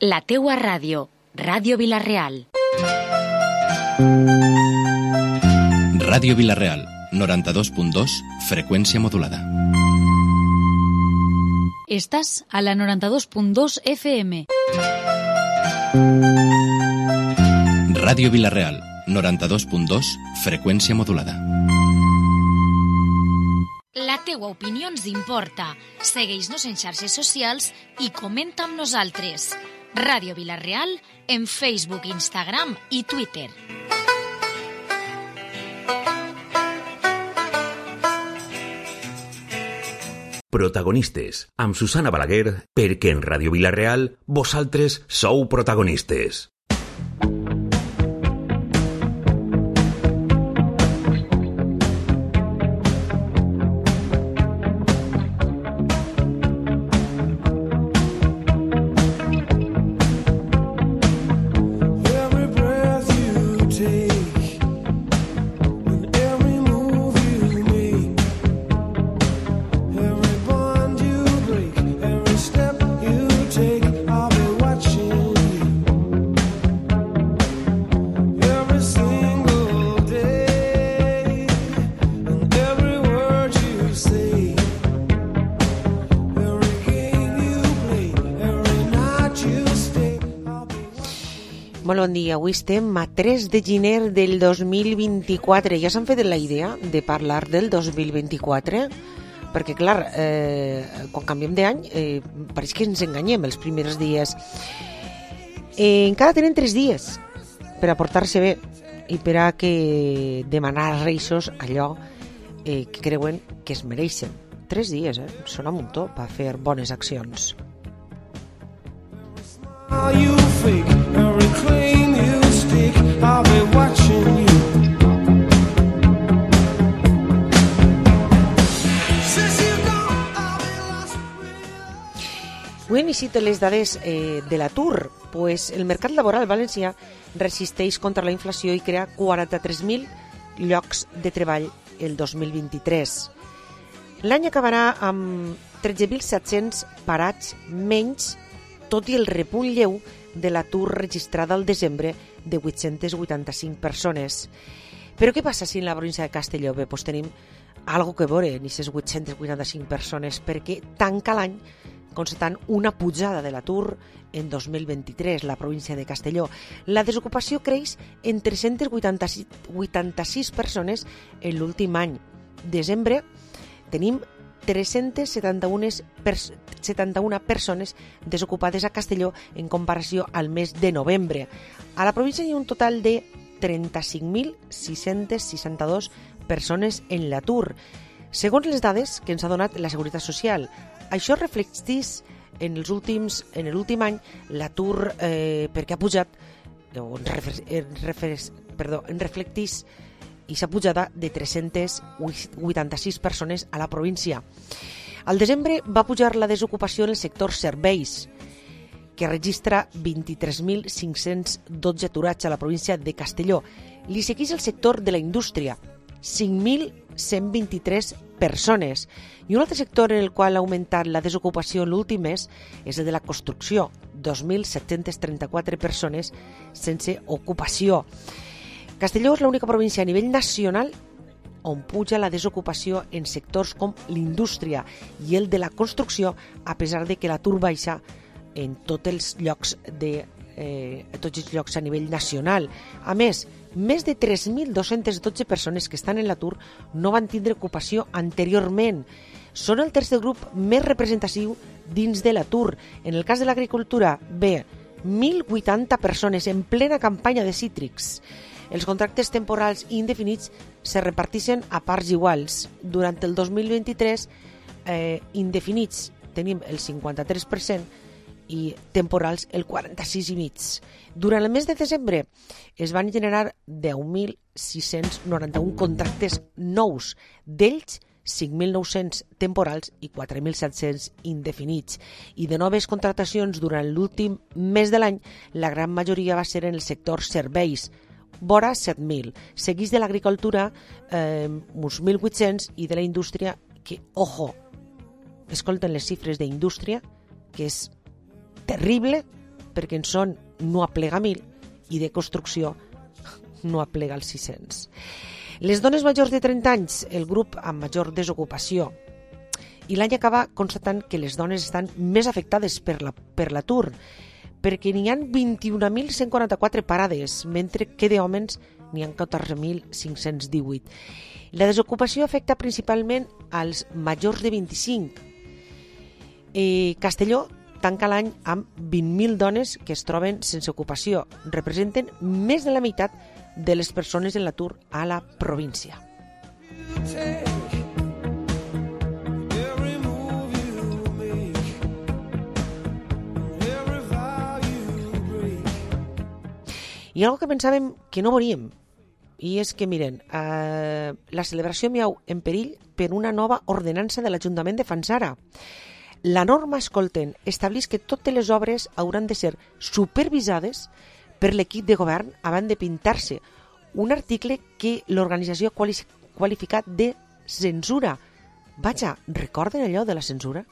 La teua ràdio, Ràdio Vila-real. Ràdio Vila-real, 92.2, freqüència modulada. Estàs a la 92.2 FM. Ràdio Vila-real, 92.2, freqüència modulada. La teua opinió ens importa. Segueix-nos en xarxes socials i comenta amb nosaltres. Ràdio Vila-real en Facebook, Instagram i Twitter. Protagonistes, amb Susana Balaguer, perquè en Ràdio Vila-real vosaltres sou protagonistes. Molt bon dia, avui estem a 3 de gener del 2024. Ja s'han fet la idea de parlar del 2024? Perquè, clar, quan canviem d'any, pareix que ens enganyem els primers dies. Encara tenen 3 dies per a portar-se bé i per a que demanar als Reixos allò que creuen que es mereixen. 3 dies, sona un muntó per fer bones accions. You fake, every claim you stick, I'll be watching you. Avui hem llegit les dades de l'atur. Pues el mercat laboral valencià resisteix contra la inflació i crea 43.000 llocs de treball el 2023. L'any acabarà amb 13.700 parats menys, tot i el repunt lleu de l'atur registrat al desembre de 885 persones. Però què passa si en la província de Castelló pues tenim algo que veure en aquestes 885 persones, perquè tanca l'any constatant una pujada de l'atur en 2023, la província de Castelló. La desocupació creix en 386 persones en l'últim any. Desembre tenim 371 persones desocupades a Castelló en comparació al mes de novembre. A la província hi ha un total de 35.662 persones en l'atur, segons les dades que ens ha donat la Seguretat Social. Això reflecteix en l'últim any l'atur perquè ha pujat, reflecteix i s'ha pujada de 386 persones a la província. Al desembre va pujar la desocupació en el sector serveis, que registra 23.512 aturats a la província de Castelló. Li segueix el sector de la indústria, 5.123 persones. I un altre sector en el qual ha augmentat la desocupació en l'últim mes és el de la construcció, 2.734 persones sense ocupació. Castelló és l'única província a nivell nacional on puja la desocupació en sectors com l'indústria i el de la construcció, a pesar de que l'atur baixa en tots els llocs a nivell nacional. A més de 3.212 persones que estan en l'atur no van tindre ocupació anteriorment. Són el tercer grup més representatiu dins de l'atur. En el cas de l'agricultura, 1.080 persones en plena campanya de cítrics. Els contractes temporals i indefinits se reparteixen a parts iguals. Durant el 2023, indefinits tenim el 53% i temporals el 46,5%. Durant el mes de desembre es van generar 10.691 contractes nous, d'ells 5.900 temporals i 4.700 indefinits. I de noves contractacions durant l'últim mes de l'any, la gran majoria va ser en el sector serveis, vora 7.000. Seguís de l'agricultura, uns 1.800, i de la indústria, que, escolten les xifres d'indústria, que és terrible, perquè en son no aplega 1.000 i de construcció no aplega els 600. Les dones majors de 30 anys, el grup amb major desocupació. I l'any acaba constatant que les dones estan més afectades per l'atur, perquè n'hi ha 21.144 parades, mentre que d'homes n'hi ha 14.518. La desocupació afecta principalment als majors de 25. Castelló tanca l'any amb 20.000 dones que es troben sense ocupació. Representen més de la meitat de les persones en l'atur a la província. Hi ha algo que pensàvem que no veuríem, i és que, miren, la celebració Miau en perill per una nova ordenança de l'Ajuntament de Fanzara. La norma, escolten, estableix que totes les obres hauran de ser supervisades per l'equip de govern abans de pintar-se, un article que l'organització ha qualificat de censura. Vaja, recorden allò de la censura?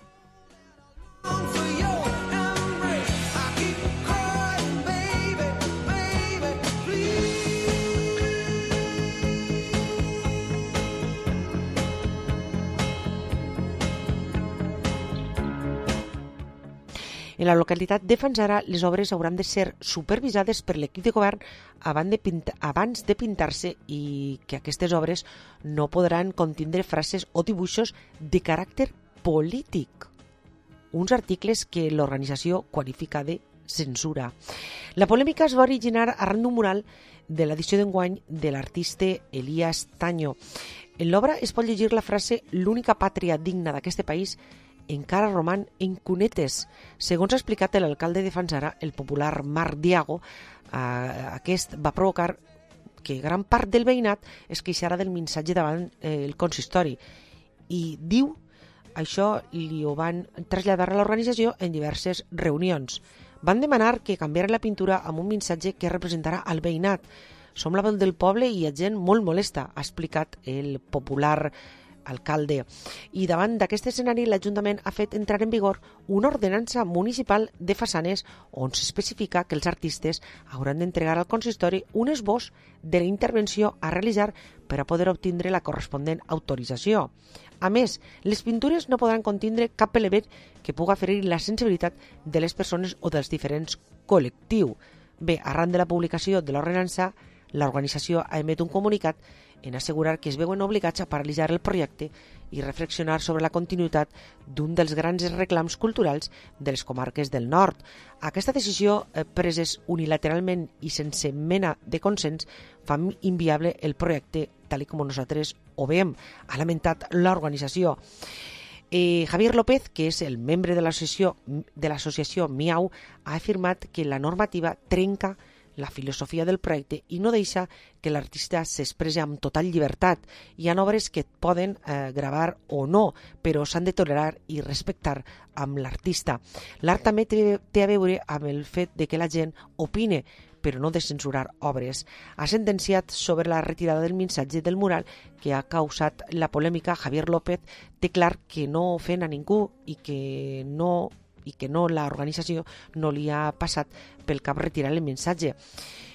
En la localitat de Fanzara, les obres hauran de ser supervisades per l'equip de govern abans de pintar-se i que aquestes obres no podran contindre frases o dibuixos de caràcter polític. Uns articles que l'organització qualifica de censura. La polèmica es va originar arran d'un mural de l'edició d'enguany de l'artista Elías Taño. En l'obra es pot llegir la frase «L'única pàtria digna d'aquest país encara roman en cunetes». Segons ha explicat l'alcalde de Fanzara, el popular Marc Diago, aquest va provocar que gran part del veïnat es queixara del missatge davant el consistori. I diu, això li ho van traslladar a l'organització en diverses reunions. Van demanar que canviara la pintura amb un missatge que representara al veïnat. Som la veu del poble i hi ha gent molt molesta, ha explicat el popular alcalde. I davant d'aquest escenari, l'Ajuntament ha fet entrar en vigor una ordenança municipal de façanes on s'especifica que els artistes hauran d'entregar al consistori un esbós de la intervenció a realitzar per a poder obtindre la corresponent autorització. A més, les pintures no podran contindre cap element que puga ferir la sensibilitat de les persones o dels diferents col·lectius. Bé, arran de la publicació de l'ordenança, l'organització ha emet un comunicat en assegurar que es veuen obligats a paralitzar el projecte i reflexionar sobre la continuïtat d'un dels grans reclams culturals de les comarques del nord. Aquesta decisió, preses unilateralment i sense mena de consens, fa inviable el projecte tal com nosaltres ho veiem, ha lamentat l'organització. Javier López, que és el membre de l'associació Miau, ha afirmat que la normativa trenca la filosofia del projecte i no deixa que l'artista s'expressi amb total llibertat. Hi ha obres que et poden gravar o no, però s'han de tolerar i respectar amb l'artista. L'art també té a veure amb el fet de que la gent opine, però no de censurar obres. Ha sentenciat sobre la retirada del missatge del mural que ha causat la polèmica. Javier López té clar que no ofèn a ningú i que l'organització no li ha passat pel cap retirar el missatge.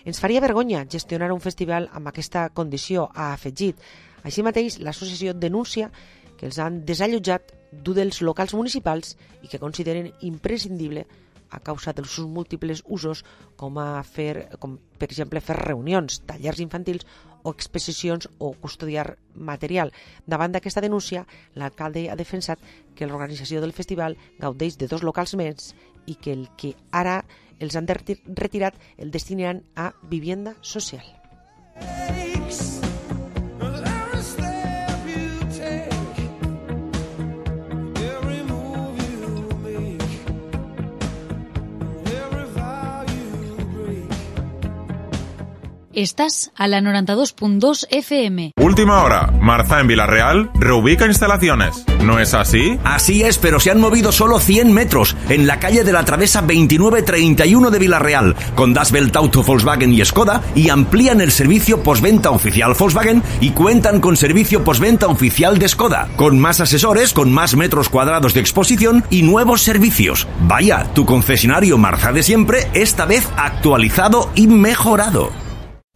Ens faria vergonya gestionar un festival amb aquesta condició, ha afegit. Així mateix, l'associació denuncia que els han desallotjat d'un dels locals municipals i que consideren imprescindible a causa dels seus múltiples usos, com per exemple fer reunions, tallers infantils o exposicions o custodiar material. Davant d'aquesta denúncia, l'alcalde ha defensat que l'organització del festival gaudeix de 2 locals més i que el que ara els han retirat el destinaran a vivienda social. Estás a la 92.2 FM. Última hora. Marza en Villarreal reubica instalaciones. ¿No es así? Así es, pero se han movido solo 100 metros en la calle de la Travesa 2931 de Villarreal, con Das Welt Auto Volkswagen y Skoda, y amplían el servicio postventa oficial Volkswagen y cuentan con servicio postventa oficial de Skoda, con más asesores, con más metros cuadrados de exposición y nuevos servicios. Vaya, tu concesionario Marza de siempre, esta vez actualizado y mejorado.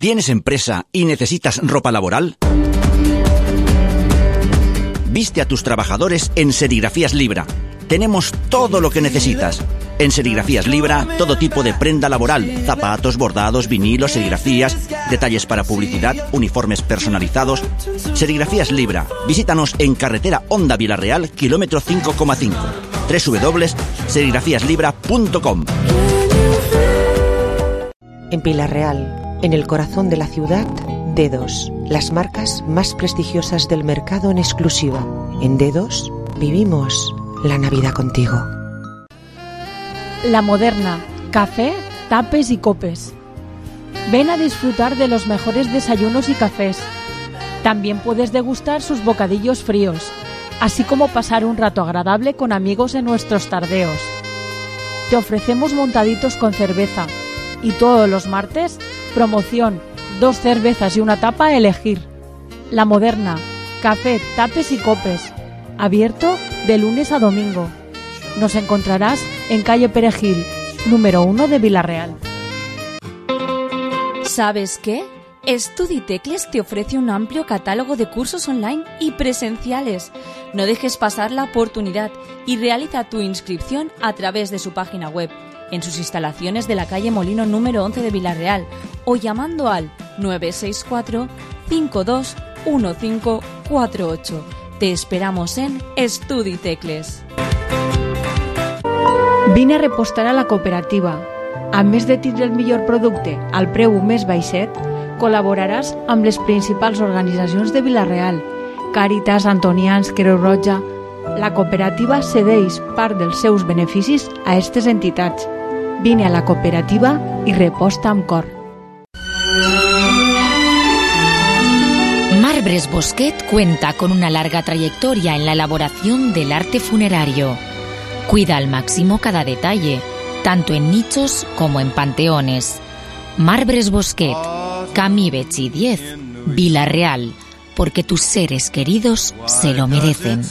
¿Tienes empresa y necesitas ropa laboral? Viste a tus trabajadores en Serigrafías Libra. Tenemos todo lo que necesitas. En Serigrafías Libra, todo tipo de prenda laboral, zapatos, bordados, vinilos, serigrafías, detalles para publicidad, uniformes personalizados. Serigrafías Libra. Visítanos en carretera Honda Villarreal, kilómetro 5,5. www.serigrafíaslibra.com. En Villarreal, en el corazón de la ciudad, Dedos, las marcas más prestigiosas del mercado en exclusiva. En Dedos vivimos la Navidad contigo. La Moderna, café, tapes y copes. Ven a disfrutar de los mejores desayunos y cafés. También puedes degustar sus bocadillos fríos, así como pasar un rato agradable con amigos en nuestros tardeos. Te ofrecemos montaditos con cerveza y todos los martes, promoción, 2 cervezas y una tapa a elegir. La Moderna, café, tapes y copes. Abierto de lunes a domingo. Nos encontrarás en calle Perejil, número 1 de Villarreal. ¿Sabes qué? Estuditecles te ofrece un amplio catálogo de cursos online y presenciales. No dejes pasar la oportunidad y realiza tu inscripción a través de su página web, en sus instalaciones de la calle Molino número 11 de Villarreal, o llamando al 964 521548. Te esperamos en Estuditecles. Vine a repostar a la cooperativa. A més de tindre el millor producte al preu més baixet, col·laboraràs amb les principals organitzacions de Villarreal, Càritas, Antonians, Creu Roja. La cooperativa cedeix part dels seus beneficis a aquestes entitats. Vine a la cooperativa i reposta amb cor. Marbres Bosquet cuenta con una larga trayectoria en la elaboración del arte funerario. Cuida al máximo cada detalle, tanto en nichos como en panteones. Marbres Bosquet, Camí Betxí 10, Villarreal, porque tus seres queridos se lo merecen.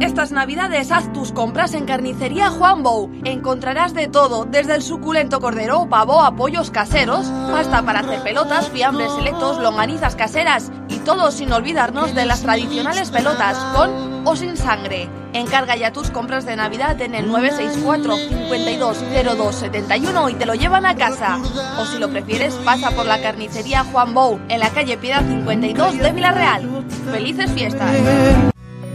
Estas navidades haz tus compras en Carnicería Juan Bou. Encontrarás de todo, desde el suculento cordero, pavo a pollos caseros, pasta para hacer pelotas, fiambres selectos, longanizas caseras y todo sin olvidarnos de las tradicionales pelotas, con o sin sangre. Encarga ya tus compras de Navidad en el 964 520271 y te lo llevan a casa. O si lo prefieres, pasa por la Carnicería Juan Bou, en la calle Piedad 52 de Villarreal. ¡Felices fiestas!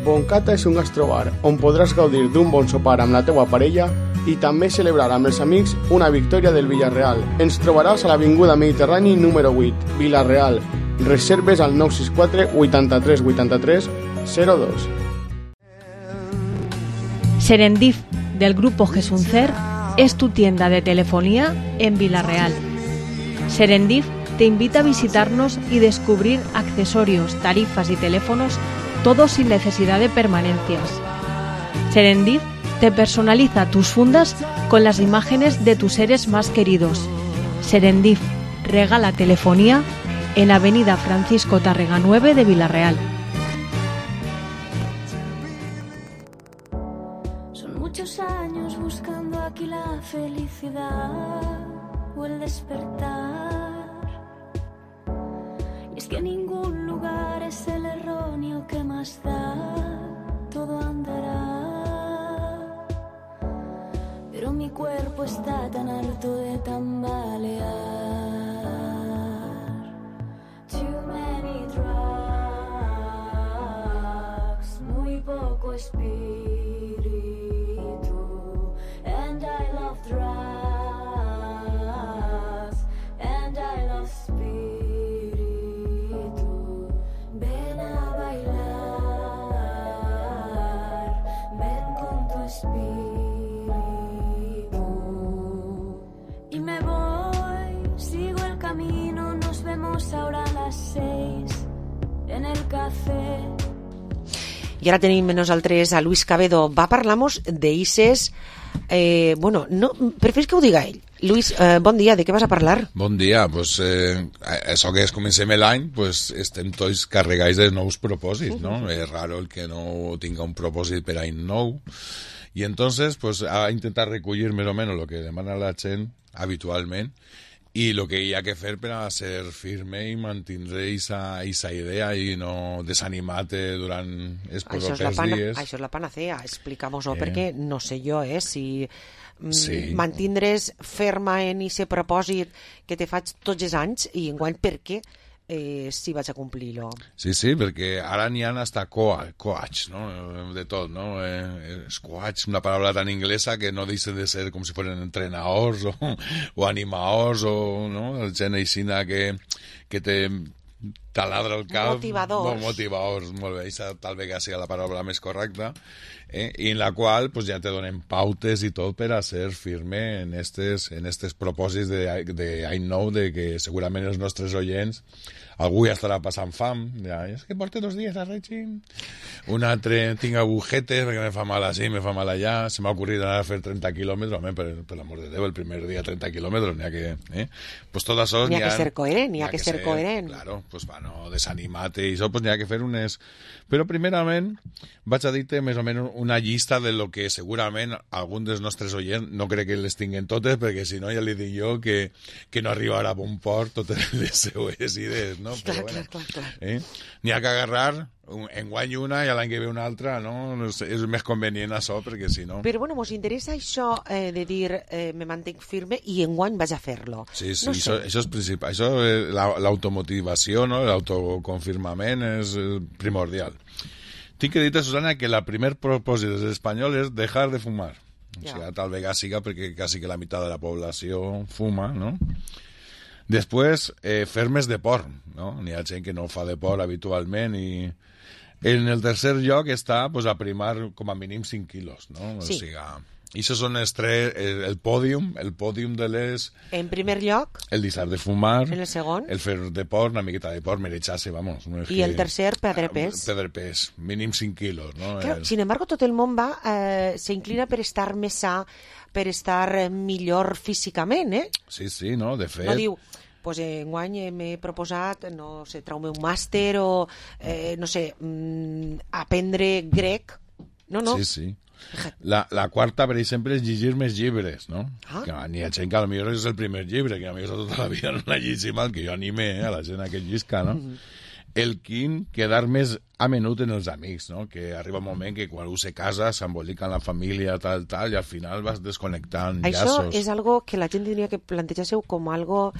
Boncata és un gastrobar on podràs gaudir d'un bon sopar amb la teua parella i també celebrar amb els amics una victòria del Villarreal. Ens trobaràs a l'Avinguda Mediterrani número 8, Villarreal. Reserves al 964 83 83 02. Serendif, del grupo Gesuncer, es tu tienda de telefonía en Villarreal. Serendif te invita a visitarnos y descubrir accesorios, tarifas y teléfonos, todo sin necesidad de permanencias. Serendif te personaliza tus fundas con las imágenes de tus seres más queridos. Serendif regala telefonía en Avenida Francisco Tárrega 9 de Villarreal. Son muchos años buscando aquí la felicidad o el despertar. Y es que ningún lugar es el erróneo que más da, todo andará. Pero mi cuerpo está tan harto de tambalear. Too many drugs, muy poco espíritu. And I love drugs, and I love spirit. Ven a bailar, ven con tu espíritu. I ara tenim nosaltres a Luis Cabedo. Va parlar-nos d'Ices... no, preferís que ho diga ell. Luis, bon dia, de què vas a parlar? Bon dia, pues, això que comencem l'any, pues, estem tots carregats de nous propòsits, no? És raro el que no tinga un propòsit per any nou. I entonces, pues, a intentar recollir més o menys el que demana la gent habitualment i el que hi ha que fer per a ser firme i mantindre aquesta idea i no desanimar-te durant els propers dies. Això és la panacea, explica'm-ho, perquè no sé jo, si mantindre's ferma en aquest propòsit que te faig tots els anys i enguany per què si vaig a complir-lo. Sí, perquè ara n'hi ha hasta coach, no? De tot, no? És coach, una paraula tan inglesa que no deixen de ser com si foren entrenadors o animadors o no? Gent aixina que te taladra el cap. Motivadors, molt bé, això tal vegada sigui la paraula més correcta, i en la qual pues, ja te donen pautes i tot per a ser firme en estes propòsits d'any nou, de que segurament els nostres oients algú ja estarà passant fam, ja, és que porto 2 dies a règim, un altre tinc agujetes perquè me fa mal així, me fa mal allà, se m'ha ocorrit anar a fer 30 quilòmetres, home, per l'amor de Déu, el primer dia 30 quilòmetres, n'hi ha que... Pues tot això... N'hi ha que ser coherent, n'hi ha que ser coherent. Claro, pues va, no desanimar-te i això, pues n'hi ha que fer unes... Però primerament vaig a dir-te més o menys una llista de lo que segurament algun dels nostres oients, no crec que les tinguen totes, perquè si no ja li dic jo que no arribarà a bon port totes les seues idees, no? Però, clar. N'hi ha que agarrar enguany una i l'any que ve una altra, no? És més convenient això, perquè si no... Però bueno, mos interessa això de dir me mantenc firme i enguany vaig a fer-lo. Sí, no sé. Això és principal. Això, l'automotivació, no? L'autoconfirmament és primordial. Tinc que dir-te, Susana, que el primer propòsit dels espanyols és dejar de fumar. O sigui, tal vegada siga perquè quasi que la meitat de la població fuma, no? Després, fer més deport, no? N'hi ha gent que no fa deport habitualment i en el tercer lloc està pues, aprimar com a mínim 5 quilos, no? Sí. O sigui, i això són el pòdium de les... En primer lloc... El deixar de fumar. En el segon. El fer deport, una miqueta de deport, merejar-se, vamos. No I el tercer, perdre pes. Perdre pes, mínim 5 quilos, no? Claro, sin embargo, tot el món va, se inclina per estar més sa, per estar millor físicament, Sí, no, de fet... No diu... Pues enguany m'he proposat, no sé, traume un màster o, no sé, aprendre grec. No. Sí. La quarta, per exemple, és llegir més llibres, no? Que n'hi ha gent que potser és el primer llibre, que a mi tota la vida no l'ha llegit mal, que jo anime a la gent a que llisca, no? El quint, quedar més a menut en els amics, no? Que arriba un moment que quan un se casa s'embolica en la família, tal, i al final vas desconnectant llaços. Això és algo que la gent tindria que plantejar-se com algo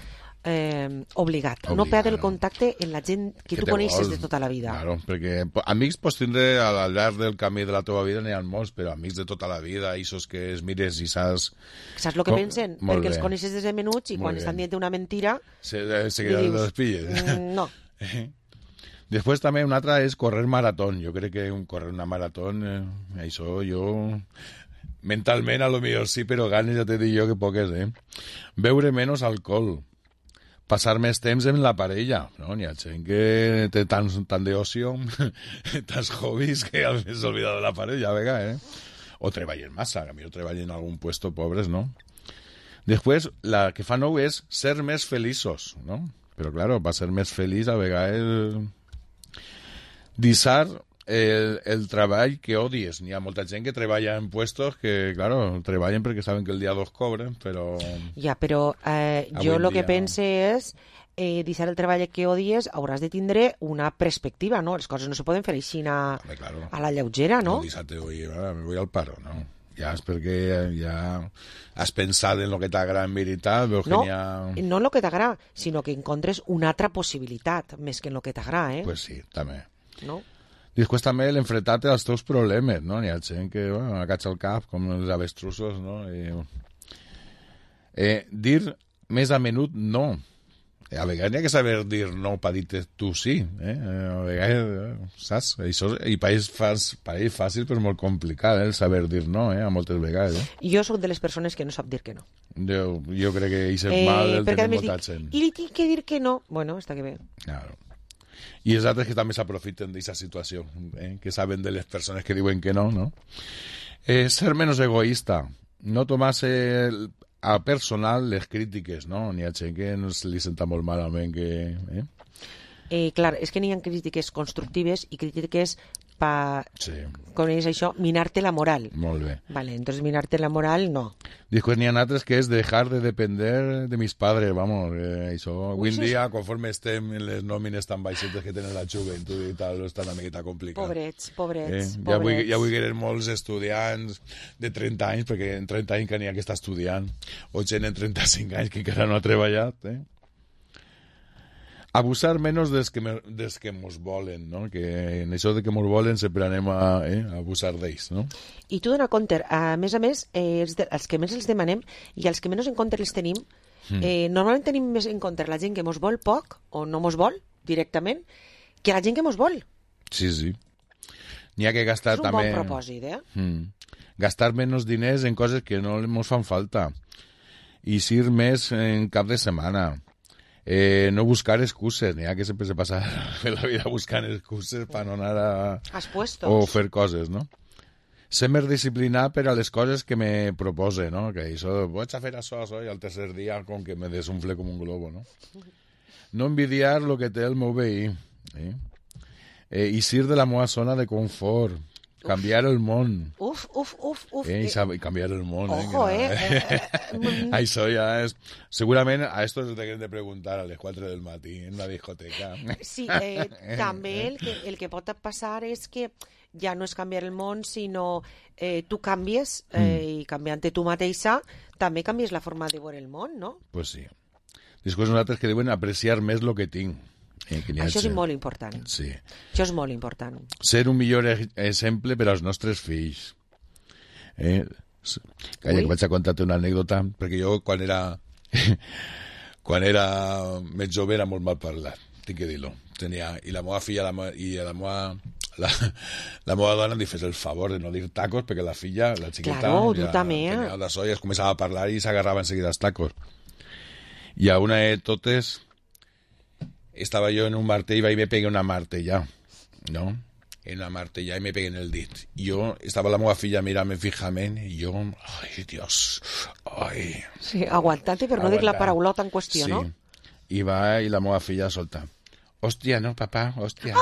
obligat. No perdre el contacte en la gent que tu coneixes de tota la vida. Claro, perquè amics pots tindre al llarg del camí de la teva vida, n'hi ha molts, però amics de tota la vida, aquests que es mires i saps... Saps el que pensen? Perquè els coneixes des de menuts i quan estan dient una mentira... Se queden les pilles. No. Després també una altra és correr maratón. Jo crec que correr una maratón, això jo... Mentalment a lo millor sí, però ganes ja te dic jo que poques, Beure menys alcohol. Passar més temps amb la parella, no? N'hi ha gent que té tant d'ocio, tants hobbies que al final s'oblida de la parella, a vegades, O treballen massa, a millor treballen en algun puesto pobres, no? Després, la que fa nou és ser més feliços, no? Però, claro, va ser més feliç a vegades deixar el treball que odies. N'hi ha molta gent que treballa en puestos que, claro, treballen perquè saben que el dia 2 cobren, però... Ja, però jo el que pense és deixar el treball que odies hauràs de tindre una perspectiva, no? Les coses no se poden fer així a la lleugera, no? No deixar-te, me voy al paro, no? Ja és perquè ja has pensat en el que t'agrada en veritat, veus que n'hi ha... No en el que t'agrada, sinó que encontres una altra possibilitat, més que en el que t'agrada, Pues sí, també. No? Després també l'enfrontar-te als teus problemes, no? N'hi ha gent que agacha el cap, com els avestrussos, no? Dir més a menut no. A vegades n'hi ha que saber dir no per dir-te tu sí. A vegades, saps? Això, i pareix fàcil però molt complicat, el saber dir no, a moltes vegades. Jo soc de les persones que no sap dir que no. Jo crec que això és mal el tenir molta gent. I li tinc que dir que no. Bueno, està que bé. Claro. I els altres que també s'aprofiten d'aquesta situació, que saben de les persones que diuen que no, no? Ser menos egoísta, no tomar-se a personal les crítiques, no? N'hi ha gent que no se li senta molt malament que... Clar, és que n'hi ha crítiques constructives i crítiques coneix això, minar-te la moral. Molt bé. Vale, entonces minar-te la moral, no. Després n'hi ha altres que és dejar de depender de mis padres, vamos, això. Avui en dia, conforme estem en les nòmines tan baixetes que tenen la joventut i tal, està una miqueta complicat. Pobrets. Ja avui que eren molts estudiants de 30 anys, perquè en 30 anys que n'hi ha que està estudiant, o gent en 35 anys que encara no ha treballat, Abusar menos dels que mos volen, no? Que en això de que mos volen sempre anem a abusar d'ells, no? I tu dona compte, a més, els que més els demanem i els que menys en compte els tenim, normalment tenim més en compte la gent que mos vol poc o no mos vol directament que la gent que mos vol. Sí. N'hi ha que gastar també... És un bon propòsit, Gastar menys diners en coses que no mos fan falta. I ser més en cap de setmana. No buscar excuses, n'hi ha que sempre se passa la vida buscant excuses per no anar a o fer coses, no? Ser més disciplinat per a les coses que me propose, no? Que això, vaig a fer això, i al tercer dia com que me desunfle com un globo, no? No envidiar lo que té el meu veí, i ser de la meva zona de confort, canviar el món. Uf. I canviar el món. Ojo, Això ja és... Segurament a esto es de de preguntar a les 4 del matí en una discoteca. Sí, també el que pot passar és que ja no és canviar el món, sinó tu canvies i canviant-te tu mateixa també canvies la forma de veure el món, no? Pues sí. Després nosaltres que diuen apreciar més el que tinc. Això és molt important. Sí. Això és molt important. Ser un millor exemple per als nostres fills. Calla, que vaig a contar-te una anècdota, perquè jo quan era més jove era molt mal parlat, tinc que dir-lo. I la meva filla i la meva dona em fes el favor de no dir tacos, perquè la filla, la xiqueta, claro, tu també, tenia de solles, començava a parlar i s'agarrava enseguida els tacos. I a una de totes estava jo en un martell i me pegué una martella, no? En la martella i me pegué en el dit. I jo, estava la meva filla mirant-me fijament i jo, ai, Dios, ai... Sí, aguantant-te per no dir la paraulota en qüestió, no? I va, i la meva filla solta. Hòstia, no, papà, hòstia.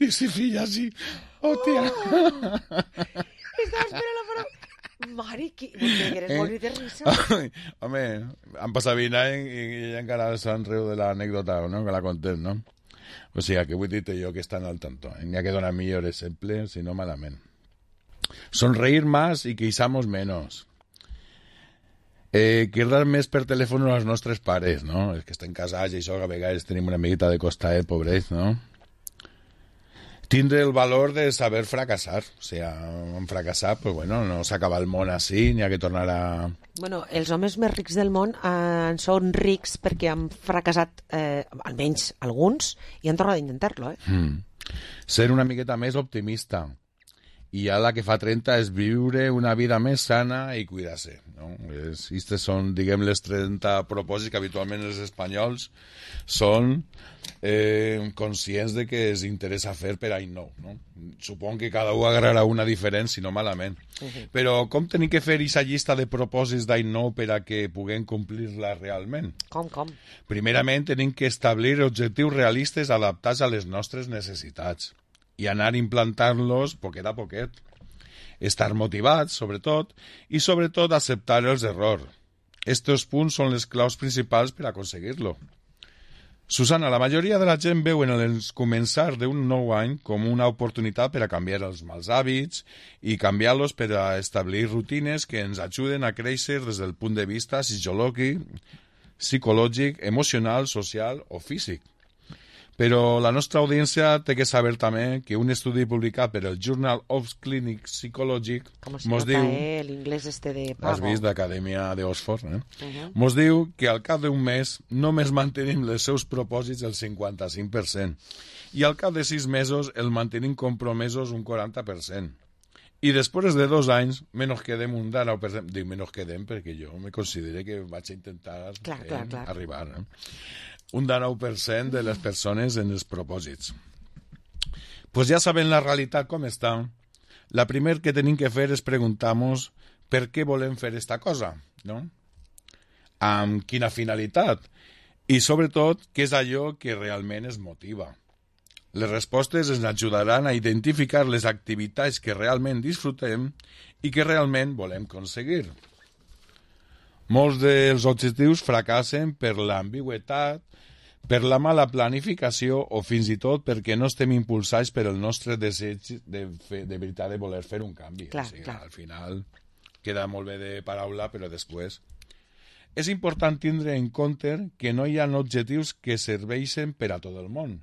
Diu, sí, filla, sí, hòstia. Estava esperant la paraula... Mare, que eres morir de risa. Home, han passat 20 anys i ella encara se'n riu de l'anècdota, no? Que la contem, no? O sigui, que vull dir-te jo que estan al tanto. N'hi ha que donar millor exemple, si no malament. Sonreír más y queixamos menos. Quedar més per telèfon als nostres pares, no? Els que estan casats i això, que a vegades tenim una miqueta de costat, pobrets, no? Tindre el valor de saber fracassar. O sigui, en fracassar, pues bueno, no s'acaba el món així, n'hi ha que tornar a... Bueno, els homes més rics del món són rics perquè han fracassat, almenys alguns, i han tornat a intentar-lo, Ser una miqueta més optimista. I ja la que fa 30 és viure una vida més sana i cuidar-se, no? Aquestes són, diguem, les 30 propòsits que habitualment els espanyols són conscients de que els interessa fer per any nou, no? Suponc que cada un agarrarà una diferent, si no malament. Però com tenim que fer aquesta llista de propòsits d'any nou per a que puguem complir-la realment? Com? Primerament, tenim que establir objectius realistes adaptats a les nostres necessitats i anar implantant-los poquet a poquet. Estar motivats, sobretot, i sobretot acceptar els errors. Estos punts són les claus principals per aconseguir-lo. Susana, la majoria de la gent veu en el començar d'un nou any com una oportunitat per a canviar els mals hàbits i canviar-los per a establir rutines que ens ajuden a créixer des del punt de vista psicològic, emocional, social o físic. Però la nostra audiència té que saber també que un estudi publicat per el Journal of Clinical Psychology mos diu... l'inglès de Pago. Has vist d'Acadèmia d'Oxford, mos diu que al cap d'un mes només mantenim els seus propòsits el 55% i al cap de 6 mesos el mantenim compromesos un 40%. I després de 2 anys menos quedem un 19%. Dic menos quedem perquè jo me considero que vaig a intentar arribar, un 19% de les persones en els propòsits. Pues ja saben la realitat com està. La primer que tenim que fer és preguntar-nos per què volem fer esta cosa, no? Amb quina finalitat? I, sobretot, què és allò que realment es motiva? Les respostes ens ajudaran a identificar les activitats que realment disfrutem i que realment volem aconseguir. Molts dels objectius fracassen per l'ambigüitat, per la mala planificació o fins i tot perquè no estem impulsats per el nostre desig de veritat de voler fer un canvi. Clar, o sigui, clar. Al final queda molt bé de paraula, però després... És important tindre en compte que no hi ha objectius que serveixen per a tot el món.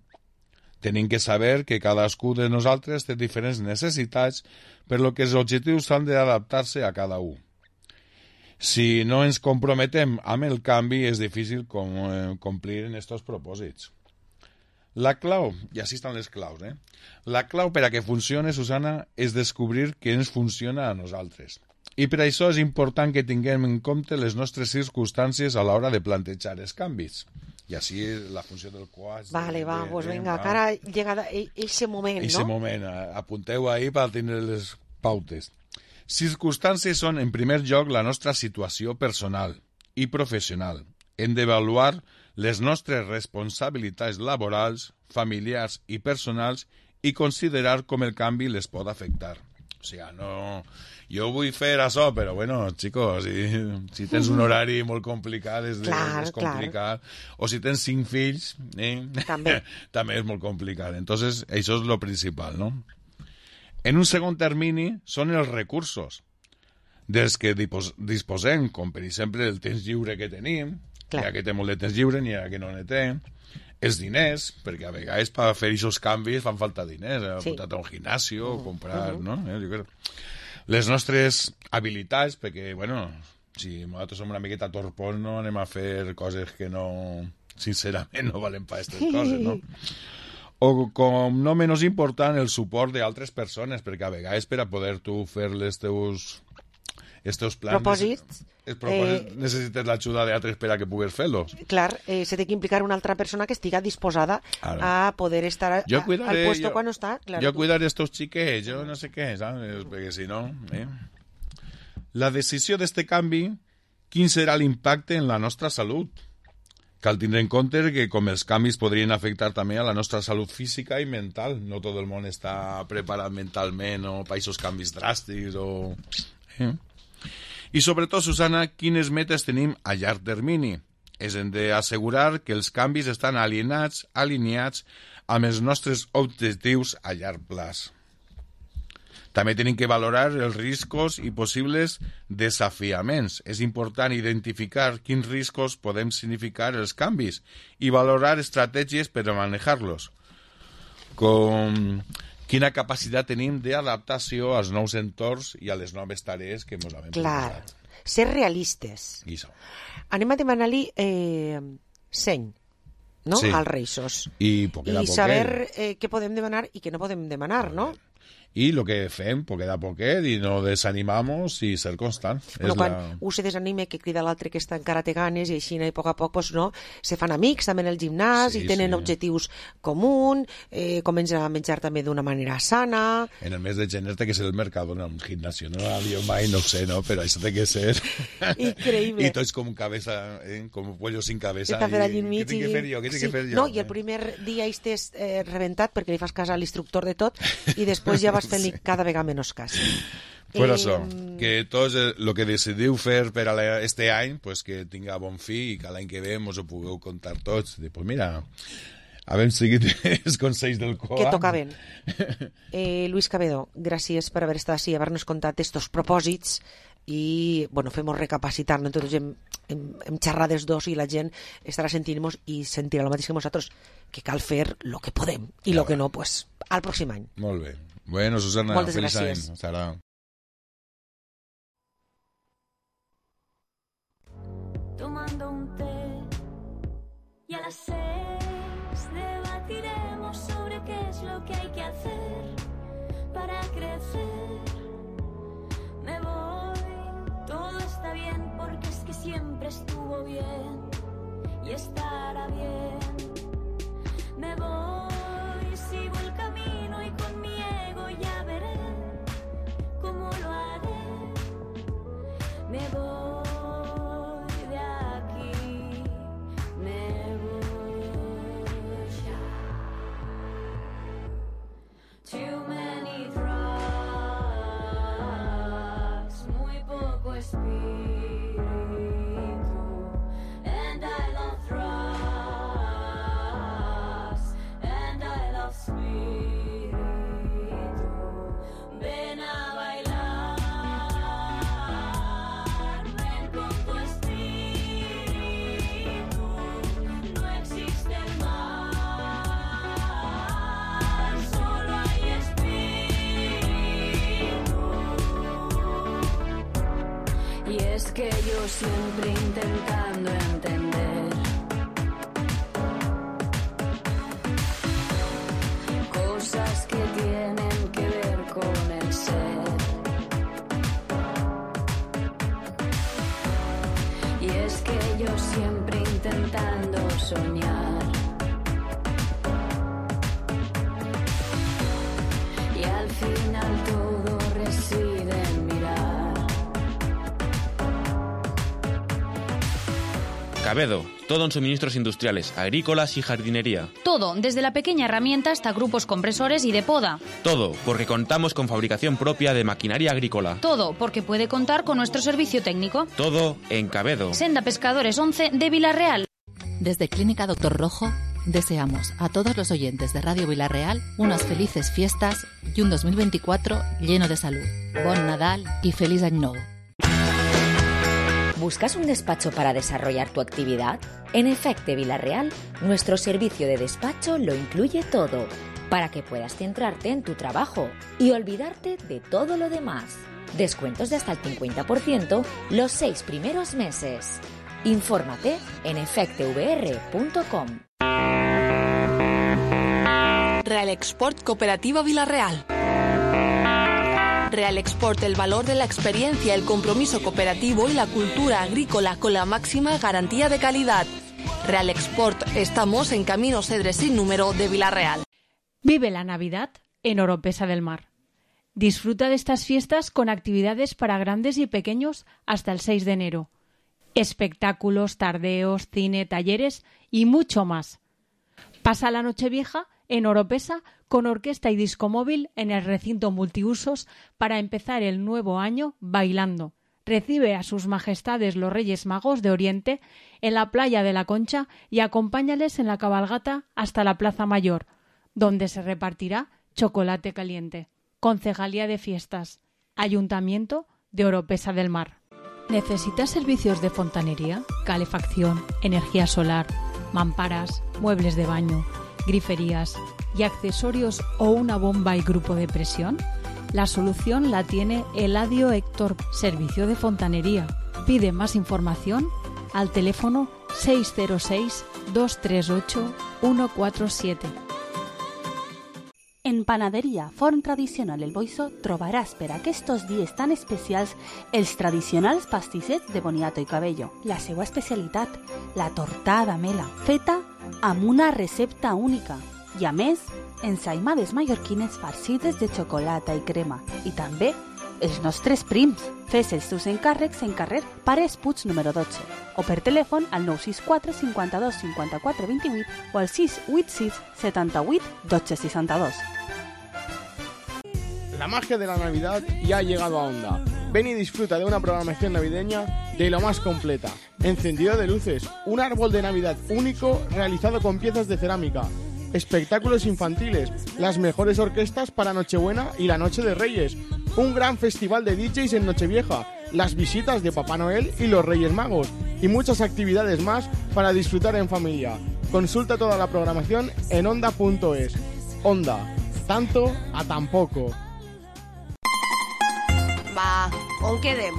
Tenim que saber que cadascú de nosaltres té diferents necessitats, per lo que els objectius han d'adaptar-se a cada un. Si no ens comprometem amb el canvi, és difícil complir en aquests propòsits. La clau, i així estan les claus, la clau per a que funcione, Susana, és descobrir què ens funciona a nosaltres. I per això és important que tinguem en compte les nostres circumstàncies a l'hora de plantejar els canvis. I així la funció del coach... Vale, pues venga, que ara llega ese moment, ese no? Moment, apunteu ahí per tenir les pautes. Circumstàncies són, en primer lloc, la nostra situació personal i professional. Hem d'avaluar les nostres responsabilitats laborals, familiars i personals i considerar com el canvi les pot afectar. O sigui, no... Jo vull fer això, però, bueno, chicos, si tens un horari molt complicat, és complicat. O si tens 5 fills, també és molt complicat. Entonces, això és lo principal, no? En un segon termini, són els recursos dels que disposem, com per exemple el temps lliure que tenim, hi ha que té molt de temps lliure, n'hi ha que no ne té, els diners, perquè a vegades per fer aquests canvis fan falta diners, apuntar a un gimnasio, comprar, no? Jo crec. Les nostres habilitats, perquè, bueno, si nosaltres som una miqueta torpons, no anem a fer coses que no, sincerament, no valen per aquestes coses, no? O, com no menys important, el suport d'altres persones, perquè a vegades per a poder tu fer els teus plans... Propòsits. Necessites l'ajuda d'altres per a que pugues fer-los. Clar, se té que implicar una altra persona que estiga disposada a poder estar al puesto quan no està. Claro, jo cuidar estos xiquets, jo no sé què, ¿sabes? Perquè si no... La decisió d'este canvi, quin serà l'impacte en la nostra salut? Cal tindre en compte que com els canvis podrien afectar també a la nostra salut física i mental. No tot el món està preparat mentalment o per aquests canvis dràstics o... I sobretot, Susana, quines metes tenim a llarg termini? Hem d'assegurar que els canvis estan alineats amb els nostres objectius a llarg plaç. També tenim que valorar els riscos i possibles desafiaments. És important identificar quins riscos podem significar els canvis i valorar estratègies per a manejar-los. Com quina capacitat tenim d'adaptació als nous entorns i a les noves tarees que ens hem proposat. Ser realistes. Anem a demanar-li seny, no? Sí. Als Reixos. I saber què podem demanar i què no podem demanar, no? I el que fem, poquet a poquet, i no desanimamos i ser constant. Bueno, quan un se desanime, que crida l'altre que encara té ganes, i així a poc a poc pues, no, se fan amics també en el gimnàs i tenen objectius comuns, comencen a menjar també d'una manera sana. En el mes de gener té que ser el mercat en un gimnasio, no jo mai, no sé, no? Però això té que ser... Increïble. I tots com cabeza, com pollo sin cabeza. Què tinc que fer jo? Què tinc que fer jo? No, i el primer dia estàs rebentat perquè li fas cas a l'instructor de tot i després ja vas fent-li cada vegada menys cas. Pues això, que tots el que decidiu fer per a este any, pues que tinga bon fi i que l'any que ve mos ho pugueu contar tots. Pues mira, havem seguit els consells del COA. Que tocaven. Luis Cabedo, gràcies per haver estat així, haver-nos contat estos propòsits i, bueno, fem-nos recapacitar, no? Tots hem xerrat dels dos i la gent estarà sentint-nos i sentirà el mateix que nosaltres, que cal fer el que podem i el que no, pues, al pròxim any. Molt bé. Bueno, Susana, moltes feliç gràcies. any. Hasta ahora. Tomando un té y a las 6 debatiremos sobre qué es lo que hay que hacer para crecer. Me voy, todo está bien porque es que siempre estuvo bien y estará bien. espíritu. And I love trust, and I love spirit. Ven a bailar, ven con tu espíritu. No existe el mal, solo hay espíritu. Y es que yo siempre intentando entender cosas que tienen que ver con el ser. Y es que yo siempre intentando soñar. Y al final todo reside en mirar. Cabedo, todo en suministros industriales, agrícolas y jardinería. Todo, desde la pequeña herramienta hasta grupos compresores y de poda. Todo, porque contamos con fabricación propia de maquinaria agrícola. Todo, porque puede contar con nuestro servicio técnico. Todo en Cabedo. Senda Pescadores 11 de Vilarreal. Desde Clínica Doctor Rojo, deseamos a todos los oyentes de Radio Vilarreal unas felices fiestas y un 2024 lleno de salud. Bon Nadal y feliz año nuevo. ¿Buscas un despacho para desarrollar tu actividad? En Efecte Vilarreal, nuestro servicio de despacho lo incluye todo, para que puedas centrarte en tu trabajo y olvidarte de todo lo demás. Descuentos de hasta el 50% los 6 primeros meses. Infórmate en efectevr.com. Real Export Cooperativa Vilarreal. Real Export, el valor de la experiencia, el compromiso cooperativo y la cultura agrícola con la máxima garantía de calidad. Real Export, estamos en Camino Cedres sin número de Vilarreal. Vive la Navidad en Oropesa del Mar. Disfruta de estas fiestas con actividades para grandes y pequeños hasta el 6 de enero. Espectáculos, tardeos, cine, talleres y mucho más. Pasa la Nochevieja en Oropesa con orquesta y disco móvil en el recinto multiusos para empezar el nuevo año bailando. Recibe a sus majestades los Reyes Magos de Oriente en la playa de la Concha y acompáñales en la cabalgata hasta la Plaza Mayor, donde se repartirá chocolate caliente. Concejalía de Fiestas, Ayuntamiento de Oropesa del Mar. ¿Necesitas servicios de fontanería, calefacción, energía solar, mamparas, muebles de baño, griferías y accesorios o una bomba y grupo de presión? La solución la tiene Eladio Héctor, Servicio de Fontanería. Pide más información al teléfono 606 238 147. En Panaderia Forn Tradicional El Boiso trobaràs per aquests dies tan especials els tradicionals pastissets de boniato i cabello. La seva especialitat, la tortada mela, feta amb una recepta única. I a més, ensaïmades mallorquines farcides de xocolata i crema. I també els nostres prims. Fes els teus encàrrecs en carrer Pares Puig número 12 o per telèfon al 964 52 54 28 o al 686 78 12 62. La magia de la Navidad ya ha llegado a Onda. Ven y disfruta de una programación navideña de lo más completa. Encendido de luces, un árbol de Navidad único realizado con piezas de cerámica, espectáculos infantiles, las mejores orquestas para Nochebuena y la Noche de Reyes, un gran festival de DJs en Nochevieja, las visitas de Papá Noel y los Reyes Magos y muchas actividades más para disfrutar en familia. Consulta toda la programación en onda.es. Onda, tanto a tan poco. Va, on quedem?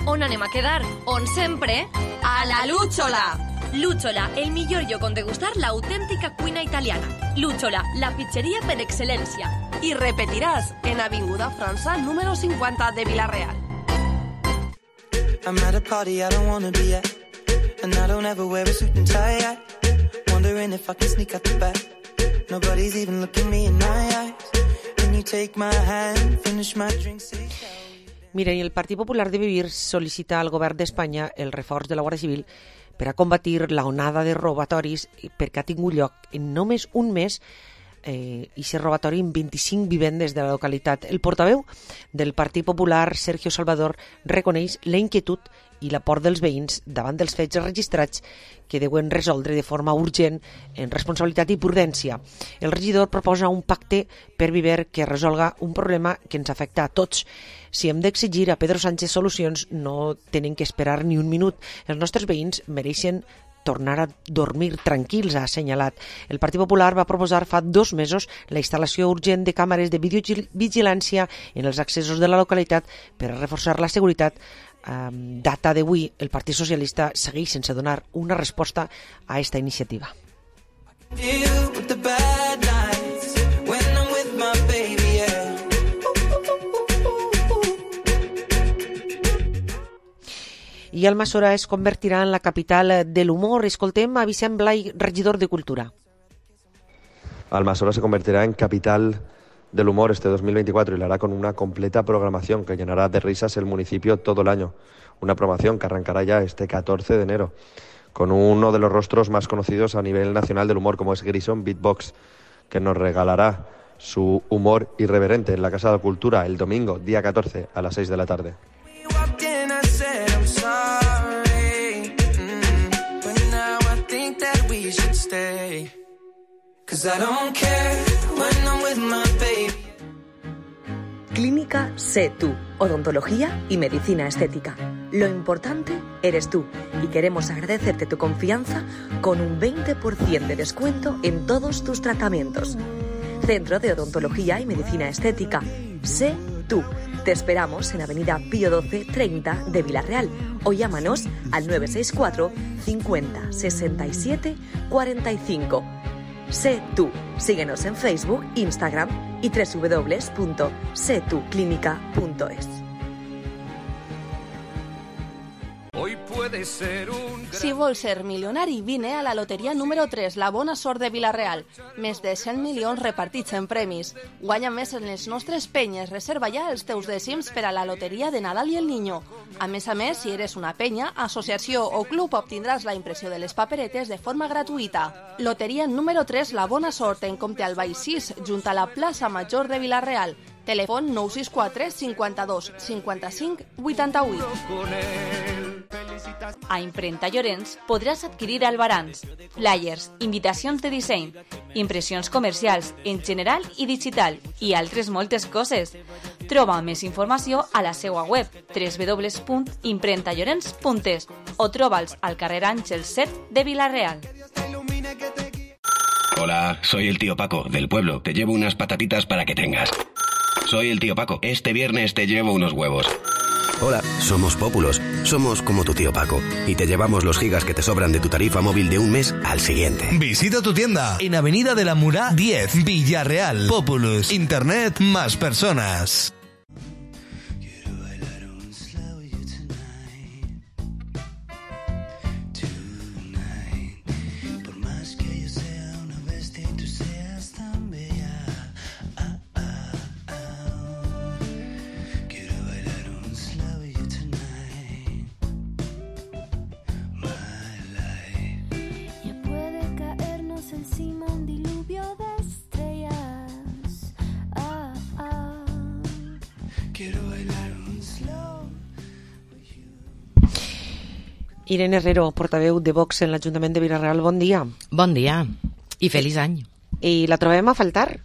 On anem a quedar? On sempre? A la Lúchola! Lúchola, el millor lloc on degustar l'autèntica cuina italiana. Lúchola, la pizzeria per excel·lència. I repetiràs en Avinguda França número 50 de Vilarreal. I'm at a party I don't wanna be at, and I don't ever wear a suit and tie yet. Wondering if I can sneak out the back. Nobody's even looking me in my eyes. When you take my hand, finish my drink, say Mira, i el Partit Popular de Vivir sol·licita al govern d'Espanya el reforç de la Guàrdia Civil per a combatir la onada de robatoris perquè ha tingut lloc en només un mes i ser robatori en 25 vivendes de la localitat. El portaveu del Partit Popular, Sergio Salvador, reconeix la inquietud i la por dels veïns davant dels fets registrats que deuen resoldre de forma urgent en responsabilitat i prudència. El regidor proposa un pacte per Viver que resolga un problema que ens afecta a tots. Si hem d'exigir a Pedro Sánchez solucions, no tenen que esperar ni un minut. Els nostres veïns mereixen tornar a dormir tranquils, ha assenyalat. El Partit Popular va proposar fa 2 mesos la instal·lació urgent de càmeres de videovigilància en els accessos de la localitat per a reforçar la seguretat. Data d'avui, el Partit Socialista segueix sense donar una resposta a aquesta iniciativa. I Almassora es convertirà en la capital de l'humor. Escoltem a Vicent Blai, regidor de Cultura. Almassora se convertirá en capital del humor este 2024 y lo hará con una completa programación que llenará de risas el municipio todo el año. Una programación que arrancará ya este 14 de enero con uno de los rostros más conocidos a nivel nacional del humor, como es Grison Beatbox, que nos regalará su humor irreverente en la Casa de Cultura el domingo, día 14, a las 6 de la tarde. Clínica Sé Tú, odontología y medicina estética. Lo importante eres tú y queremos agradecerte tu confianza con un 20% de descuento en todos tus tratamientos. Centro de Odontología y Medicina Estética. Sé Tú. Te esperamos en Avenida Pío 12 30 de Villarreal o llámanos al 964 50 67 45. Sé Tú. Síguenos en Facebook, Instagram y www.setuclinica.es. Hoy puede ser un... Si vols ser milionari, vine a la loteria número 3, la bona sort de Vila-real. Més de 100 milions repartits en premis. Guanya més en les nostres penyes. Reserva ja els teus dècims per a la loteria de Nadal i el Niño. A més, si eres una penya, associació o club, obtindràs la impressió de les paperetes de forma gratuïta. Loteria número 3, la bona sort, en Comte Albay 6, junt a la plaça Major de Vila-real. Telèfon 964 52 55 88. A Imprenta Llorenç podràs adquirir albarans, flyers, invitacions de disseny, impressions comercials en general i digital i altres moltes coses. Troba més informació a la seva web www.imprentallorenç.es o troba'ls al carrer Àngel 7 de Vila-real. Hola, soy el tío Paco, del pueblo. Te llevo unas patatitas para que tengas. Soy el tío Paco. Este viernes te llevo unos huevos. Hola, somos Pópulos. Somos como tu tío Paco. Y te llevamos los gigas que te sobran de tu tarifa móvil de un mes al siguiente. Visita tu tienda en Avenida de la Murá 10, Villarreal. Populus. Internet más personas. Irene Herrero, portaveu de Vox en l'Ajuntament de Vila-real, bon dia. Bon dia i feliç any. I la trobem a faltar,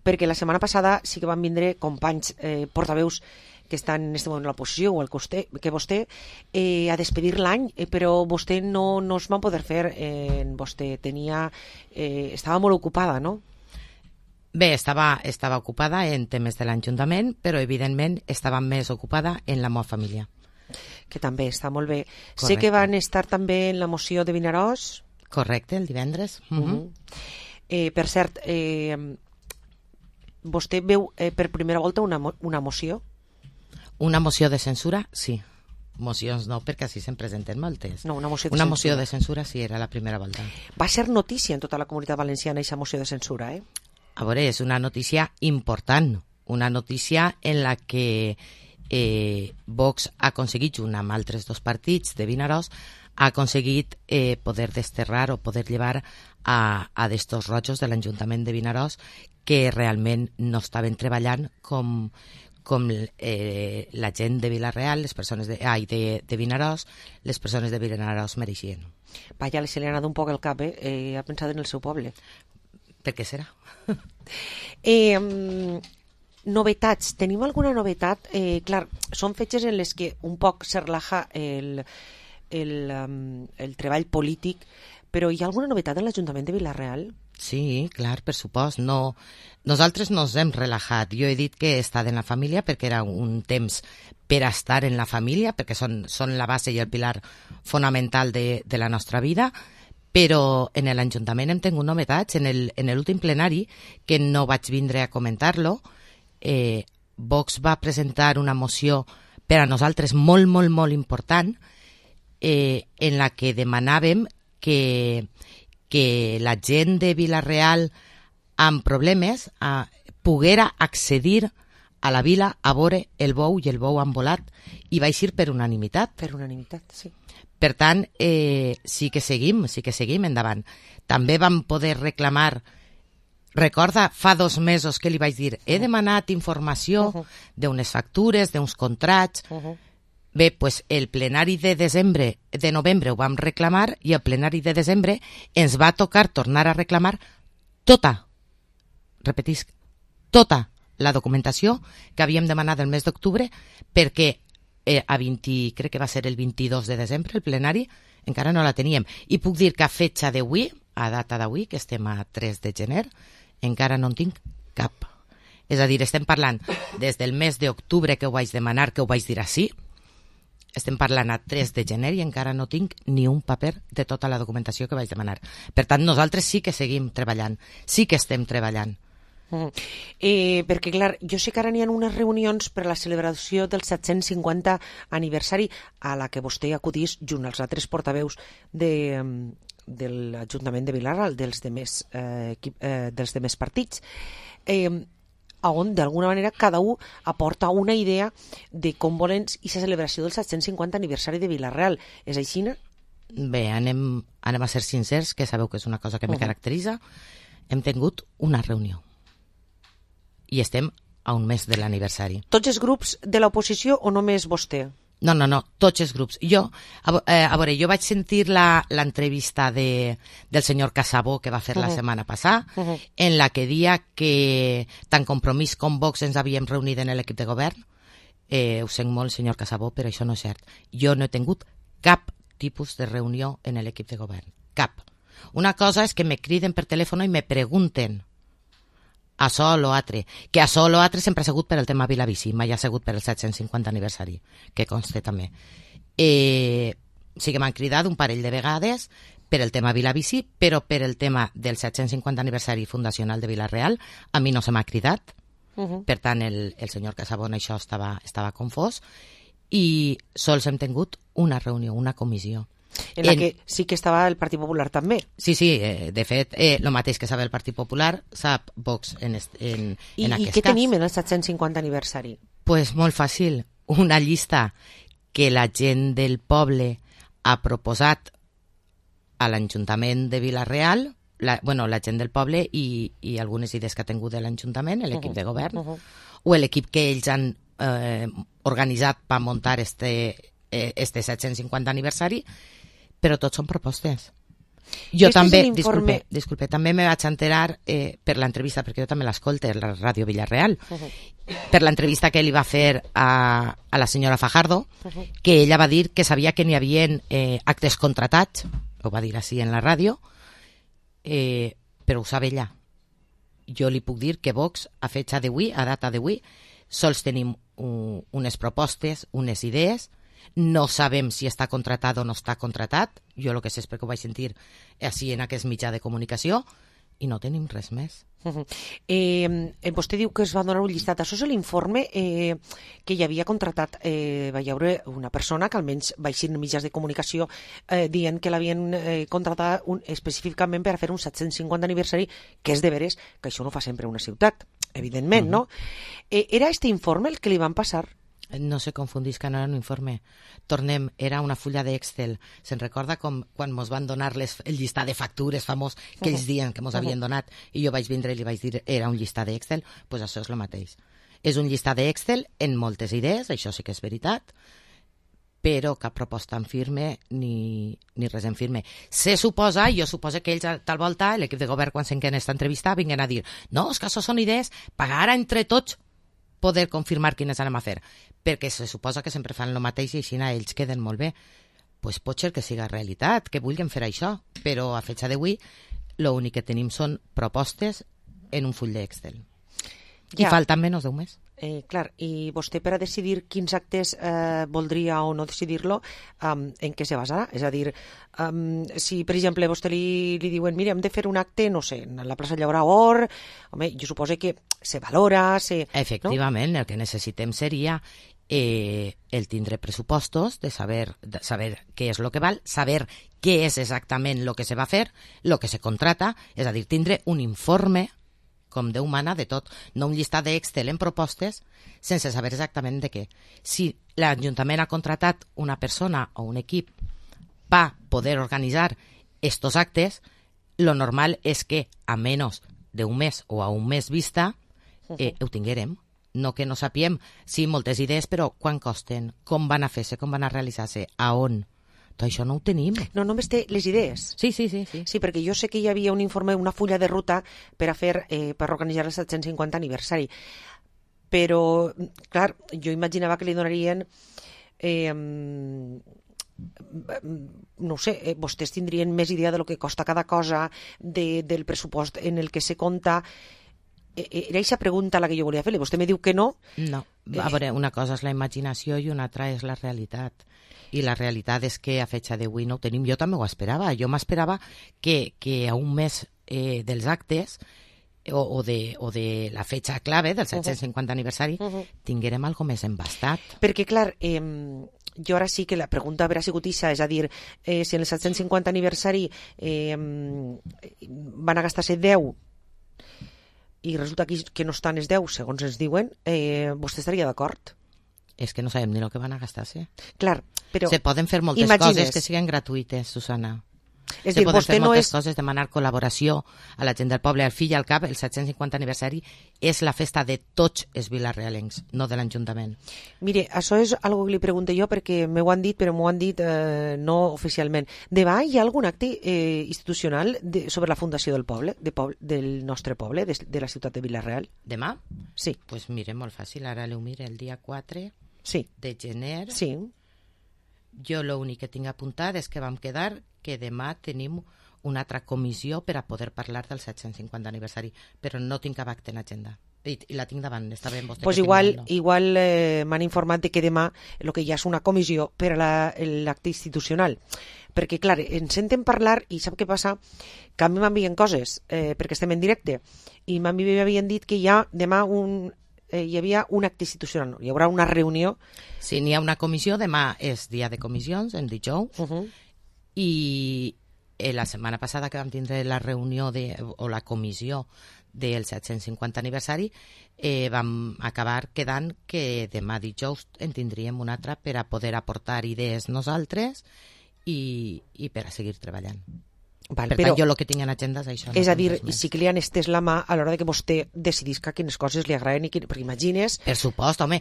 perquè la setmana passada sí que van vindre companys portaveus que estan en este moment a l'oposició o que vostè a despedir l'any, però vostè no es va poder fer, vostè estava molt ocupada, no? Bé, estava ocupada en temes de l'Ajuntament, però evidentment estava més ocupada en la meva família. Que també està molt bé. Correcte. Sé que van estar també en la moció de Vinaròs. Correcte, el divendres. Per cert, vostè veu per primera volta una moció? Una moció de censura? Sí. Mocions no, perquè així se'n presenten moltes. No, una moció de censura sí, era la primera volta. Va ser notícia en tota la comunitat valenciana aquesta moció de censura, A veure, és una notícia important, una notícia en la que Vox ha aconseguit, junt amb altres dos partits de Vinaròs, ha aconseguit poder desterrar o poder llevar a d'estos rojos de l'Ajuntament de Vinaròs que realment no estaven treballant com la gent de Vila-real, les persones de Vinaròs, les persones de Vinaròs mereixien. Vaja, se li ha anat un poc el cap, ha pensat en el seu poble. Per què serà? Novetats, tenim alguna novetat? Clar, són fetges en les que un poc se relaja el treball polític, però hi ha alguna novetat en l'Ajuntament de Vila-real? Sí, clar, per supost. No, nosaltres nos hem relajat. Jo he dit que he estat en la família perquè era un temps per estar en la família, perquè són la base i el pilar fonamental de la nostra vida, però en l'Ajuntament hem tingut novetats. En l'últim plenari, que no vaig vindre a comentar-lo, Vox va presentar una moció per a nosaltres molt, molt, molt important, en la que demanàvem que la gent de Vila-real amb problemes poguera accedir a la vila a veure el bou i el bou han volat, i va eixir per unanimitat. Per unanimitat, sí. Per tant, sí que seguim endavant. També vam poder reclamar, recorda, fa 2 mesos que li vaig dir, he demanat informació d'unes factures, d'uns contrats. Bé, doncs el plenari de novembre ho vam reclamar i el plenari de desembre ens va tocar tornar a reclamar repetisc, tota la documentació que havíem demanat el mes d'octubre, perquè crec que va ser el 22 de desembre, el plenari, encara no la teníem. I puc dir que a fetxa d'avui, a data d'avui, que estem a 3 de gener, encara no en tinc cap. És a dir, estem parlant des del mes d'octubre que ho vaig demanar, que ho vaig dir així, estem parlant a 3 de gener i encara no tinc ni un paper de tota la documentació que vaig demanar. Per tant, nosaltres sí que seguim treballant, sí que estem treballant. Perquè, clar, jo sé que ara n'hi ha unes reunions per a la celebració del 750 aniversari a la que vostè acudís junt als altres portaveus de l'Ajuntament de Vila-real, dels demés partits, on d'alguna manera cada un aporta una idea de com volen aquesta celebració del 750 aniversari de Vila-real. És així, no? Bé, anem a ser sincers, que sabeu que és una cosa que me caracteritza. Hem tingut una reunió i estem a un mes de l'aniversari. Tots els grups de l'oposició o només vostè? No, tots els grups. A veure, jo vaig sentir l'entrevista del senyor Casabó que va fer la setmana passada, en la que dia que tant Compromís com Vox ens havíem reunit en l'equip de govern. Ho sent molt, senyor Casabó, però això no és cert. Jo no he tingut cap tipus de reunió en l'equip de govern. Cap. Una cosa és que me criden per telèfon i me pregunten a sol o altre, que a sol o altre sempre ha sigut per el tema Vilabici, mai ha sigut per el 750 aniversari, que conste també. Sí que m'han cridat un parell de vegades per el tema Vilabici, però per el tema del 750 aniversari fundacional de Vila-real a mi no se m'ha cridat. Per tant, el senyor Casabó en això estava confós, i sols hem tingut una reunió, una comissió. En la que sí que estava el Partit Popular també. Sí, de fet, el mateix que sap el Partit Popular sap Vox en aquest cas. I què tenim en el 750 aniversari? Pues molt fàcil, una llista que la gent del poble ha proposat a l'Ajuntament de Vila-real, la gent del poble i algunes idees que ha tingut de l'Ajuntament, l'equip de govern, o l'equip que ells han organitzat per muntar este 750 aniversari, però tots són propostes. Jo també, disculpe, també me vaig enterar per l'entrevista, perquè jo també l'escolto a la Ràdio Vila-real, per l'entrevista que li va fer a la senyora Fajardo, que ella va dir que sabia que n'hi havia actes contratats, ho va dir així en la ràdio, però ho sap ella. Jo li puc dir que Vox, a fetxa d'avui, a data d'avui, sols tenim unes propostes, unes idees. No sabem si està contratat o no està contratat. Jo el que sé és perquè ho vaig sentir així en aquest mitjà de comunicació, i no tenim res més. Vostè diu que es va donar un llistat. Això és l'informe que hi havia contratat. Va hi haure una persona que almenys va eixir en mitjans de comunicació dient que l'havien contratat específicament per a fer un 750 aniversari, que és de veres que això no fa sempre una ciutat, evidentment, no? Era este informe el que li van passar? No se confundisca, no era un informe. Tornem, era una fulla d'Excel. Se'n recorda com quan mos van donar el llistat de factures famós que ells diuen que mos havien donat i jo vaig vindre i li vaig dir era un llistat d'Excel? Doncs pues això és el mateix. És un llistat d'Excel en moltes idees, això sí que és veritat, però cap proposta en firme ni res en firme. Se suposa, jo suposo que ells a tal volta, l'equip de govern quan s'enquen esta entrevista, vinguen a dir no, és que això són idees, pagar entre tots poder confirmar quines anem a fer, perquè se suposa que sempre fan el mateix i així ells queden molt bé. Pues pot ser que siga realitat, que vulguin fer això, però a fecha d'avui l'únic que tenim són propostes en un full d'Excel. I falten menys d'un mes. Clar, i vostè per a decidir quins actes voldria o no decidir-lo, en què se basarà? És a dir, si per exemple vostè li diuen mira, hem de fer un acte, no sé, en la plaça Llaurador, home, jo suposo que se valora, Efectivament, no? El que necessitem seria el tindre pressupostos, de saber què és el que val, saber què és exactament el que se va fer, el que se contrata, és a dir, tindre un informe com Déu mana de tot, no un llistat d'Excel en propostes sense saber exactament de què. Si l'Ajuntament ha contratat una persona o un equip per poder organitzar estos actes, lo normal és que a menys d'un mes o a un mes vista ho tinguérem. No que no sapiem, sí, moltes idees, però quan costen, com van a fer-se, com van a realitzar-se, a on? Tot això no ho tenim. No, només té les idees. Sí. Sí, perquè jo sé que hi havia un informe, una fulla de ruta per a fer, per organitzar el 750 aniversari. Però, clar, jo imaginava que li donarien no ho sé, vostès tindrien més idea de lo que costa cada cosa, del pressupost en el que se compta. Era aquesta pregunta la que jo volia fer-li. Vostè me diu que no. No, a veure, una cosa és la imaginació i una altra és la realitat. I la realitat és que a fecha d'avui no ho tenim. Jo també ho esperava. Jo m'esperava que a un mes dels actes o de la fecha clave del 750 aniversari tinguérem algo més embastat. Perquè, clar, jo ara sí que la pregunta haurà sigut ixa, és a dir, si en el 750 aniversari van a gastar-se 10 i resulta que no estan els 10, segons ens diuen, vostè estaria d'acord? És que no sabem ni el que van a gastar-se. Clar, però... Se poden fer moltes coses que siguin gratuïtes, Susana. És se poden fer moltes coses, demanar col·laboració a la gent del poble, al fill i al cap. El 750 aniversari és la festa de tots els vilarrealencs, no de l'Ajuntament. Mire, això és algo que li pregunto jo perquè m'ho han dit, però m'ho han dit no oficialment. Demà hi ha algun acte institucional sobre la fundació del poble, del nostre poble, de la ciutat de Vila-real? Demà? Sí. Pues mire, molt fàcil, ara l'ho mire el dia 4 de gener. Sí. Jo l'únic que tinc apuntat és que vam quedar que demà tenim una altra comissió per a poder parlar del 750 aniversari, però no tinc cap acte en l'agenda. I la tinc davant, està bé vostè. Pues igual m'han informat de que demà el que hi ha és una comissió per a l'acte institucional. Perquè, clar, ens senten parlar i sap què passa? Que a mi m'envien coses, perquè estem en directe, i m'havien dit que hi ha demà hi havia un acte institucional, hi haurà una reunió. Sí, n'hi ha una comissió, demà és dia de comissions, en dijous, i la setmana passada que vam tindre la reunió o la comissió del 750 aniversari, vam acabar quedant que demà dijous en tindríem una altra per a poder aportar idees nosaltres i per a seguir treballant. Val, per tant, jo el que tinc en agenda és això. És a dir, sí que li han estès la mà a l'hora que vostè decidisca quines coses li agraden i perquè imagines... Per supost, home,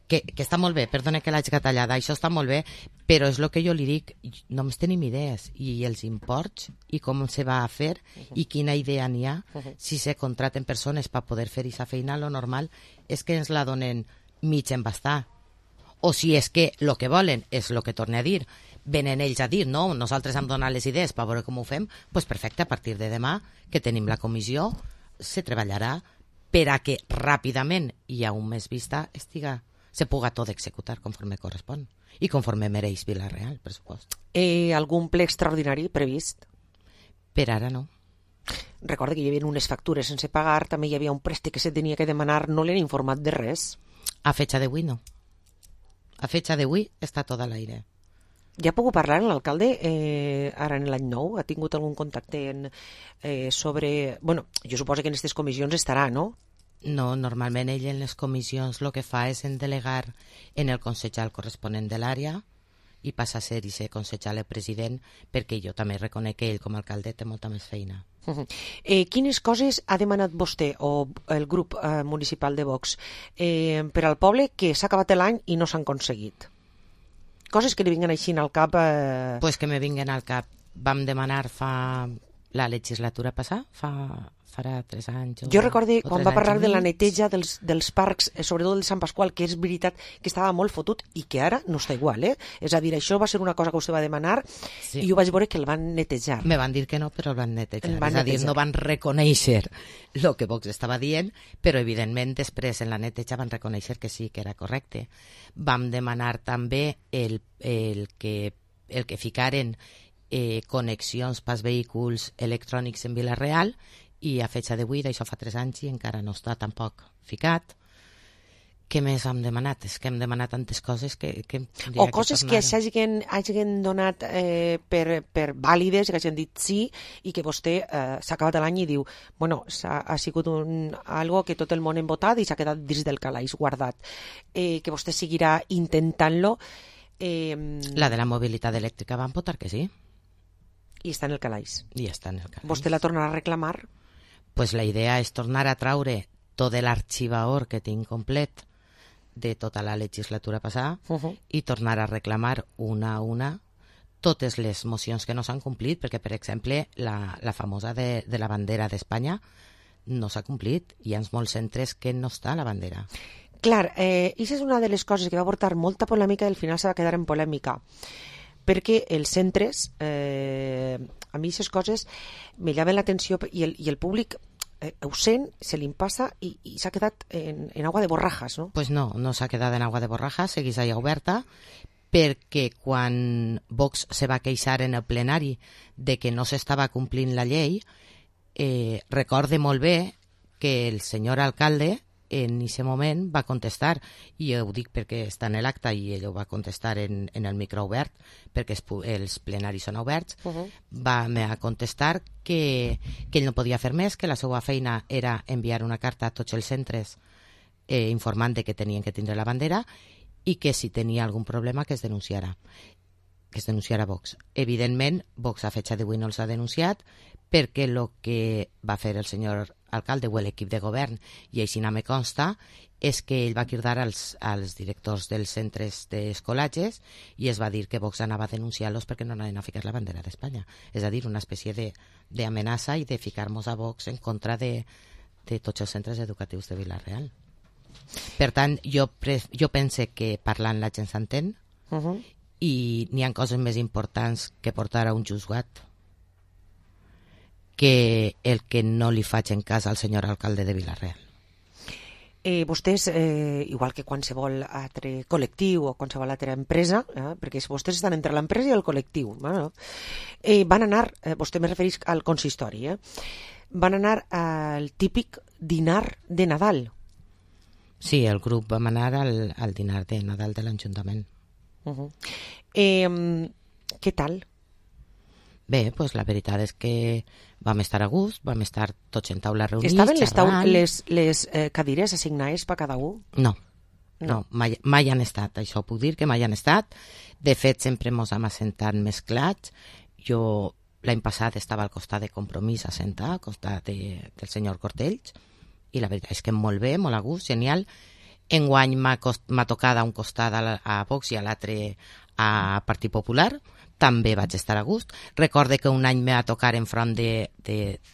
que està molt bé, perdona que l'haig catallada, això està molt bé, però és el que jo li dic, només tenim idees, i els imports, i com se va a fer, i quina idea n'hi ha, si se contraten persones per poder fer aquesta feina, lo normal és que ens la donen mig embastar. O si és que el que volen és el que torne a dir, venen ells a dir, no, nosaltres hem donat les idees per veure com ho fem, doncs perfecte, a partir de demà que tenim la comissió se treballarà per a que ràpidament i a un mes vista se puga tot executar conforme correspon i conforme mereix Vila-real, per supost. Algun ple extraordinari previst? Per ara no. Recorda que hi havia unes factures sense pagar, també hi havia un préstec que se tenia que demanar, no l'han informat de res? A fecha d'avui no. A fecha d'avui està tot a l'aire. Ja ha pogut parlar amb l'alcalde ara en l'any nou? Ha tingut algun contacte sobre... Bueno, jo suposo que en aquestes comissions estarà, no? No, normalment ell en les comissions el que fa és delegar en el consellal corresponent de l'àrea i passa a ser i ser consellal el president, perquè jo també reconec que ell com a alcalde té molta més feina. Quines coses ha demanat vostè o el grup municipal de Vox per al poble que s'ha acabat l'any i no s'han aconseguit? Coses que li vinguen així al cap... Pues que me vinguen al cap. Vam demanar fa la legislatura passada, farà 3 anys. Jo recorde quan va parlar de la neteja dels parcs, sobretot el Sant Pasqual, que és veritat que estava molt fotut i que ara no està igual, És a dir, això va ser una cosa que vostè va demanar i jo vaig veure que el van netejar. Me van dir que no, però el van netejar. És a dir, no van reconèixer el que Vox estava dient, però evidentment després en la neteja van reconèixer que sí, que era correcte. Vam demanar també el que ficaren connexions pels vehicles electrònics en Vila-real i a fecha d'avui, d'això fa 3 anys i encara no està tampoc ficat. Què més hem demanat? És que hem demanat tantes coses que o coses que s'hagin donat per vàlides, que hagin dit sí i que vostè s'ha acabat l'any i diu bueno, ha sigut algo que tot el món hem votat i s'ha quedat dins del calaix guardat. Que vostè seguirà intentant-lo. La de la mobilitat elèctrica van votar que sí. I està en el calaix. I està en el calaix. Vostè la tornarà a reclamar? Pues la idea és tornar a traure tot l'arxivaor que tinc complet de tota la legislatura passada i tornar a reclamar una a una totes les mocions que no s'han complit, perquè, per exemple, la famosa de la bandera d'Espanya no s'ha complit. Hi ha molts centres que no està la bandera. Clar, això és una de les coses que va portar molta polèmica i al final se va quedar en polèmica. Perquè els centres, a mi aquestes coses me llamen l'atenció i el públic ho sent, se li passa i s'ha quedat en agua de borrajas, no? Pues no s'ha quedat en agua de borrajas, segueix allà oberta, perquè quan Vox se va queixar en el plenari de que no s'estava complint la llei, recorde molt bé que el senyor alcalde en aquest moment va contestar, i ho dic perquè està en l'acte i ell ho va contestar en el micro obert, perquè els plenaris són oberts, va contestar que ell no podia fer més, que la seva feina era enviar una carta a tots els centres informant de que tenien que tindre la bandera i que si tenia algun problema que es denunciara Vox. Evidentment, Vox a fecha d'avui no els ha denunciat perquè el que va fer el senyor alcalde o l'equip de govern, i així no me consta, és que ell va cridar als directors dels centres d'escolatges i es va dir que Vox anava a denunciar-los perquè no anaven a ficar la bandera d'Espanya. És a dir, una espècie d'amenaça i de ficar-nos a Vox en contra de tots els centres educatius de Vila-real. Per tant, jo pense que parlant la gent s'entén i n'hi ha coses més importants que portar a un juzgat que el que no li faig en cas al senyor alcalde de Vila-real. Vostès, igual que qualsevol altre col·lectiu o qualsevol altra empresa, perquè vostès estan entre l'empresa i el col·lectiu, van anar, vostè me refereix al consistori, van anar al típic dinar de Nadal. Sí, el grup vam anar al dinar de Nadal de l'Ajuntament. Què tal? Bé, pues la veritat és que vam estar a gust, vam estar tots en taula reunits, Estaven xerrant. les cadires assignades per cada un? No, mai han estat, això puc dir que mai han estat. De fet, sempre mos hem assentat mesclats. Jo l'any passat estava al costat de Compromís assentat, al costat del senyor Cortells, i la veritat és que molt bé, molt a gust, genial. Enguany m'ha tocat a un costat a Vox i a l'altre a Partit Popular, també vaig estar a gust. Recorde que un any me va tocar enfront de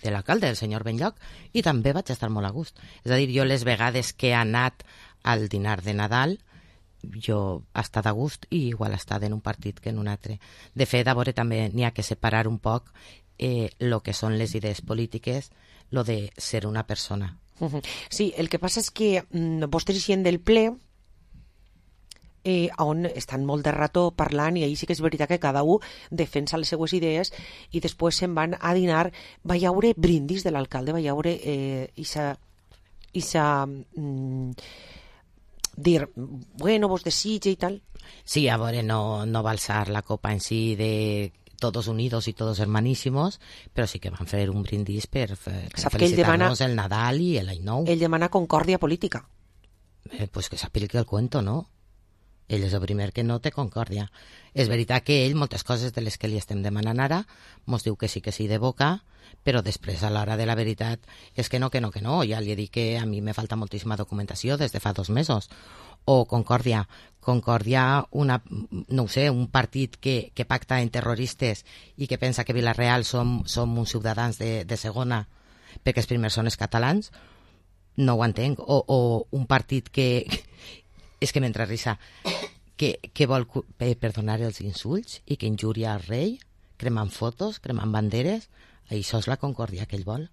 l'alcalde, del senyor Benlloc, i també vaig estar molt a gust. És a dir, jo les vegades que he anat al dinar de Nadal, jo he estat a gust i igual he estat en un partit que en un altre. De fet, a veure, també n'hi ha que separar un poc el que són les idees polítiques, lo de ser una persona. Sí, el que passa és que vostès eixien del ple on estan molt de rato parlant i ahir sí que és veritat que cada un defensa les seues idees i després se'n van a dinar. Va hi haure brindis de l'alcalde, va hi haure dir, bueno, vos desitge i tal. Sí, a veure, no va alçar la copa en si de todos unidos y todos hermanísimos, però sí que van fer un brindis per felicitar-nos el Nadal i l'any nou. Ell demana concòrdia política. Pues que s'apliqui el cuento, no? Ell és el primer que no té concòrdia. És veritat que ell, moltes coses de les que li estem demanant ara, mos diu que sí de boca, però després a l'hora de la veritat és que no. Ja li he dit que a mi me falta moltíssima documentació des de fa 2 mesos. O concòrdia, no ho sé, un partit que pacta en terroristes i que pensa que Vila-real som uns ciutadans de segona perquè els primers són els catalans, no ho entenc. O un partit que és que m'entra risa, que vol perdonar els insults i que injuria al rei, cremant fotos, cremant banderes. Això és la concòrdia que ell vol.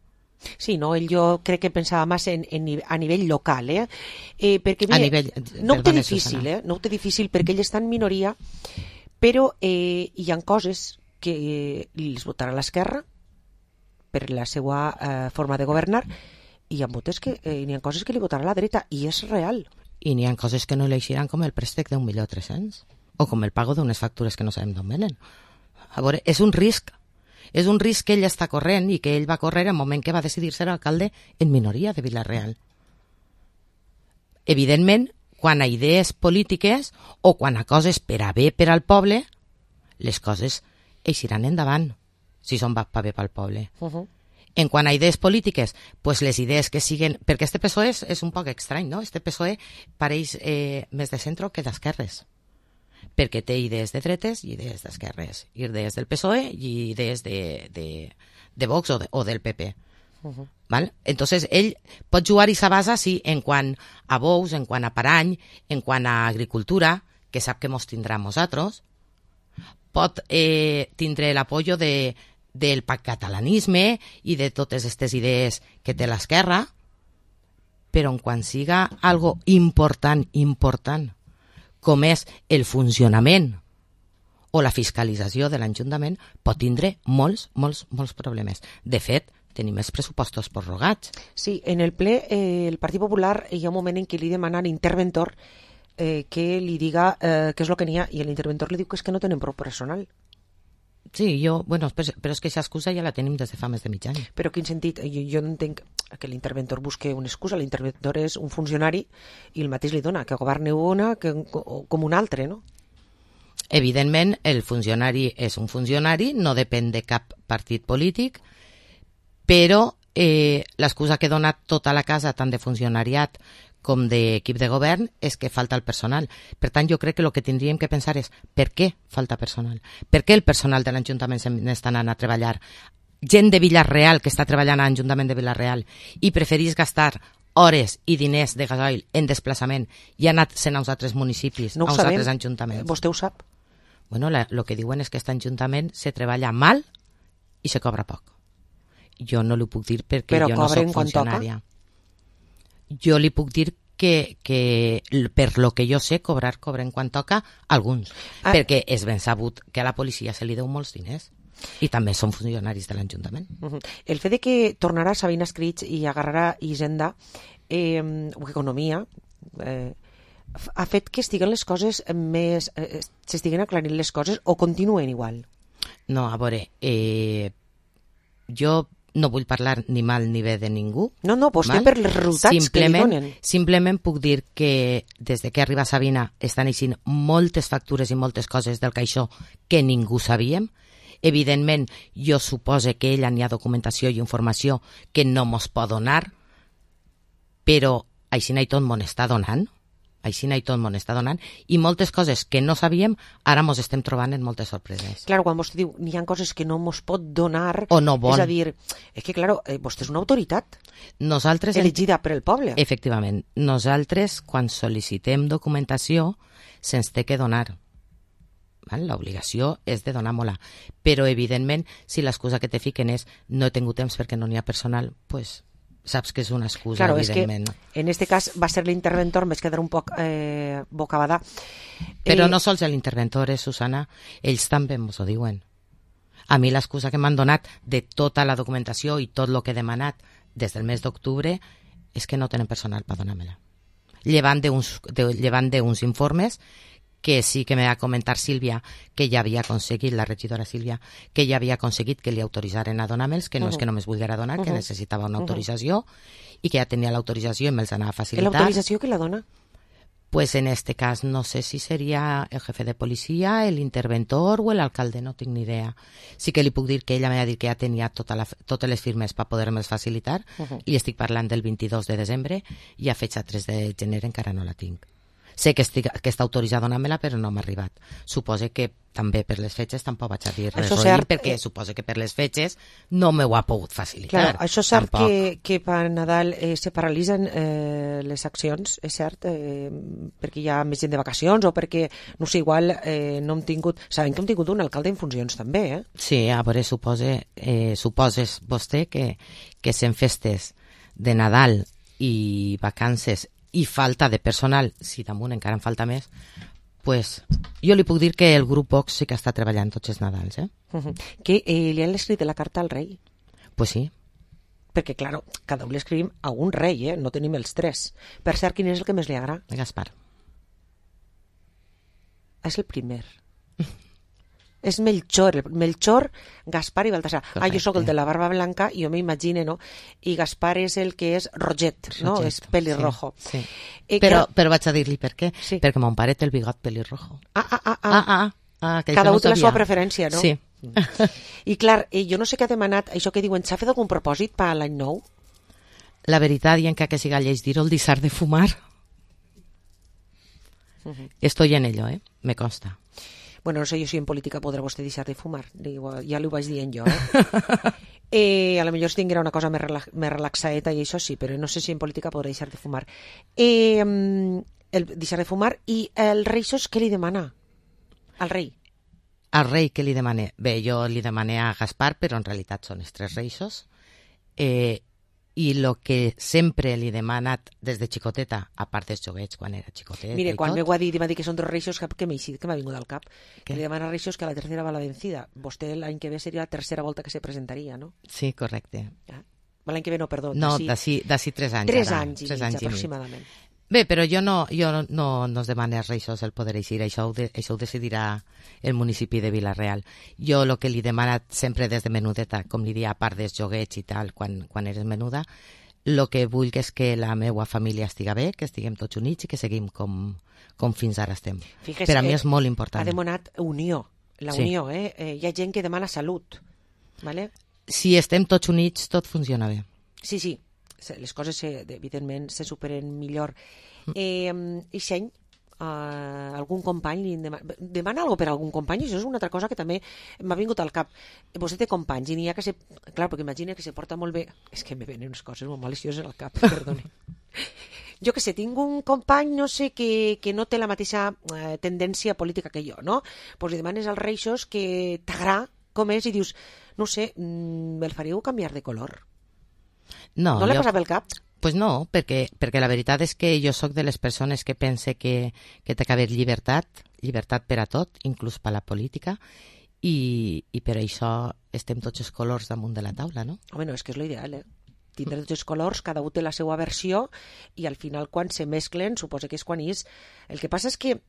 Sí, no, jo crec que pensava més a nivell local, perquè no ho té difícil, no ho té difícil perquè ell està en minoria, però hi ha coses que les votarà l'esquerra per la seva forma de governar i hi ha coses que li votarà la dreta i és real. I n'hi ha coses que no l'eixiran com el préstec d'1.300.000 o com el pago d'unes factures que no sabem d'on venen. A veure, és un risc que ell està corrent i que ell va córrer en el moment que va decidir ser alcalde en minoria de Vila-real. Evidentment, quan a idees polítiques o quan a coses per a bé per al poble, les coses eixiran endavant, si són pa bé pel poble. En quant a idees polítiques, pues les idees que siguen... Perquè este PSOE és un poc estrany, no? Este PSOE pareix més de centre que d'esquerres. Perquè té idees de dretes i idees d'esquerres. Idees del PSOE i idees de Vox o del PP. ¿Vale? Entonces, ell pot jugar i s'abasa, sí, en quant a bous, en quant a parany, en quant a agricultura, que sap que mos tindrà nosaltres, pot tindre l'apoyo del catalanisme i de totes aquestes idees que té l'esquerra, però en quan siga algo important, com és el funcionament o la fiscalització de l'Ajuntament, pot tindre molts problemes. De fet, tenim els pressupostos prorrogats. Sí, en el ple el Partit Popular hi ha un moment en què li demana a l'interventor que li diga què és el que n'hi ha, i l'interventor li diu que és que no tenen prou personal. Sí, però és que aquesta excusa ja la tenim des de fa més de mig any. Però quin sentit? Jo entenc que l'interventor busque una excusa. L'interventor és un funcionari i el mateix li dona, que governi una com un altre, no? Evidentment, el funcionari és un funcionari, no depèn de cap partit polític, però l'excusa que dona tota la casa, tant de funcionariat com d'equip de govern, és que falta el personal. Per tant, jo crec que el que tindríem que pensar és per què falta personal? Per què el personal de l'Ajuntament n'està anant a treballar? Gent de Vila-real que està treballant a l'Ajuntament de Vila-real i preferís gastar hores i diners de gasoil en desplaçament i ha anat sent a uns altres municipis, a uns altres ajuntaments. Vostè ho sap? Bueno, el que diuen és que aquest ajuntament se treballa mal i se cobra poc. Jo no li puc dir perquè jo no soc funcionària. Jo li puc dir que per lo que jo sé cobren quan toca alguns, perquè és ben sabut que a la policia se li deu molts diners i també són funcionaris de l'Ajuntament. El fet de que tornarà Sabina Escrig i agarrarà Hisenda o Economia ha fet que estiguen les coses més... s'estiguen aclarint les coses o continuen igual? No, a veure, jo no vull parlar ni mal ni bé de ningú. No, vostè per els resultats que li donen. Simplement puc dir que des que arriba Sabina estan eixint moltes factures i moltes coses del caixó que ningú sabíem. Evidentment, jo supose que ella n'hi ha documentació i informació que no mos pot donar, però així i tot mos està donant. I moltes coses que no sabíem ara mos estem trobant en moltes sorpreses. Clar, quan vostè diu n'hi ha coses que no mos pot donar, o no vol. És a dir, és que clar, vostè és una autoritat elegida per el poble. Efectivament, nosaltres quan sol·licitem documentació se'ns té que donar. L'obligació és de donar-me-la, però evidentment si l'excusa que te fiquen és no he tingut temps perquè no n'hi ha personal, pues saps que és una excusa, claro, evidentment. És que en este cas va ser l'interventor, em vaig quedar un poc bocabadà. Però no sols l'interventor, Susana, ells també ens ho diuen. A mi l'excusa que m'han donat de tota la documentació i tot el que he demanat des del mes d'octubre és que no tenen personal per donar-me-la. Llevant d'uns informes que sí que me va comentar Sílvia que ja havia aconseguit, la regidora Sílvia, que ja havia aconseguit que li autoritzaren a donar-me'ls, que no és que només volguera donar, que necessitava una autorització i que ja tenia l'autorització i me'ls anava a facilitar. ¿L'autorització que la dona? Pues en este cas no sé si seria el jefe de policia, el interventor o l'alcalde, no tinc ni idea. Sí que li puc dir que ella m'ha dit que ja tenia totes les firmes per poder-me'ls facilitar i estic parlant del 22 de desembre i a fecha 3 de gener encara no la tinc. Sé que està autoritzada a donar-me-la, però no m'ha arribat. Suposo que també per les fetges tampoc vaig a dir res, perquè suposo que per les fetges no m'ho ha pogut facilitar. Clar, això és cert que per Nadal se paralitzen les accions, és cert, perquè hi ha més gent de vacacions o perquè, no sé, igual no hem tingut... Sabem que hem tingut un alcalde en funcions també, eh? Sí, a veure, suposes vostè que sent festes de Nadal i vacances i falta de personal, si damunt encara en falta més, pues jo li puc dir que el grup Vox sí que està treballant tots els Nadals, eh? Que li han escrit la carta al rei? Pues sí. Perquè, clar, cada un li escrivim a un rei, eh? No tenim els tres. Per cert, quin és el que més li agrada? Gaspar. És el primer. És Melchor, Gaspar i Baltasar. Correcte. Jo sóc el de la barba blanca i jo m'imagine, no? I Gaspar és el que és Roget, no? És pelirrojo. Sí. Però vaig a dir-li per què. Sí. Perquè mon pare té el bigot pelirrojo. Cada un té la seva preferència, no? Sí. I clar, jo no sé què ha demanat, això que diuen, s'ha fet algun propòsit per l'any nou? La veritat, i encara que siga lleig dir-ho, el deixar de fumar. Estoy en ello, me consta. Bueno, no sé jo si en política podrà vostè deixar de fumar, ja l'ho vaig dient jo, a lo millor si tinguera una cosa més relaxaeta i això sí, però no sé si en política podrà deixar de fumar. El deixar de fumar i el Reixos què li demana al rei? Al rei què li demane? Bé, jo li demane a Gaspar, però en realitat són els tres Reixos, i el que sempre li he demanat des de xicoteta, a part dels joguets quan era xicoteta. Mire, quan m'ho ha dit i m'ha dit que són dos Reixos, que m'ha vingut al cap. Que li demana a Reixos que la tercera va la vencida. Vostè l'any que ve seria la tercera volta que se presentaria, no? Sí, correcte. L'any que ve no, perdó. No, d'ací 3 anys. 3 anys i mig, aproximadament. Bé, però jo no es demane als Reixos el poder eixir, això ho decidirà el municipi de Vila-real. Jo el que li he demanat sempre des de menudeta, com li dia, a part dels joguets i tal, quan eres menuda, el que vull és que la meva família estiga bé, que estiguem tots units i que seguim com fins ara estem. Fíjese, per a mi és molt important. Ha demanat unió, la unió, hi ha gent que demana salut, ¿vale? Si estem tots units, tot funciona bé. Sí, les coses evidentment se superen millor. I Seny, algun company demana alguna per algun company? Això és una altra cosa que també m'ha vingut al cap. Vostè té companys i n'hi ha que clar, perquè imagina que se porta molt bé. És que me venen unes coses molt malicioses al cap, perdoni. Jo que sé, tinc un company, no sé, que no té la mateixa tendència política que jo, no? Doncs li demanes als Reixos que t'agrada com és i dius, no sé, el faríeu canviar de color? No li passa pel cap? Pues no, perquè la veritat és que jo sóc de les persones que pense que té que haver llibertat per a tot, inclús per a la política, i per això estem tots els colors damunt de la taula, no? Home, no, és que és l'ideal, tindre tots els colors, cada un té la seva versió, i al final quan se mesclen, suposa que és quan és. El que passa és que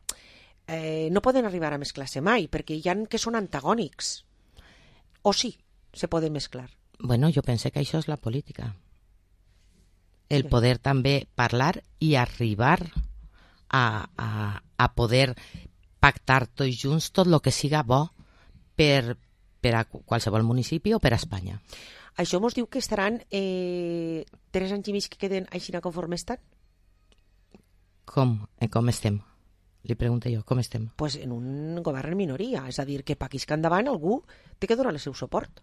no poden arribar a mesclar-se mai, perquè hi ha que són antagònics. O sí, se poden mesclar. Bueno, jo pense que això és la política. El poder també parlar i arribar a poder pactar tots junts tot el que siga bo per a qualsevol municipi o per a Espanya. Això mos diu que estaran 3 anys i mig que queden així conforme estan? Com estem? Li pregunto jo, com estem? Pues en un govern en minoria, és a dir, que per aquí que endavant algú té que donar el seu suport.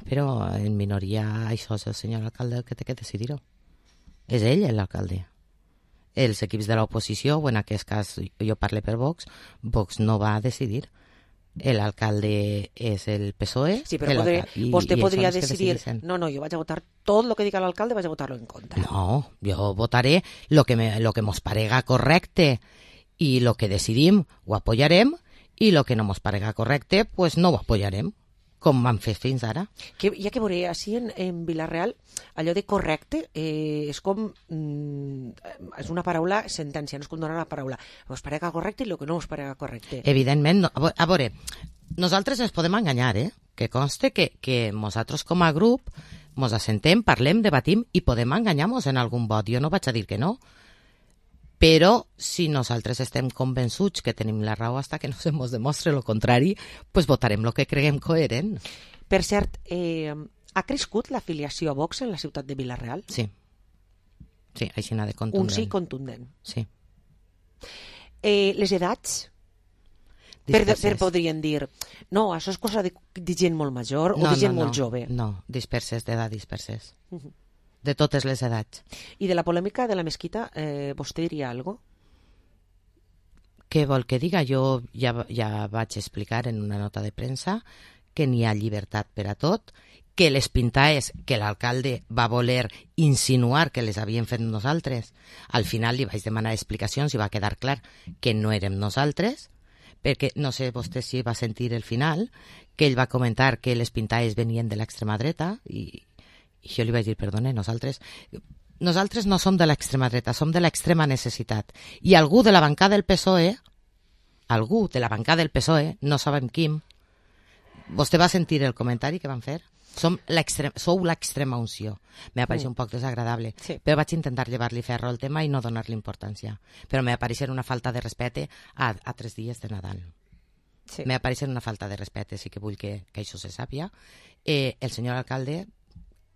Però en minoria això és el senyor alcalde el que té que decidir-ho. És ell l'alcalde. Els equips de l'oposició, o en aquest cas jo parlo per Vox, Vox no va a decidir. L'alcalde és el PSOE. Sí, però vostè podria decidir, no, jo vaig a votar tot el que diga l'alcalde, vaig a votar-lo en contra. No, jo votaré lo que mos parega correcte i lo que decidim ho apoyarem i lo que no mos parega correcte, pues no ho apoyarem. com van fer fins ara. Que, ja que veuré, així en Vila-real, allò de correcte és com... és una paraula sentència, no és com donar la paraula. Us parega correcte i el que no us parega correcte. Evidentment, no. A veure, nosaltres ens podem enganyar, que conste que nosaltres com a grup mos assentem, parlem, debatim i podem enganyar-nos en algun vot. Jo no vaig a dir que no, però si nosaltres estem convençuts que tenim la raó hasta que no se mos demostre el contrari, pues votarem el que creguem coherent. Per cert, ha crescut l'afiliació a Vox en la ciutat de Vila-real? Sí. Sí, així n'ha de contundent. Un sí contundent. Sí. Les edats? Per podrien dir, no, això és cosa de gent molt major o de gent molt jove. No, disperses, d'edat disperses. De totes les edats. I de la polèmica de la mesquita, vostè diria alguna cosa? Què vol que diga? Jo ja vaig explicar en una nota de premsa que n'hi ha llibertat per a tot, que les pintaes que l'alcalde va voler insinuar que les havíem fet nosaltres. Al final li vaig demanar explicacions i va quedar clar que no érem nosaltres, perquè no sé vostè si va sentir el final, que ell va comentar que les pintaes venien de l'extrema dreta i jo li vaig dir, perdone, nosaltres no som de l'extrema dreta, som de l'extrema necessitat. I algú de la bancada del PSOE, no sabem quin, vostè va sentir el comentari que van fer? Sou l'extrema unció. M'ha paregut un poc desagradable, però vaig intentar llevar-li ferro al tema i no donar-li importància. Però m'ha paregut una falta de respecte a 3 dies de Nadal. M'ha paregut una falta de respecte, sí que vull que això se sàpia. El senyor alcalde,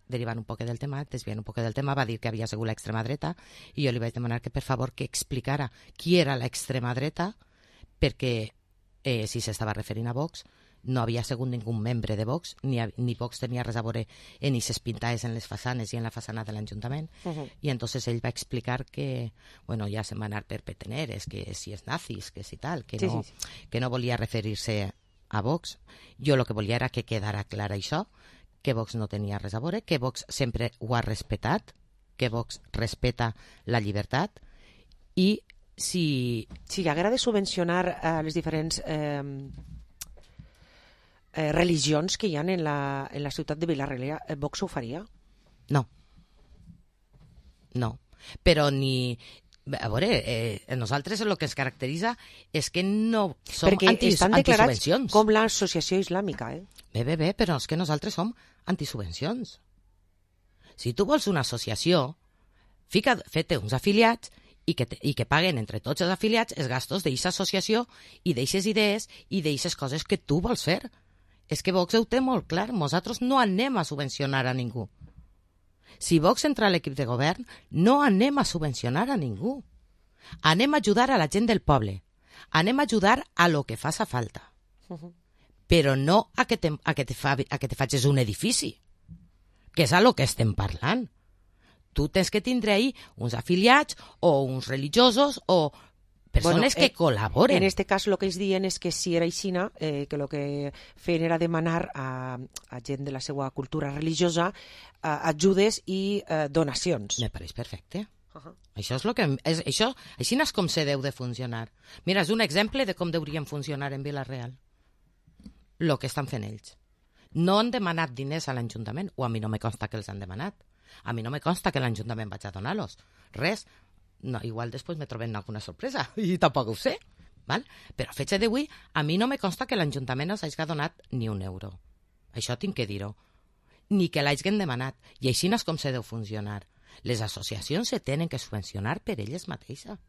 derivant un poc del tema, desviant un poc del tema, va dir que havia sigut l'extrema dreta i jo li vaig demanar que per favor que explicara qui era l'extrema dreta, perquè si s'estava referint a Vox no havia sigut ningú membre de Vox, ni Vox tenia res a veure en aquestes pintaes en les façanes i en la façana de l'Ajuntament. I entonces ell va explicar que, bueno, ja se'n va anar per peteneres, que si és nazis, que si tal, que no volia referir-se a Vox. Jo el que volia era que quedara clar això, que Vox no tenia res a veure, que Vox sempre ho ha respetat, que Vox respeta la llibertat i si agrada subvencionar les diferents religions que hi ha en la ciutat de Vila-real, Vox ho faria? No. Però ni... A veure, nosaltres el que ens caracteritza és que no som perquè estan declarats antisubvencions. Com l'associació islàmica, Bé, però és que nosaltres som antisubvencions. Si tu vols una associació, feta uns afiliats i que paguen entre tots els afiliats els gastos d'aquesta associació i d'aquestes idees i d'aquestes coses que tu vols fer. És que Vox ho té molt clar, nosaltres no anem a subvencionar a ningú. Si Vox entra a l'equip de govern, no anem a subvencionar a ningú. Anem a ajudar a la gent del poble. Anem a ajudar a lo que faça falta. Però no a que te facis un edifici, que és a lo que estem parlant. Tu tens que tindre ahí uns afiliats o uns religiosos o persones que col·laboren. En este cas, el que ells diuen és que si era aixina, que el que feien era demanar a gent de la seva cultura religiosa ajudes i donacions. Me pareix perfecte. Això és el que... Així és com se deu de funcionar. Mira, és un exemple de com deurien funcionar en Vila-real. El que estan fent ells. No han demanat diners a l'Ajuntament, o a mi no me consta que els han demanat. A mi no me consta que l'Ajuntament vaig a donar-los. Res. No, igual després me trobem alguna sorpresa i tampoc ho sé, val? Però a fecha d'avui a mi no me consta que l'Ajuntament els hagi donat ni un euro. Això tinc que dir-ho. Ni que l'hagin demanat. I així no és com se deu funcionar. Les associacions se tenen que subvencionar per elles mateixes.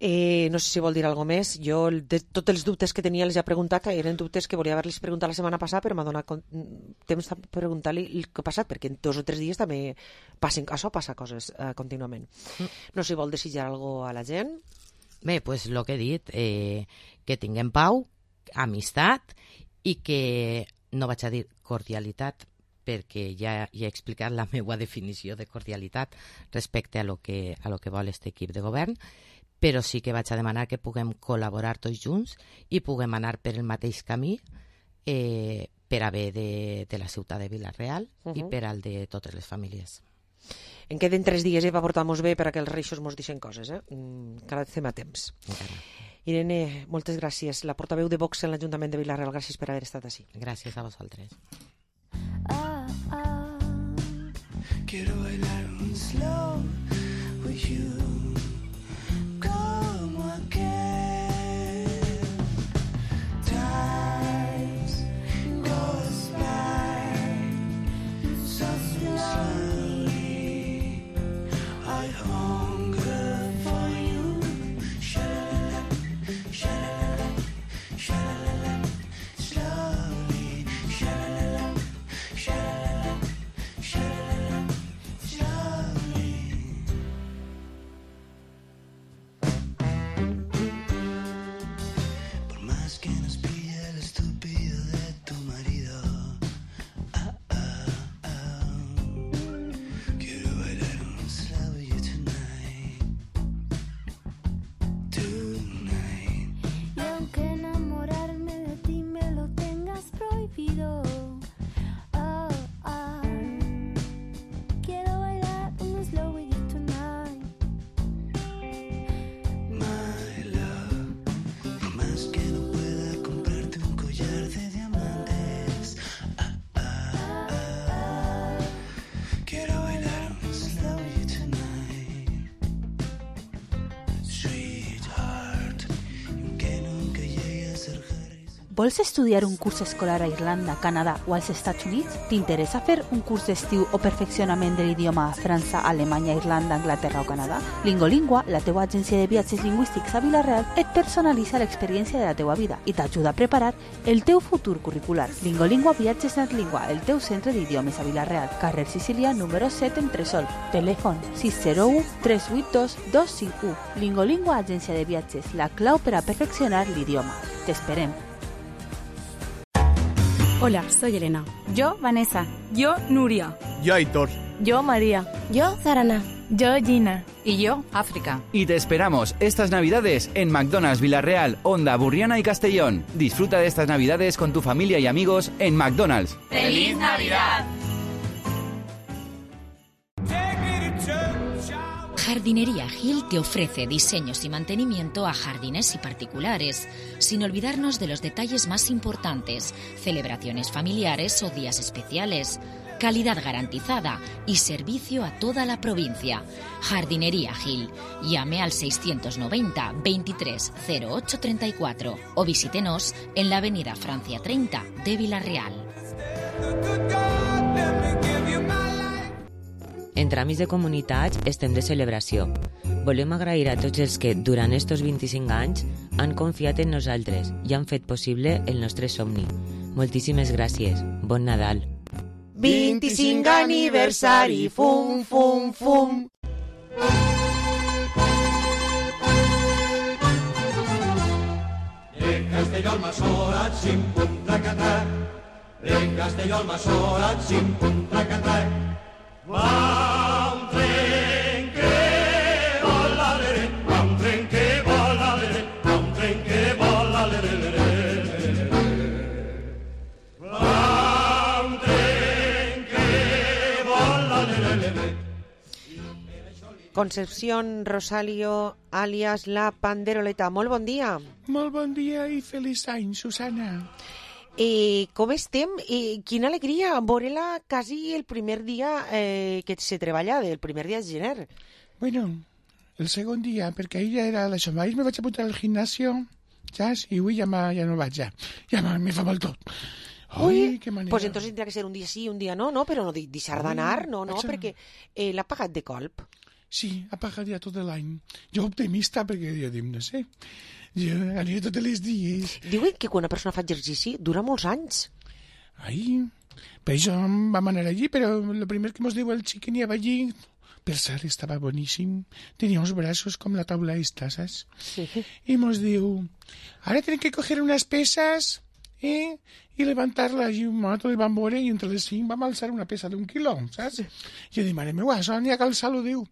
No sé si vol dir alguna més. Jo, de tots els dubtes que tenia, els he preguntat, eren dubtes que volia haver-los preguntat la setmana passada, però m'ha donat temps de preguntar-li el que ha passat, perquè en 2 o 3 dies també passa coses contínuament. No sé si vol desitjar alguna cosa a la gent. Bé, doncs el que he dit, que tinguem pau, amistat, i que no vaig a dir cordialitat, perquè ja he explicat la meva definició de cordialitat respecte a lo que vol aquest equip de govern, però sí que vaig a demanar que puguem col·laborar tots junts i puguem anar per el mateix camí per a bé de la ciutat de Vila-real i per al de totes les famílies. En queden 3 dies per portar-nos bé perquè els reixos mos deixen coses, encara estem a temps. Irene, moltes gràcies. La portaveu de Vox en l'Ajuntament de Vila-real, gràcies per haver estat així. Gràcies a vosaltres. Quiero bailar un slow with you, como aquel. Times goes by so slowly. I hunger for you. Sha-la-la, sha-la-la, sha-la-la, slowly. Sha-la-la, sha-la-la, sha-la-la, slowly. Por más que nos pille el estúpido de tu marido, quiero bailar un slow with you tonight, tonight. Y aunque enamorarme de ti me lo tengas prohibido, quiero bailar un slow with you tonight. My love, por más que no pueda comprarte un collar de diamantes, quiero bailar un slow with you tonight, sweetheart, y aunque nunca llegue a ser Vols estudiar un curs escolar a Irlanda, Canadà o als Estats Units? T'interessa fer un curs d'estiu o perfeccionament de l'idioma a França, Alemanya, Irlanda, Anglaterra o Canadà? Lingolingua, la teua agència de viatges lingüístics a Vila-real, et personalitza l'experiència de la teua vida i t'ajuda a preparar el teu futur curricular. Lingolingua Viatges Netlingua, el teu centre d'idiomes a Vila-real, carrer Sicília, número 7 en Tresol. Telèfon 601 382 251. Lingolingua, agència de viatges, la clau per a perfeccionar l'idioma. T'esperem. Hola, soy Elena. Yo, Vanessa. Yo, Nuria. Yo, Aitor. Yo, María. Yo, Zarana. Yo, Gina. Y yo, África. Y te esperamos estas Navidades en McDonald's Vila-real, Onda, Burriana y Castellón. Disfruta de estas Navidades con tu familia y amigos en McDonald's. ¡Feliz Navidad! Jardinería Gil te ofrece diseños y mantenimiento a jardines y particulares, sin olvidarnos de los detalles más importantes, celebraciones familiares o días especiales, calidad garantizada y servicio a toda la provincia. Jardinería Gil. Llame al 690 23 08 34 o visítenos en la avenida Francia 30 de Vila-real. En Tràmits de Comunitats estem de celebració. Volem agrair a tots els que, durant estos 25 anys, han confiat en nosaltres i han fet possible el nostre somni. Moltíssimes gràcies. Bon Nadal. 25 aniversari, fum, fum, fum. De Castelló al Massorat, sim, pum, trac-a-trac. De Castelló al Massorat, sim, pum, trac-a-trac. Va un tren que vola, lere, va un tren que vola, lere, va un tren que vola, lere, lere. Va un tren que vola, lere, lere. Concepción Rosalio, alias La Panderoleta. Molt bon dia. Molt bon dia i feliç any, Susana. Com estem? Quina alegria veure-la quasi el primer dia que se treballa, el primer dia de gener. Bueno, el segon dia, perquè ahir ja era l'això. Ahir me vaig apuntar al gimnasio, saps? I avui ja no vaig, ja. Ja me fa mal tot. Ui, pues entonces tindrà que ser un dia sí, un dia no, però no deixar d'anar, no, perquè l'ha pagat de colp. Sí, ha pagat ja tot l'any. Jo optimista, perquè jo dic, no sé, jo aniré tots els dies. Diuen que quan una persona fa exercici dura molts anys. Ai, per això vam anar allí, però el primer que mos diu el xic que n'hi havia allí, per cert, estava boníssim. Tenia uns braços com la taula esta, saps? Sí. I mos diu, ara tenen que coger unes peces i levantar-la. I nosaltres vam veure i entre les 5 vam alçar una pesa d'1 quilo, saps? Jo dic, mare meva, això n'hi ha que alçar-lo, diu.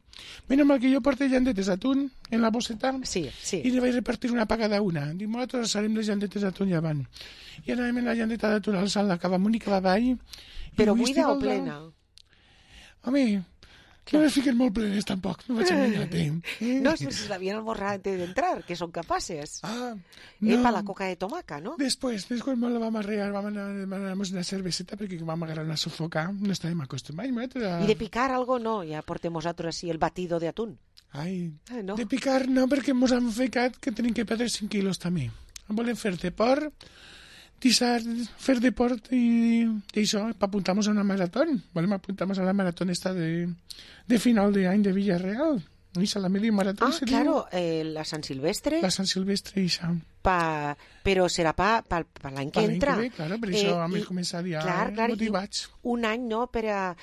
Menys mal que jo porto llandetes d'atún en la bosseta i li vaig repartir una paga d'una. Dic, nosaltres alçarem les llandetes d'atún ja van. I anàvem en la llandeta d'atún alçant la cava amunt i cava avall. Però buida o plena? Home, No les fiquen molt plenes, tampoc, no vaig enganyar-te. No, si l'havien esmorzat antes d'entrar, que són capaces. No. Para la coca de tomaca, ¿no? Después me la vam arrear, vam anar una cerveseta perquè vam agarrar una sofocar, no estàvem acostumats. I de picar algo no, ja portem nosaltres així el batido de atún. No. De picar no, perquè ens han ficat que tenim que perdre 5 quilos també. Volem fer deport, fer deport i això, apuntarnos a una maratón. Volem apuntarnos a la maratón esta de final de any de Villarreal. Esa, la media maratón. Claro, la Sant Silvestre. La Sant Silvestre, esa. Però serà per l'any que entra. Claro, per això hem començat ja motivats. Un any, no?, per a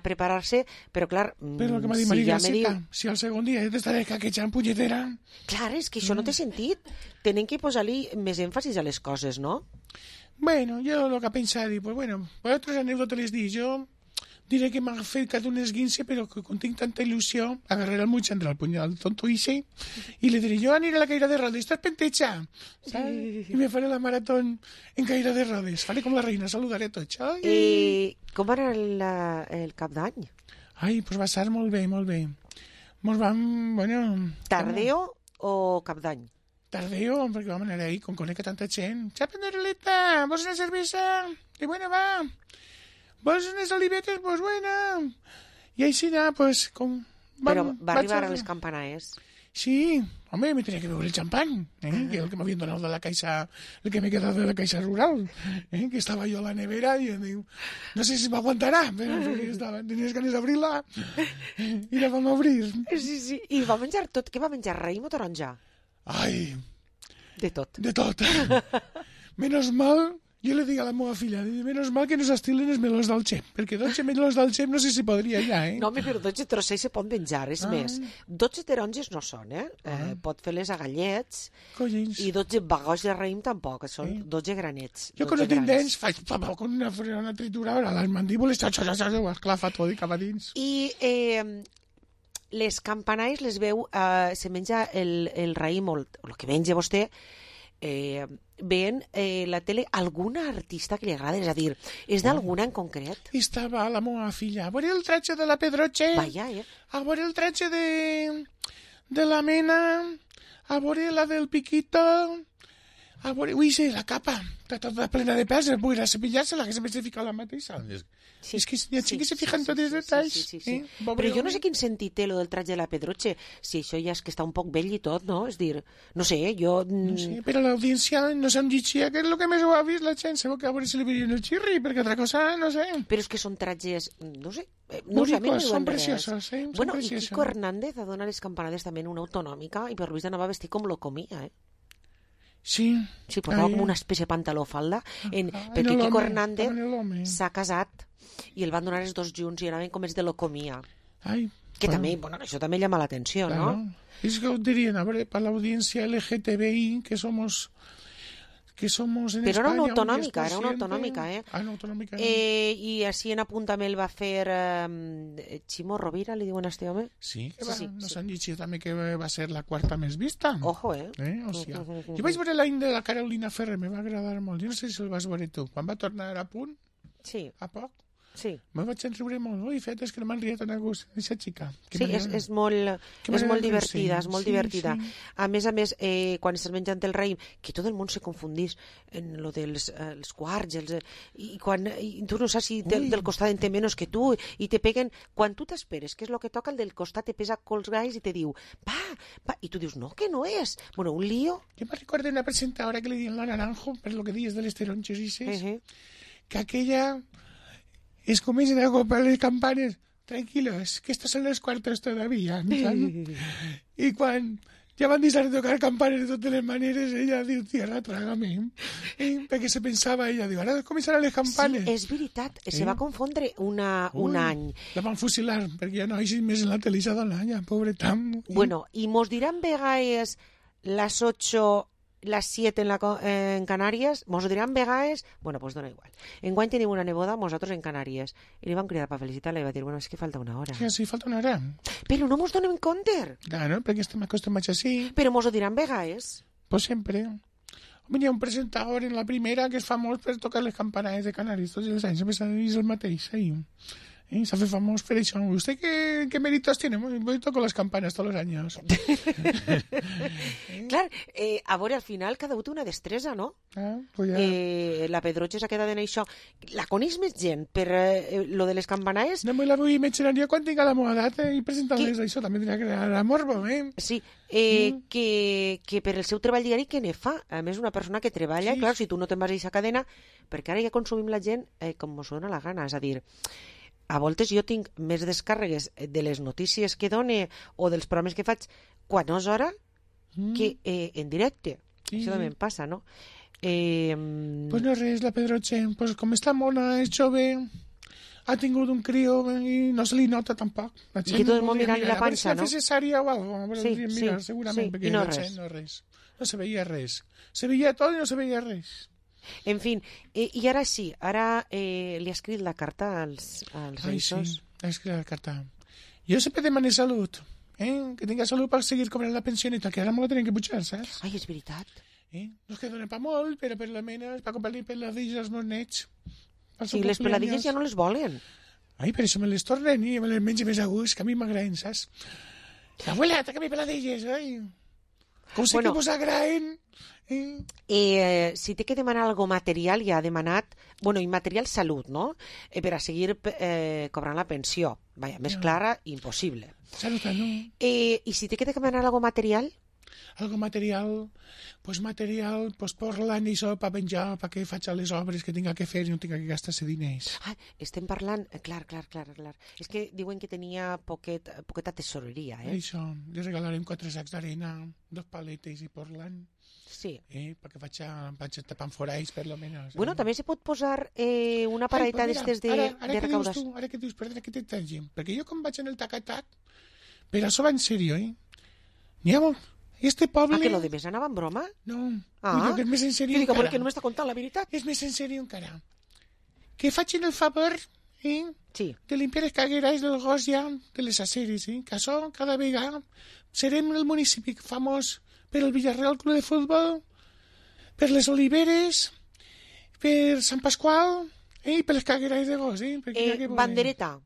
preparar-se, però clar... Però el que m'ha dit Maria Garceta, si el segon dia ja t'estaré caquejant punyetera... Clar, és que això no té sentit. Tenen que posar-li més èmfasis a les coses, no? Bueno, jo el que he pensat, pues bueno, vosaltres anècdotes les dic, jo diré que m'ha fet cada un esguince, però que com tinc tanta il·lusió, agarraré el mutxan del punyal tonto ixe i li diré, jo aniré a la caïra de rodes, estàs penteja, ¿sabes? I me faré la maratón en caïra de rodes, faré com la reina, saludaré a tots. Com va anar el cap d'any? Ai, pues va ser molt bé, molt bé. Mos vam, bueno... Tardeo o cap d'any? Tardeo, perquè vam anar ahí, con conec a tanta gent. Xapa, Nereleta, vols una cervesa? I bueno, va... Vols unes olivetes? Pues buena. I així pues... Però va arribar a les campanaes. Sí, home, me tenía que beber el champán, que el que m'havien donat de la caixa, el que m'he quedat de la caixa rural, que estava jo a la nevera i diu, no sé si m'aguantarà, però tenies ganes d'obrir-la i la vam obrir. Sí, i va menjar tot, què va menjar, raïm o taronja? Ai... De tot. De tot. Menos mal... Jo li dic a la meva filla, menys mal que no s'estilen els melons del xep, perquè 12 melons del xep no sé si podria ja, No, però 12 trossets se pot menjar, és més. 12 taronges no són, pot fer-les a gallets, i 12 bagots de raïm tampoc, són 12 granets. Jo quan no tinc dents faig con una trituradora, les mandíbules, ho esclafa tot i cap a dins. I les campanais les veu, se menja el raïm o el que menja vostè, veient la tele alguna artista que li agrada, és a dir, és d'alguna en concret? Estava la meva filla a veure el tratge de la Pedroche, a veure el tratge de la Mena, a veure la del Piquito, a veure, sí, la capa, està tota plena de pèls, vull anar a cepillar-se-la, que sempre s'ha ficat la mateixa. És que hi ha gent que se fica en tots els detalls. Però jo no sé quin sentit té lo del tratge de la Pedroche, si això ja és que està un poc vell i tot, no? És dir, no sé, jo... No sé, però l'audiència no se'm lletgia, que és el que més ho ha vist la gent, sabeu que a veure si li veien el xirri, perquè altra cosa, no sé. Però és que són tratges, no sé... Bonitos, són preciosos, Bueno, i Kiko Hernández ha donat les campanades també en una autonòmica, i per Luis anava vestit com lo comia, Sí, portava com una espècie de pantaló falda, perquè Kiko Hernández s'ha casat i el van donar els dos junts i anaven com els de lo comia. Que també, bueno, això també llama l'atenció, no? És que ho dirien, a veure, per l'audiència LGTBI, que somos en España... Però era una autonòmica, una autonòmica. I així en apunt també el va fer Ximo Rovira, li diuen a este home? Sí, no s'han dit també que va ser la quarta més vista. Ojo, Jo vaig veure l'any de la Carolina Ferrer, me va agradar molt. Jo no sé si el vas veure tu. Quan va tornar a punt, a poc, me vaig enriure molt. Ui, fet, és que no m'han riat tan a gust, aquesta xica. Sí, és molt divertida, és molt divertida. A més, quan estàs menjant el raïm, que tot el món se confundís en lo dels quarts, i tu no saps si del costat en té menys que tu, i te peguen, quan tu t'esperes, que és el que toca, el del costat te pesa cols galls i te diu, va, i tu dius, no, que no és. Bueno, un lío. Jo me recordo una presentadora que li diuen la Naranjo, per lo que dius de les taronges i que aquella... Es comienzan a comprar las campanas. Tranquilos, que estas son los cuartos todavía. Y cuando ja van deixar de tocar campanes de totes les maneres, ella diu, tierra, trágame. Perquè se pensava, ella diu, ara començaran les campanes. Sí, és veritat, se va confondre un any. La van fusilar, perquè ja no hi més en la tele, ja ja, pobre Tam. Bueno, i mos diran vegades las 8... las 7 en Canàries, mos ho diran vegades, bueno, pues dona igual. Enguany tenim una neboda, nosaltres en Canàries, i li vam cridar per felicitar-la i va dir, bueno, és que falta una hora. Sí, falta una hora. Però no mos donem compte. Claro, perquè estem acostumats així. Però mos ho diran vegades. Pues sempre. Hi ha un presentador en la primera que és famós per tocar les campanades de Canàries tots els anys, sempre és el mateix, ahí. Se hace famoso por eso. ¿Usted qué méritos tiene? Yo toco las campanas todos los años. Clar, a veure, al final cada un té una destresa, no? Pues ja. La Pedroche s'ha quedat en això. La coneix més gent, per lo de les campanaes... No me la vull mencionar jo quan tinc la meva edat i presentar-les això, també tindrà que anar a morbo, Sí, que per el seu treball diari que ne fa. A més, una persona que treballa, clar, si tu no te'n vas a aquesta cadena, perquè ara ja consumim la gent com mos dona la gana, és a dir... A voltes jo tinc més descàrregues de les notícies que done o dels programes que faig quan és hora que en directe. Això també em passa, no? Pues no res, la Pedroche. Pues com està mona, és jove, ha tingut un crio i no se li nota tampoc. I que tot el món mirant la panxa, no? A veure si cesària o algo. Sí, segurament, sí, perquè i no res. No se veia res. Se veia tot i no se veia res. En fin, i ara sí, ara li ha escrit la carta als reissos. Sí, ha escrit la carta. Jo sempre demané salut, que tinga salut per seguir cobrant la pensioneta, que ara me la tenen que pujar, saps? Ai, és veritat. No és que donen pa molt, però per la mena és per comprar-li peladilles als meus nets. Sí, les peladilles ja no les volen. Ai, per això me les tornen i me les menjo més a gust, que a mi m'agraden, saps? Abuela, trague-me peladilles, ai. Com sé que vos agraden... si té que demanar algo material, ja ha demanat, immaterial salut, no? Per a seguir cobrant la pensió. Vaja, més clara, impossible. Salut, no? I si té que demanar algo material? Algo material, pues parlant i això per penjar, perquè faig les obres que tinga que fer i no tinga que gastar-se diners. Estem parlant... Clar. És que diuen que tenia poqueta tesoreria, Això, li regalarem 4 sacs d'arena, 2 paletes i parlant. Sí. Perquè vaig tapant foralls, per lo menos. Bueno, també se pot posar una paradeta d'estes de recaudació. Ara que dius, perdona que t'entengi, perquè jo com vaig en el tac-tac, però això va en sèrio, N'hi ha molt... Este poble... que lo de més anava en broma? No, que és més en sèrio encara. Perquè no m'està contant la veritat. És més en sèrio encara. Que facin el favor de limpiar les cagueres del gos ja de les aceres, que això cada vegada serem el municipi famós per el Villarreal Club de Futbol, per les oliveres, per Sant Pasqual i per les cagueres de gos. Bandereta.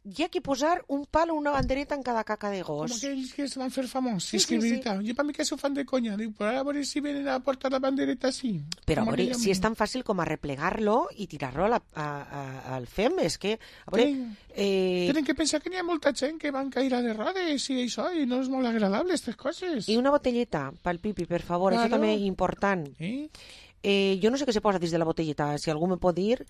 Hi ha que posar un pal o una bandereta en cada caca de gos. Com aquells que es van fer famós. Sí, és que és veritat. Jo per mi que s'ho fan de conya. Diu, però a veure si venen a portar la bandereta així. Però a veure, si és tan fàcil com a replegar-lo i tirar-lo al fem, és que... Tenen que pensar que n'hi ha molta gent que van caire de rodes i això, i no és molt agradable, aquestes coses. I una botelleta pel pipi, per favor, això també és important. Jo no sé què se posa dins de la botelleta, si algú me pot dir...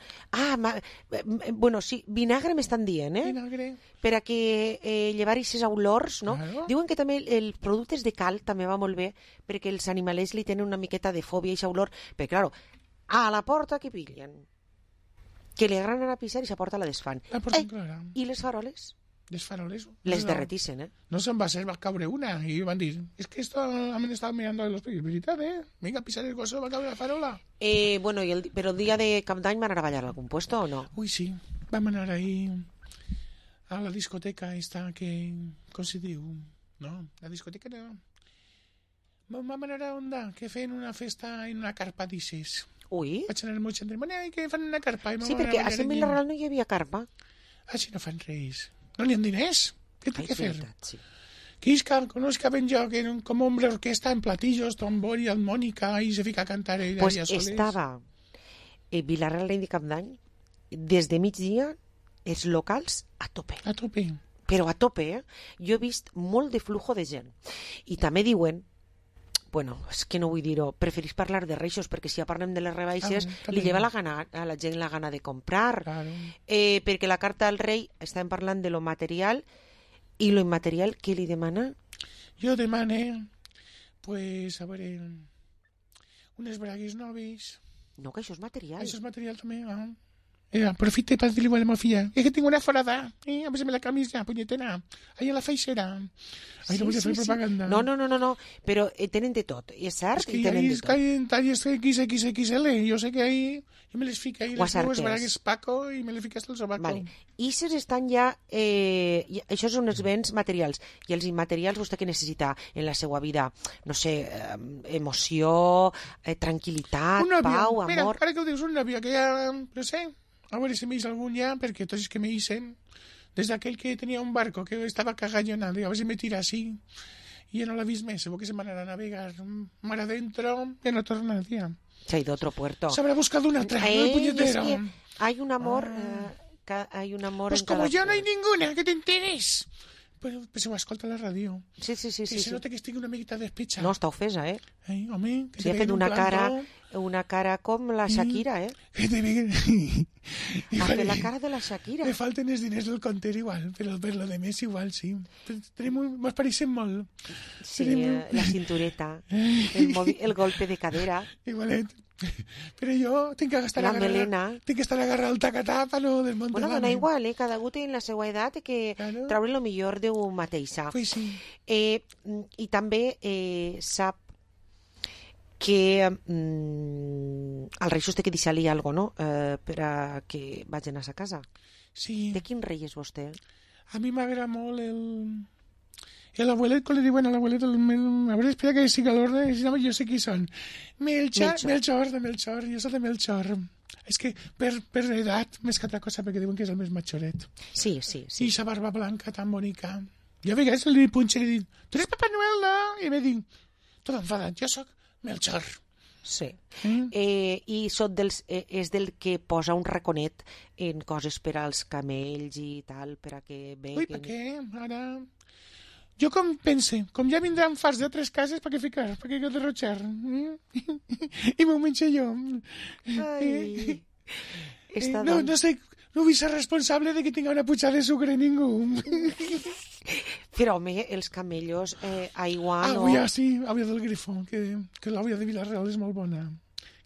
sí, vinagre m'estan dient, Vinagre. Per a que llevar aquestes olors, no? Diuen que també els productes de cal també va molt bé, perquè els animalets li tenen una miqueta de fòbia a aquesta olor, perquè, claro, a la porta que pillen, que li agraden a pisar i la porta la desfan. I les faroles? Les faroles. Les derretissen, No se'n va ser, va caure una i van dir, és que esto a mi estava mirando de los pies, veritat, Vinga, a pisar el gozo, va caure la farola. Però el dia de Cap d'Any van anar a ballar a algun puesto o no? Ui, sí, vam anar ahí a la discoteca esta que, com se diu, no, la discoteca no. Vam anar a Onda, que feien una festa en una carpa d'ixes. Ui. Vaig anar molt gent, que fan una carpa. Sí, perquè a Sant Vilarreal no hi havia carpa. Així no fan res. No n'hi ha diners. Què té que fer? Sí. Quisca, conozca ben jo, que com hombre orquesta en platillos, tambor y armónica, y se fica a cantar ella pues soles. Estava Vilarreal de Cap d'Any des de migdia els locals a tope. A tope. Però a tope, Jo he vist molt de flujo de gent. I també diuen, és que no vull dir-ho, preferís parlar de reixos, perquè si ja parlem de les rebaixes, li lleva a la gent la gana de comprar. Claro. Perquè la carta al rei, estàvem parlant de lo material, i lo immaterial, què li demana? Jo demane, a veure, unes bragues noves. No, que això és material. Això és material també, Aprofite para decirle a la filla, es que tengo una forada, a veces me la camisa, puñetera, ahí a la feixera. Ahí no voy a hacer propaganda. No, però tenen de tot, és cert? És que hay talles XXXL, jo sé que ahí, jo me les fico ahí, les dues bragues Paco, i me les fico hasta el sobaco. Vale. Ixes estan ja, això són els béns materials, i els immaterials vostè que necessita en la seva vida, no sé, emoció, tranquil·litat, pau, amor... Mira, ara que ho dius, un nòvio que ja, no sé, a veure si m'eix algun ja, perquè tots els que m'eixen, des d'aquell que tenia un barco que estava cagallonado, a veure si me tira així, i ja no l'ha vist més, segur que se m'anarà a navegar mar adentro, ja no torna, tia. Se ha ido a otro puerto. Se habrá buscado una otra, el puñetero. Es que hay un amor, hay un amor pues en como cada... ya no hay ninguna, que te enteres. Pues se ho escolta a la ràdio. Sí. Que se nota que estic una miqueta despetxa. No, està ofesa, eh? Home, que sí, ha fet una cara com la Shakira, eh? Que te veuen... Ha fet la cara de la Shakira. Me falten els diners del compter igual, però per lo de més igual, sí. Mos pareixen molt. Sí, la cintureta, el golpe de cadera. Igualet. Però jo tinc que estar agarrar el tacatà per no desmuntar. Bueno, dona igual, cada algú té la seva edat que traure el millor de un mateixa. Pues sí. I també sap que al rei té que deixar-li alguna cosa, no? Per a que vagin a sa casa. Sí. De quin rei és vostè? A mi m'agrada molt el abuelet, com li diuen a l'abuelet, a veure, espera que siga l'ordre, jo sé qui són. Melchor, jo soc de Melchor. És que per edat, més que altra cosa, perquè diuen que és el més majoret. Sí. I sa barba blanca tan bonica. Jo a vegades li punxo i li dic, tu eres Papà Noel, no? I me dic, tot enfadat, jo soc Melchor. Sí. I és del que posa un raconet en coses per als camells i tal, per a que veguen... Ui, per què? Ara... Jo com pense, com ja vindran farts d'altres cases, per què ficar? Per què derrotxar? I m'ho menjo jo. Ai... No sé, no vull ser responsable de que tinga una putxada de sucre ningú. Però, home, els camellos, aigua no... Avui sí, avui del Grifo, que l'avui de Vilareal és molt bona.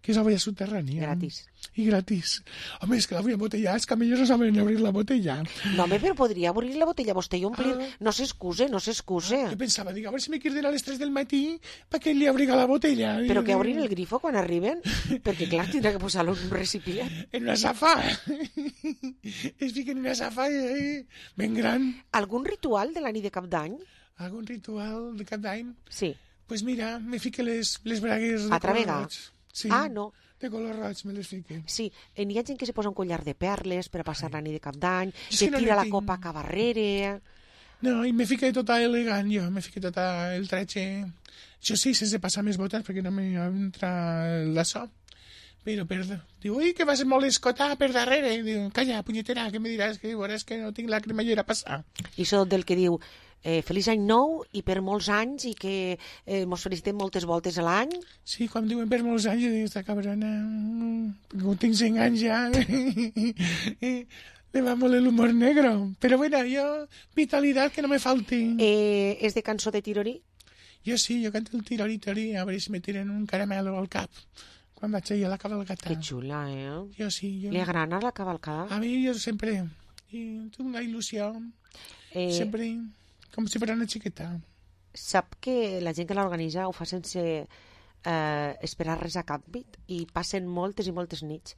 Que és avui subterrània. Gratis. I gratis. Home, és que l'avui embotellada, els camellos no saben obrir la botella. No, home, però podria obrir la botella vostè i omplir. No s'excuse. Jo pensava, dic, a veure si me queden a les 3 del matí perquè li obriga la botella. Però que obrin el grifo quan arriben? Perquè, clar, tindrà que posar-lo en un recipient. En una safa. Es fiquen en una safa ben gran. Algun ritual de la nit de Cap d'Any? Algun ritual de Cap d'Any? Sí. Pues mira, me fique les bragues de color roig. Sí, no. De color roig me les fique. Sí, n'hi ha gent que se posa un collar de perles per a passar la nit de Cap d'Any, que tira la copa cap arrere... No, i me fique tota elegant, jo, me fique tota el tretxe... Jo sí, sense passar més botes, perquè no m'entra la so. Però diu, ui, que vas molt escotar per darrere. Diu, calla, punyetera, que me diràs que veuràs que no tinc la cremallera a passar. I això del que diu, feliç any nou i per molts anys i que mos felicitem moltes voltes a l'any. Sí, quan diuen per molts anys, jo dic, esta cabrona, tinc 5 anys ja. Le va molt l'humor negro. Però bueno, jo, vitalitat que no me falti. És de cançó de Tirori? Jo sí, jo canto el Tirori, a veure si me tiren un caramelo al cap. Quan vaig allà a la cavalcada. Que xula, eh? Jo sí. Li agrada la cavalcada? A mi jo sempre. I tinc una il·lusió. Sempre, com si fos una xiqueta. Sap que la gent que l'organitza ho fa sense esperar res a canvi i passen moltes i moltes nits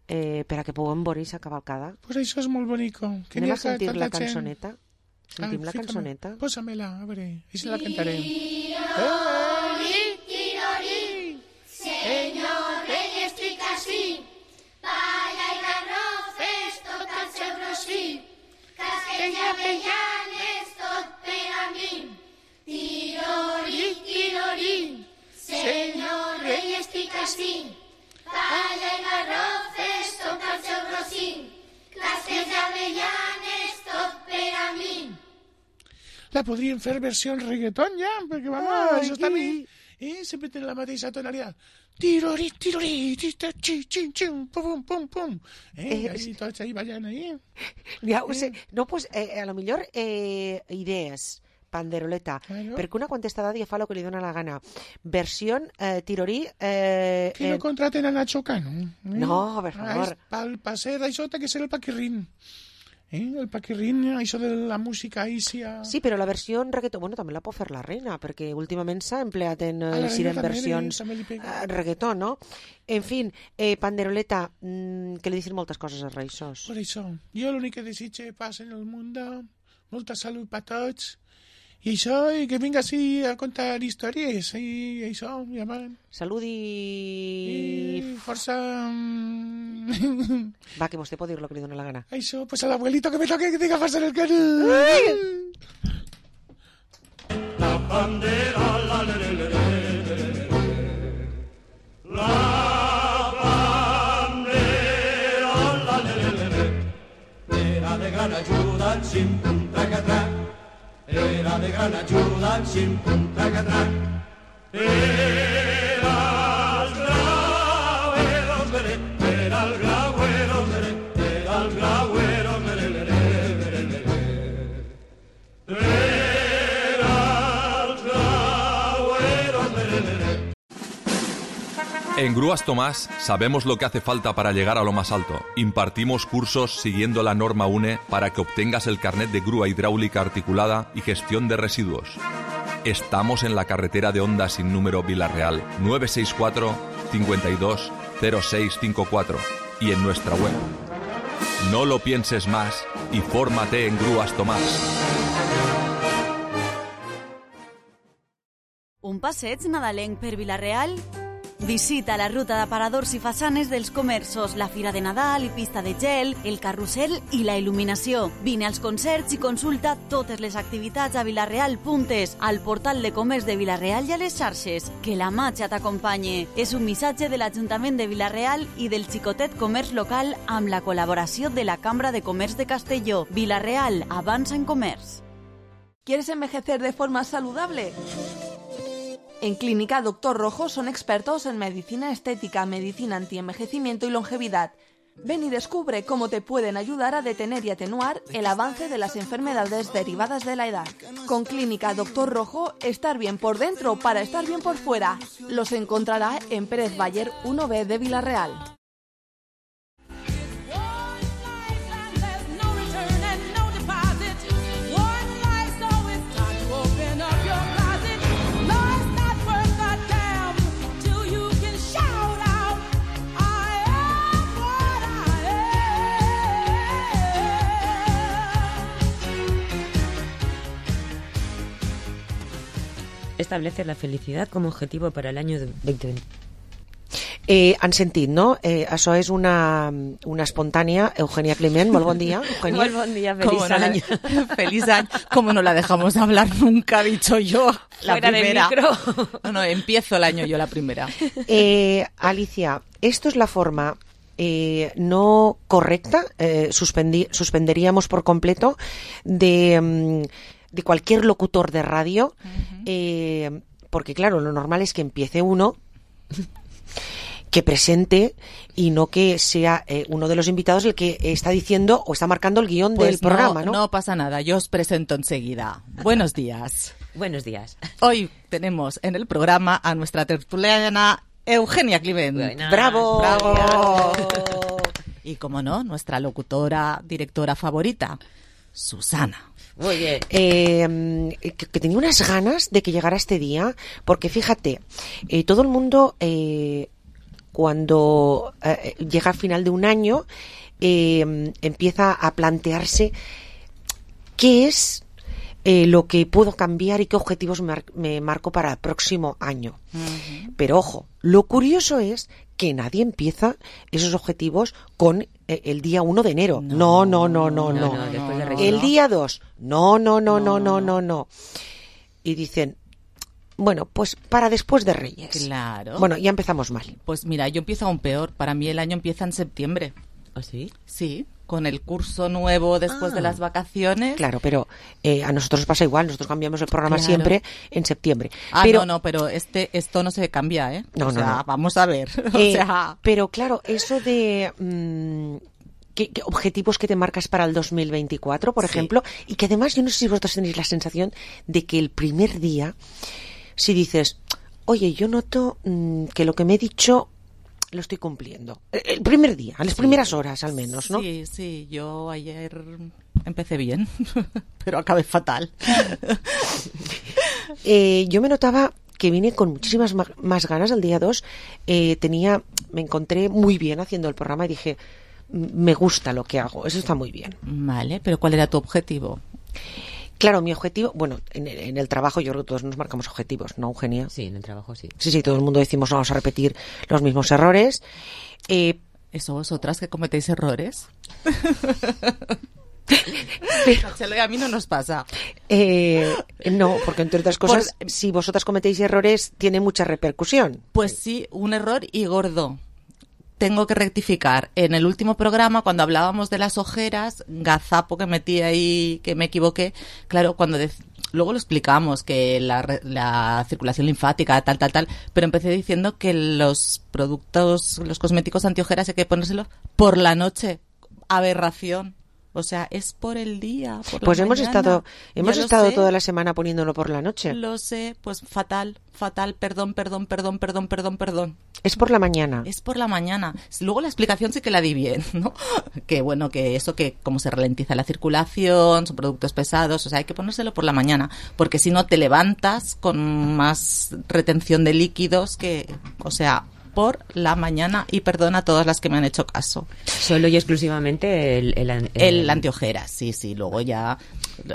per a que puguem veure aquesta cavalcada. Pues això és molt bonico. Anem a sentir la cançoneta. Sentim la cançoneta. Pósamela, a veure, i se la cantarem. Senyor rei, estic així, palla i garrofes, tot el seu rossí, casquets i avellanes, tot per a mi. Tirori, tirori, senyor rei, estic així, palla i garrofes, tot el seu rossí, casquets i avellanes, tot per a mi. La podríem fer versió en reggaeton ja, perquè vamos, això està bé. Sempre tenen la mateixa tonalitat. Tirori, tirori, xin, xin, pum, pum, pum. Ahí tots ahí ballant ahí. Ja ho sé. No, pues, a lo millor idees, panderoleta, perquè una contestada ja fa el que li dona la gana. Versió Tirori... Que no contraten a Nacho Cano. No, per favor. Per ser d'això té que ser el Paquirrín. El Paquirrín, això de la música ísia... Sí, però la versió en reggaeton, bueno, també la pot fer la reina, perquè últimament s'ha empleat en versions reggaeton, no? En fin, panderoleta, que li dicen moltes coses als reixos. Per això, jo l'únic que desitge paz en el món, molta salut per tots, i això, i que vinga així a contar històries, i això, ja van. Salut i força Va, que vostè pot dir lo que li dóna la gana. Això, pues al abuelito que me toque que tenga farsa en el canal. La bandera, la le le le le. La bandera, la le le le. Era de gran ayuda, sin punta catrà. Era de gran ayuda, sin punta catrà. Era el grauero, era el grauero, era el grauero, En Grúas Tomás sabemos lo que hace falta para llegar a lo más alto. Impartimos cursos siguiendo la norma UNE para que obtengas el carnet de grúa hidráulica articulada y gestión de residuos. Estamos en la carretera de Honda sin número Vila-real 964 52 0654 y en nuestra web. No lo pienses más y fórmate en Grúas Tomás. Un passeig nadalenc per Vila-real? Visita la ruta d'aparadors i façanes dels comerços, la Fira de Nadal i pista de gel, el carrusel i la il·luminació. Vine als concerts i consulta totes les activitats a Vila-real.es, al portal de comerç de Vila-real i a les xarxes. Que la màgia t'acompanyi. És un missatge de l'Ajuntament de Vila-real i del xicotet comerç local amb la col·laboració de la Cambra de Comerç de Castelló. Vila-real, avança en comerç. ¿Quieres envejecer de forma saludable? En Clínica Dr. Rojo son expertos en medicina estética, medicina antienvejecimiento y longevidad. Ven y descubre cómo te pueden ayudar a detener y atenuar el avance de las enfermedades derivadas de la edad. Con Clínica Dr. Rojo, estar bien por dentro para estar bien por fuera. Los encontrará en Pérez Bayer 1B de Vila-real. Establece la felicidad como objetivo para el año 2020. Han sentit, no? Això és una espontània. Eugenia Climent, molt bon dia. Eugenia. Molt bon dia, feliz año. Feliz año. ¿Cómo no la dejamos hablar nunca? Dicho yo, la Fuera primera. del micro. No, empiezo el año yo la primera. Alicia, esto es la forma no correcta, suspenderíamos por completo de cualquier locutor de radio, porque claro, lo normal es que empiece uno que presente y no que sea uno de los invitados el que está diciendo o está marcando el guión del programa, ¿no? No pasa nada, yo os presento enseguida. Buenos días. Buenos días. Hoy tenemos en el programa a nuestra tertuliana Eugenia Climent. Buena. ¡Bravo! ¡Bravo! Y como no, nuestra locutora, directora favorita, Susana. Muy bien. Que tenía unas ganas de que llegara este día, porque fíjate, todo el mundo cuando llega al final de un año empieza a plantearse qué es lo que puedo cambiar y qué objetivos me marco para el próximo año. Pero ojo, lo curioso es que nadie empieza esos objetivos con el día 1 de enero. No. El día 2. No. Y dicen, bueno, pues para después de Reyes. Claro. Bueno, ya empezamos mal. Pues mira, yo empiezo aún peor. Para mí el año empieza en septiembre. ¿Ah, sí? Sí, con el curso nuevo después de las vacaciones. Claro, pero a nosotros nos pasa igual. Nosotros cambiamos el programa siempre en septiembre. Pero, pero esto no se cambia, ¿eh? No. Vamos a ver. Pero claro, eso de ¿qué objetivos que te marcas para el 2024, por ejemplo? Y que además, yo no sé si vosotros tenéis la sensación de que el primer día, si dices, oye, yo noto que lo que me he dicho lo estoy cumpliendo. El primer día, a las primeras horas al menos, ¿no? Sí, yo ayer empecé bien, pero acabé fatal. Yo me notaba que vine con muchísimas más ganas el día 2. Me encontré muy bien haciendo el programa y dije, me gusta lo que hago, eso está muy bien. Vale, pero ¿cuál era tu objetivo? Claro, mi objetivo, bueno, en el trabajo yo creo que todos nos marcamos objetivos, ¿no, Eugenia? Sí, en el trabajo sí. Sí, todo el mundo decimos no vamos a repetir los mismos errores, ¿Eso vosotras que cometéis errores? Chelo y a mí no nos pasa. No, porque entre otras cosas, si vosotras cometéis errores, tiene mucha repercusión. Pues sí, un error y gordo. Tengo que rectificar. En el último programa, cuando hablábamos de las ojeras, gazapo que metí ahí, que me equivoqué, claro, luego lo explicamos, que la circulación linfática, tal, pero empecé diciendo que los cosméticos antiojeras hay que ponérselos por la noche. Aberración. O sea, es por el día, por pues la hemos mañana. estado toda la semana poniéndolo por la noche. Lo sé, pues fatal, perdón. Es por la mañana. Es por la mañana. Luego la explicación sí que la di bien, ¿no? Que bueno, que eso, que como se ralentiza la circulación, son productos pesados, o sea, hay que ponérselo por la mañana, porque si no te levantas con más retención de líquidos o sea, por la mañana, y perdona a todas las que me han hecho caso. Solo y exclusivamente el antiojeras, sí. Luego ya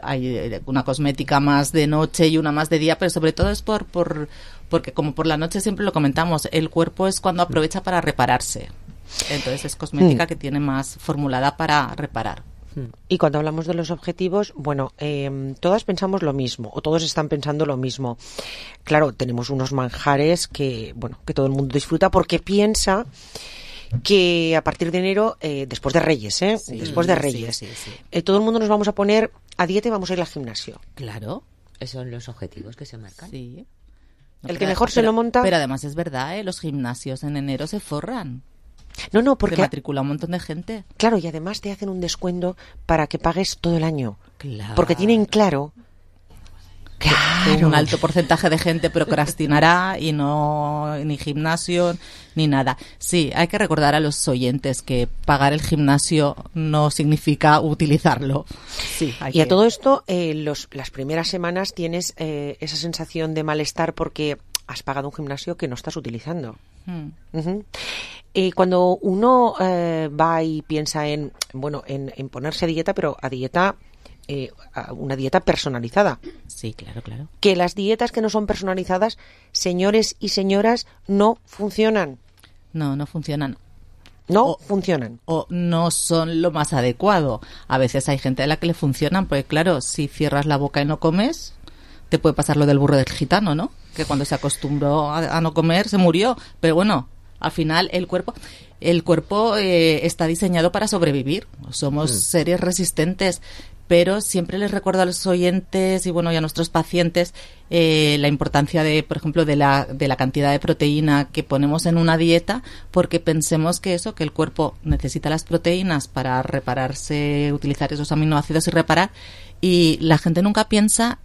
hay una cosmética más de noche y una más de día, pero sobre todo es porque como por la noche siempre lo comentamos, el cuerpo es cuando aprovecha para repararse. Entonces es cosmética que tiene más formulada para reparar. Y cuando hablamos de los objetivos, bueno, todas pensamos lo mismo, o todos están pensando lo mismo. Claro, tenemos unos manjares que todo el mundo disfruta porque piensa que a partir de enero, después de Reyes, todo el mundo nos vamos a poner a dieta y vamos a ir al gimnasio. Claro. Esos son los objetivos que se marcan. Sí. El que mejor se lo monta. Pero además es verdad, los gimnasios en enero se forran. No, porque te matricula un montón de gente. Claro, y además te hacen un descuento para que pagues todo el año. Claro. Porque tienen claro. Un alto porcentaje de gente procrastinará y no ni gimnasio ni nada. Sí, hay que recordar a los oyentes que pagar el gimnasio no significa utilizarlo. Sí, y a todo esto, las primeras semanas tienes esa sensación de malestar porque has pagado un gimnasio que no estás utilizando. Cuando uno va y piensa en ponerse a dieta, pero a dieta, una dieta personalizada. Sí, claro. Que las dietas que no son personalizadas, señores y señoras, no funcionan. No funcionan. Funcionan. O no son lo más adecuado. A veces hay gente a la que le funcionan, porque claro, si cierras la boca y no comes, te puede pasar lo del burro del gitano, ¿no? Que cuando se acostumbró a no comer se murió. Pero bueno, al final el cuerpo está diseñado para sobrevivir. Somos seres resistentes. Pero siempre les recuerdo a los oyentes y a nuestros pacientes la importancia por ejemplo, de la cantidad de proteína que ponemos en una dieta, porque pensemos que el cuerpo necesita las proteínas para repararse, utilizar esos aminoácidos y reparar, y la gente nunca piensa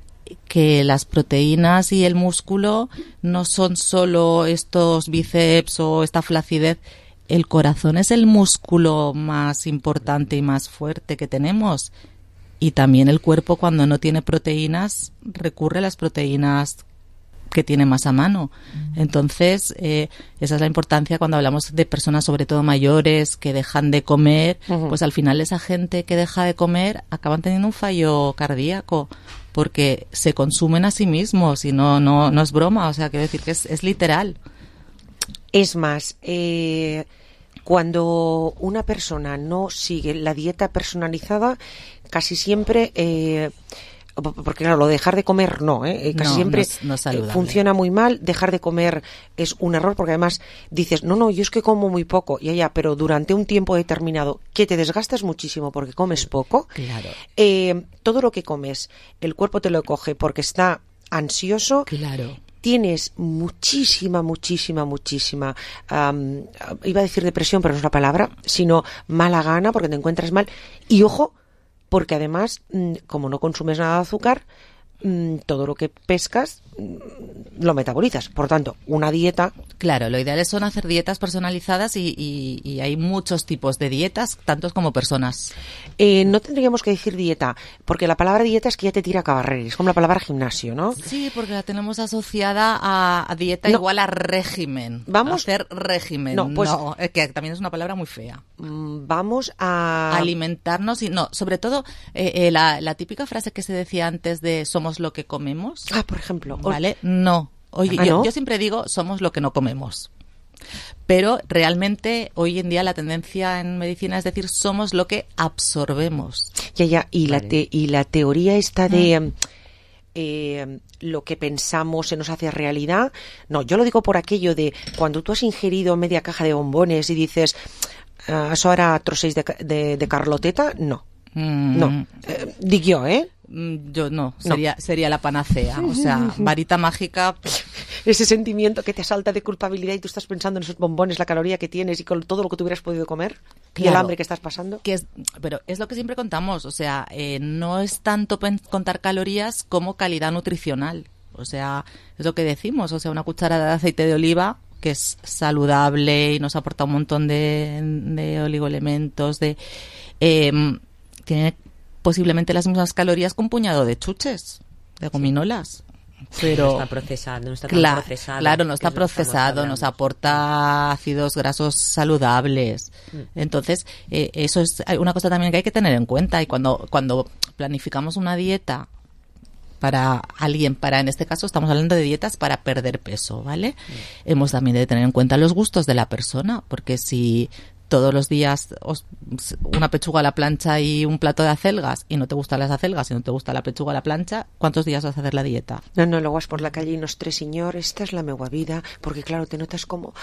que las proteínas y el músculo no son solo estos bíceps o esta flacidez. El corazón es el músculo más importante y más fuerte que tenemos. Y también el cuerpo, cuando no tiene proteínas, recurre a las proteínas que tiene más a mano. Entonces, esa es la importancia cuando hablamos de personas, sobre todo mayores, que dejan de comer. Pues al final esa gente que deja de comer acaban teniendo un fallo cardíaco porque se consumen a sí mismos y no es broma. O sea, quiero decir que es literal. Es más, cuando una persona no sigue la dieta personalizada, casi siempre, porque claro, lo de dejar de comer casi siempre no es saludable. Funciona muy mal. Dejar de comer es un error, porque además dices, no, yo es que como muy poco, pero durante un tiempo determinado que te desgastas muchísimo porque comes poco, claro. Todo lo que comes, el cuerpo te lo coge porque está ansioso. Claro. Tienes muchísima, iba a decir depresión, pero no es la palabra, sino mala gana porque te encuentras mal. Y ojo, porque además, como no consumes nada de azúcar, todo lo que pescas lo metabolizas. Por tanto, una dieta... Claro, lo ideal son hacer dietas personalizadas y hay muchos tipos de dietas, tantos como personas. No tendríamos que decir dieta, porque la palabra dieta es que ya te tira a cabarrer, es como la palabra gimnasio, ¿no? Sí, porque la tenemos asociada a dieta igual a régimen. Vamos a hacer régimen. No, que también es una palabra muy fea. Vamos a... alimentarnos y sobre todo la típica frase que se decía antes de somos lo que comemos. Por ejemplo. ¿Vale? No. Oye, yo siempre digo somos lo que no comemos. Pero realmente hoy en día la tendencia en medicina es decir, somos lo que absorbemos. Y la teoría esta de lo que pensamos se nos hace realidad. No, yo lo digo por aquello de cuando tú has ingerido media caja de bombones y dices, eso era trosseis de Carloteta, no. No, digo yo, Yo no, sería la panacea, o sea, varita mágica. Ese sentimiento que te asalta de culpabilidad y tú estás pensando en esos bombones, la caloría que tienes y con todo lo que tú hubieras podido comer, claro, y el hambre que estás pasando. Pero es lo que siempre contamos, o sea, no es tanto contar calorías como calidad nutricional, o sea, es lo que decimos, o sea, una cucharada de aceite de oliva que es saludable y nos aporta un montón de oligoelementos, tiene posiblemente las mismas calorías que un puñado de chuches, de gominolas. Pero no está procesado, no está tan procesado. Claro, no está procesado, nos aporta ácidos grasos saludables. Entonces, eso es una cosa también que hay que tener en cuenta. Y cuando planificamos una dieta para alguien, en este caso estamos hablando de dietas para perder peso, ¿vale? Hemos también de tener en cuenta los gustos de la persona, porque si todos los días una pechuga a la plancha y un plato de acelgas y no te gustan las acelgas y no te gusta la pechuga a la plancha, ¿cuántos días vas a hacer la dieta? No, luego vas por la calle y nos tres, señor, esta es la meua vida, porque claro, te notas como,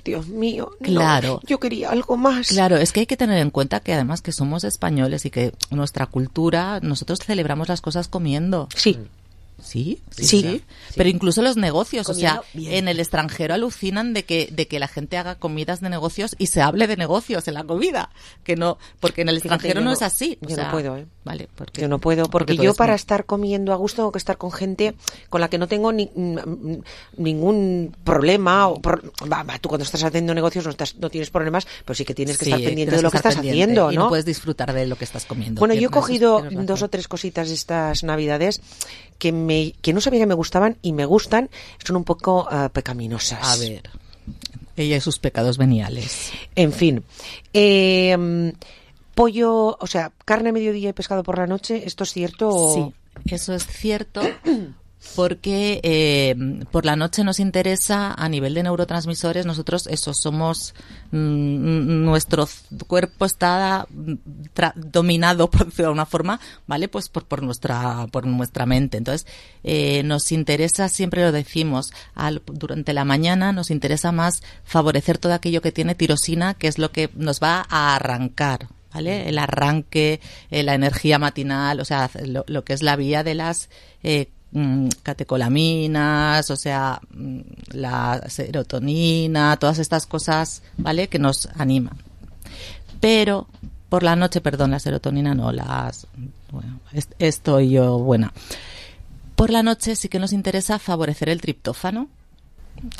Dios mío, claro, yo quería algo más. Claro, es que hay que tener en cuenta que además que somos españoles y que nuestra cultura, nosotros celebramos las cosas comiendo. Sí. Sí. Pero incluso los negocios, comiendo, o sea, bien. En el extranjero alucinan de que la gente haga comidas de negocios y se hable de negocios en la comida, que no, porque en el extranjero no es así. Yo no puedo, Vale, yo no puedo, porque yo para estar comiendo a gusto tengo que estar con gente con la que no tengo ningún problema. Tú cuando estás haciendo negocios no tienes problemas, pero sí que tienes que estar pendiente de lo que estás haciendo, ¿no? Y no puedes disfrutar de lo que estás comiendo. Bueno, yo he cogido 2 o 3 cositas estas Navidades que no sabía que me gustaban y me gustan, son un poco pecaminosas. A ver, ella y sus pecados veniales. En fin, pollo, o sea, carne a mediodía y pescado por la noche, ¿esto es cierto? Sí, eso es cierto. Porque por la noche nos interesa, a nivel de neurotransmisores, nosotros somos, nuestro cuerpo está dominado, por decirlo de alguna forma, ¿vale? Pues por nuestra mente. Entonces, nos interesa, siempre lo decimos, durante la mañana nos interesa más favorecer todo aquello que tiene tirosina, que es lo que nos va a arrancar, ¿vale? El arranque, la energía matinal, o sea, lo que es la vía de las catecolaminas, o sea, la serotonina, todas estas cosas, ¿vale? Que nos animan. Pero por la noche, la serotonina no, estoy yo buena. Por la noche sí que nos interesa favorecer el triptófano.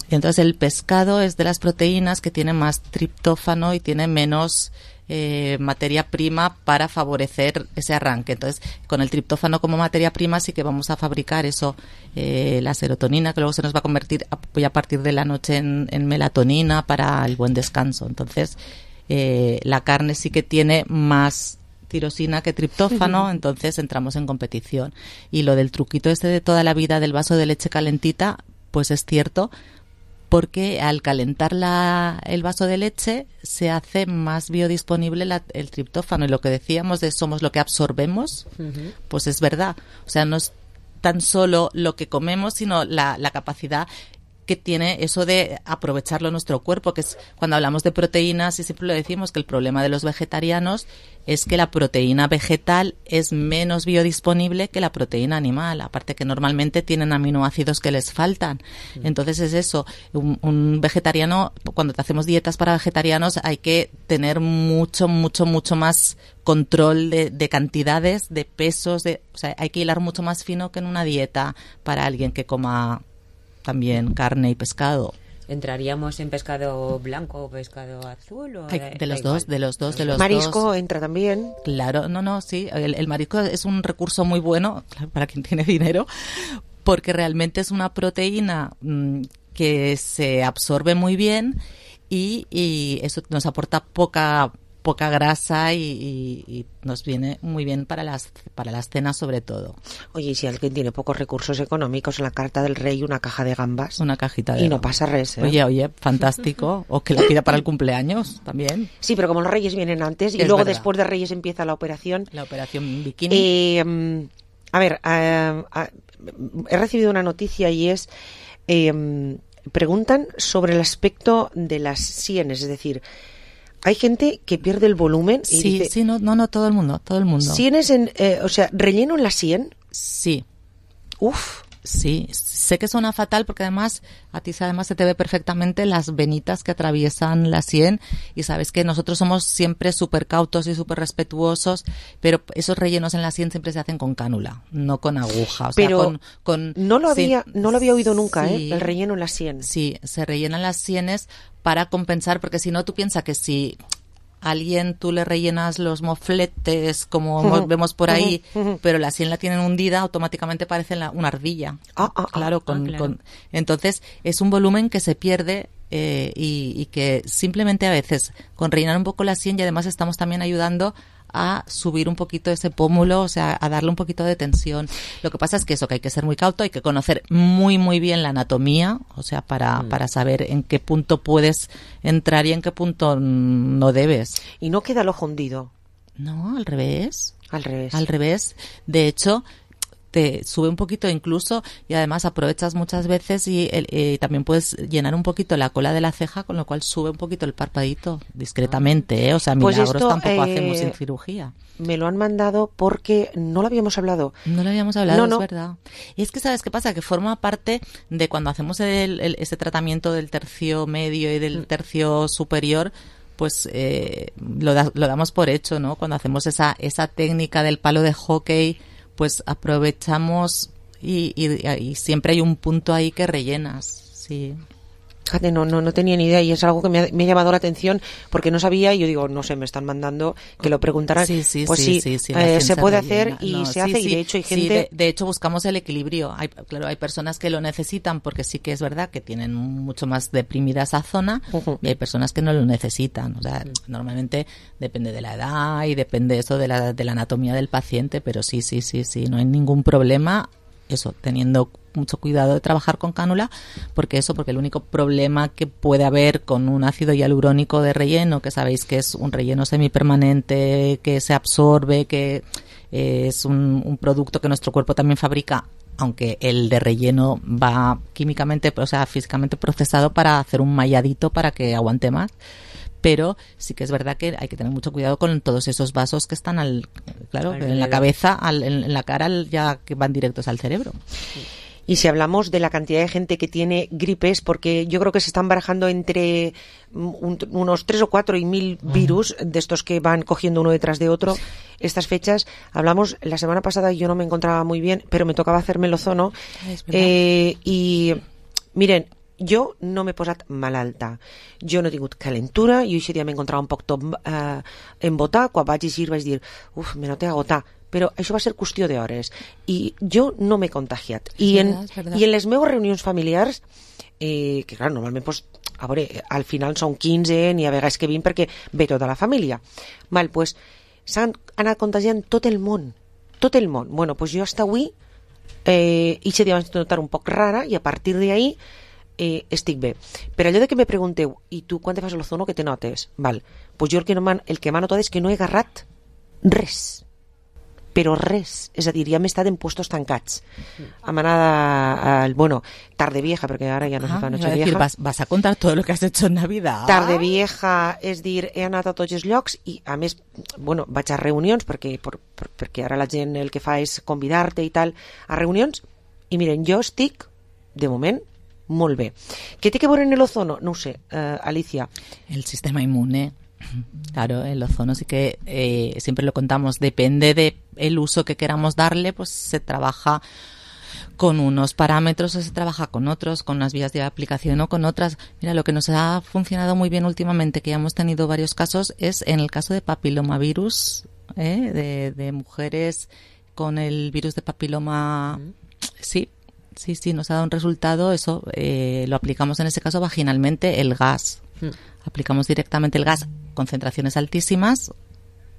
Y entonces el pescado es de las proteínas que tiene más triptófano y tiene menos materia prima para favorecer ese arranque. Entonces, con el triptófano como materia prima sí que vamos a fabricar eso, la serotonina, que luego se nos va a convertir a partir de la noche en melatonina para el buen descanso. Entonces, la carne sí que tiene más tirosina que triptófano, entonces entramos en competición. Y lo del truquito de toda la vida del vaso de leche calentita, pues es cierto, porque al calentar el vaso de leche se hace más biodisponible el triptófano, y lo que decíamos de somos lo que absorbemos, pues es verdad. O sea, no es tan solo lo que comemos, sino la capacidad que tiene eso de aprovecharlo nuestro cuerpo, que es cuando hablamos de proteínas, y siempre lo decimos, que el problema de los vegetarianos es que la proteína vegetal es menos biodisponible que la proteína animal, aparte que normalmente tienen aminoácidos que les faltan. Entonces es eso, un vegetariano, cuando te hacemos dietas para vegetarianos hay que tener mucho más control de cantidades, de pesos, o sea, hay que hilar mucho más fino que en una dieta para alguien que coma también carne y pescado. ¿Entraríamos en pescado blanco o pescado azul? ¿O de los dos. ¿Marisco entra también? Claro, sí. El marisco es un recurso muy bueno para quien tiene dinero, porque realmente es una proteína que se absorbe muy bien y eso nos aporta poca poca grasa y nos viene muy bien para las cenas sobre todo. Oye, y si alguien tiene pocos recursos económicos, en la carta del rey una caja de gambas. Una cajita de y no gambas. pasa res, ¿eh? Oye, fantástico. O que la pida para el cumpleaños también. Sí, pero como los reyes vienen antes y Es luego verdad. después de reyes empieza la operación. La operación bikini. A ver, he recibido una noticia y es... preguntan sobre el aspecto de las sienes, es decir, hay gente que pierde el volumen y Sí, dice... sí, no, todo el mundo. ¿Sienes o sea, relleno en la sien? Sí. Uf. Sí, sé que suena fatal porque además a ti además se te ve perfectamente las venitas que atraviesan la sien y sabes que nosotros somos siempre súper cautos y súper respetuosos, pero esos rellenos en la sien siempre se hacen con cánula, no con aguja. O pero sea, con no lo había oído nunca, sí, el relleno en la sien. Sí, se rellenan las sienes para compensar, porque si no tú piensas que si tú le rellenas los mofletes como vemos por ahí, pero la sien la tienen hundida, automáticamente parece una ardilla. Claro. Entonces es un volumen que se pierde y que simplemente a veces con rellenar un poco la sien, y además estamos también ayudando a subir un poquito ese pómulo, o sea, a darle un poquito de tensión. Lo que pasa es que eso, que hay que ser muy cauto, hay que conocer muy, muy bien la anatomía, o sea, para saber en qué punto puedes entrar y en qué punto no debes. ¿Y no queda el ojo hundido? No, al revés. Al revés. De hecho, te sube un poquito incluso y además aprovechas muchas veces y también puedes llenar un poquito la cola de la ceja, con lo cual sube un poquito el parpadito discretamente, ¿eh? O sea, pues milagros esto, tampoco hacemos sin cirugía. Me lo han mandado porque no lo habíamos hablado. No lo habíamos hablado, no. Es verdad. Y es que, ¿sabes qué pasa? Que forma parte de cuando hacemos ese tratamiento del tercio medio y del tercio superior, pues lo damos por hecho, ¿no? Cuando hacemos esa técnica del palo de hockey, pues aprovechamos y siempre hay un punto ahí que rellenas, sí. Fíjate, no tenía ni idea y es algo que me ha llamado la atención porque no sabía y yo digo, no sé, me están mandando que lo preguntaran. Sí, se puede hacer y se hace y de hecho hay gente... de hecho buscamos el equilibrio. Hay personas que lo necesitan porque sí que es verdad que tienen mucho más deprimida esa zona y hay personas que no lo necesitan. O sea, normalmente depende de la edad y depende eso de la anatomía del paciente, pero sí, no hay ningún problema. Eso, teniendo mucho cuidado de trabajar con cánula, porque el único problema que puede haber con un ácido hialurónico de relleno, que sabéis que es un relleno semipermanente, que se absorbe, que es un producto que nuestro cuerpo también fabrica, aunque el de relleno va químicamente, o sea, físicamente procesado para hacer un malladito para que aguante más. Pero sí que es verdad que hay que tener mucho cuidado con todos esos vasos que están en la cabeza, en la cara, ya que van directos al cerebro. Y si hablamos de la cantidad de gente que tiene gripes, porque yo creo que se están barajando entre unos 3 o 4 y 1000 virus de estos que van cogiendo uno detrás de otro, estas fechas, hablamos la semana pasada y yo no me encontraba muy bien, pero me tocaba hacerme el ozono. Y miren, jo no m'he posat malalta, jo no he tingut calentura, jo aquest dia m'he encontrat un poc tot embotar, quan vaig llegir vaig dir, me noté agotar, però això va ser qüestió d'hores i jo no m'he contagiat i en les meves reunions familiars que clar, normalment pues, a veure, al final són 15 ni a vegades que 20 perquè ve tota la família pues, s'han anat contagiant tot el món. Bueno, pues jo hasta avui aquest dia vaig notar un poc rara i a partir d'ahí estic bé. Per allò de que me pregunteu i tu quan te fas l'ozono que te notes? Pues jo el que m'ha notat és que no he agarrat res, però res, és a dir, ja m'he estat en puestos tancats. Hem anat tarde vieja, perquè ara ja no se fa noche vieja. Vas a contar todo lo que has hecho en Navidad. Tarde vieja, és dir, he anat a tots els llocs i a més, vaig a reunions perquè ara la gent el que fa és convidar-te i tal a reunions i miren, jo estic de moment molt bé. ¿Qué tiene que ver en el ozono? No sé, Alicia. El sistema inmune. Claro, el ozono sí que siempre lo contamos, depende de el uso que queramos darle, pues se trabaja con unos parámetros o se trabaja con otros, con unas vías de aplicación o con otras. Mira, lo que nos ha funcionado muy bien últimamente, que ya hemos tenido varios casos, es en el caso de papilomavirus, de mujeres con el virus de papiloma. Sí, nos ha dado un resultado, lo aplicamos en ese caso vaginalmente, el gas. Aplicamos directamente el gas concentraciones altísimas,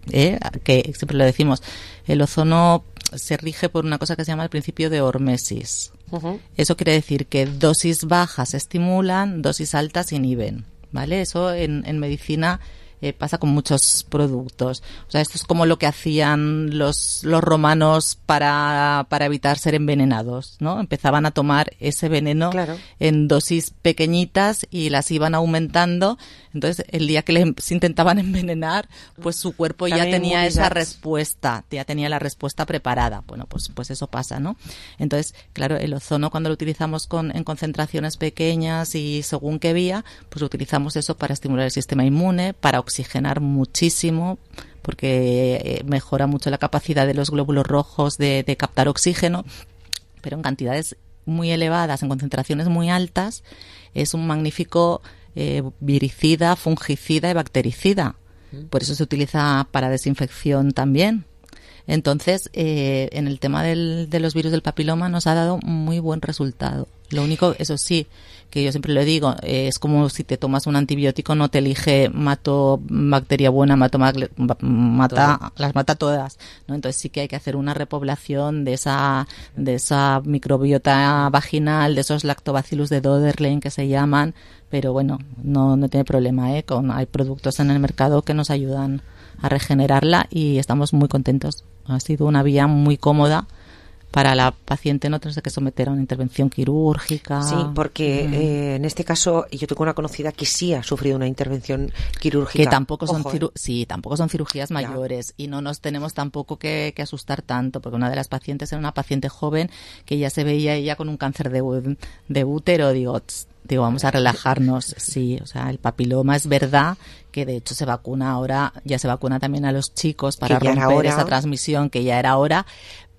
que siempre lo decimos, el ozono se rige por una cosa que se llama el principio de hormesis. Eso quiere decir que dosis bajas estimulan, dosis altas inhiben, ¿vale? Eso en medicina pasa con muchos productos. O sea, esto es como lo que hacían los romanos para evitar ser envenenados, ¿no? Empezaban a tomar ese veneno en dosis pequeñitas y las iban aumentando. Entonces, el día que les intentaban envenenar, pues su cuerpo ya tenía esa respuesta, ya tenía la respuesta preparada. Bueno, pues eso pasa, ¿no? Entonces, claro, el ozono cuando lo utilizamos en concentraciones pequeñas y según qué vía, pues utilizamos eso para estimular el sistema inmune, para oxigenar muchísimo, porque mejora mucho la capacidad de los glóbulos rojos de captar oxígeno, pero en cantidades muy elevadas, en concentraciones muy altas, es un magnífico viricida, fungicida y bactericida. Por eso se utiliza para desinfección también. Entonces, en el tema de los virus del papiloma nos ha dado muy buen resultado. Lo único, eso sí, que yo siempre lo digo, es como si te tomas un antibiótico, no te elige mato bacteria buena, las mata todas, ¿no? Entonces sí que hay que hacer una repoblación de esa microbiota vaginal, de esos lactobacillus de Doderlein que se llaman, pero bueno, no tiene problema, hay productos en el mercado que nos ayudan a regenerarla y estamos muy contentos. Ha sido una vía muy cómoda para la paciente no tener que someter a una intervención quirúrgica. Sí, porque en este caso yo tengo una conocida que sí ha sufrido una intervención quirúrgica. Que tampoco son tampoco son cirugías mayores y no nos tenemos tampoco que asustar tanto, porque una de las pacientes era una paciente joven que ya se veía ella con un cáncer de útero. Digo, vamos a relajarnos. Sí, o sea, el papiloma es verdad que de hecho se vacuna ahora, ya se vacuna también a los chicos para romper esa transmisión, que ya era hora,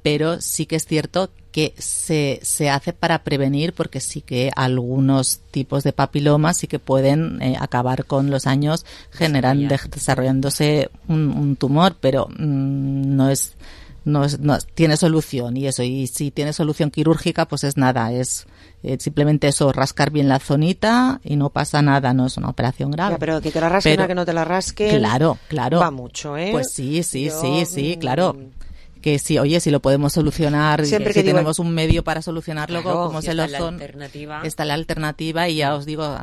pero sí que es cierto que se hace para prevenir, porque sí que algunos tipos de papilomas sí que pueden acabar con los años desarrollándose un tumor, pero no tiene solución, y si tiene solución quirúrgica pues es nada, es simplemente eso, rascar bien la zonita y no pasa nada, no es una operación grave. Ya, pero que te la rasquen a que no te la rasquen, claro, va mucho, ¿eh? Pues sí, claro. Que sí, oye, si lo podemos solucionar, siempre si tenemos un medio para solucionarlo, como es el ozono, está la alternativa. Y ya os digo,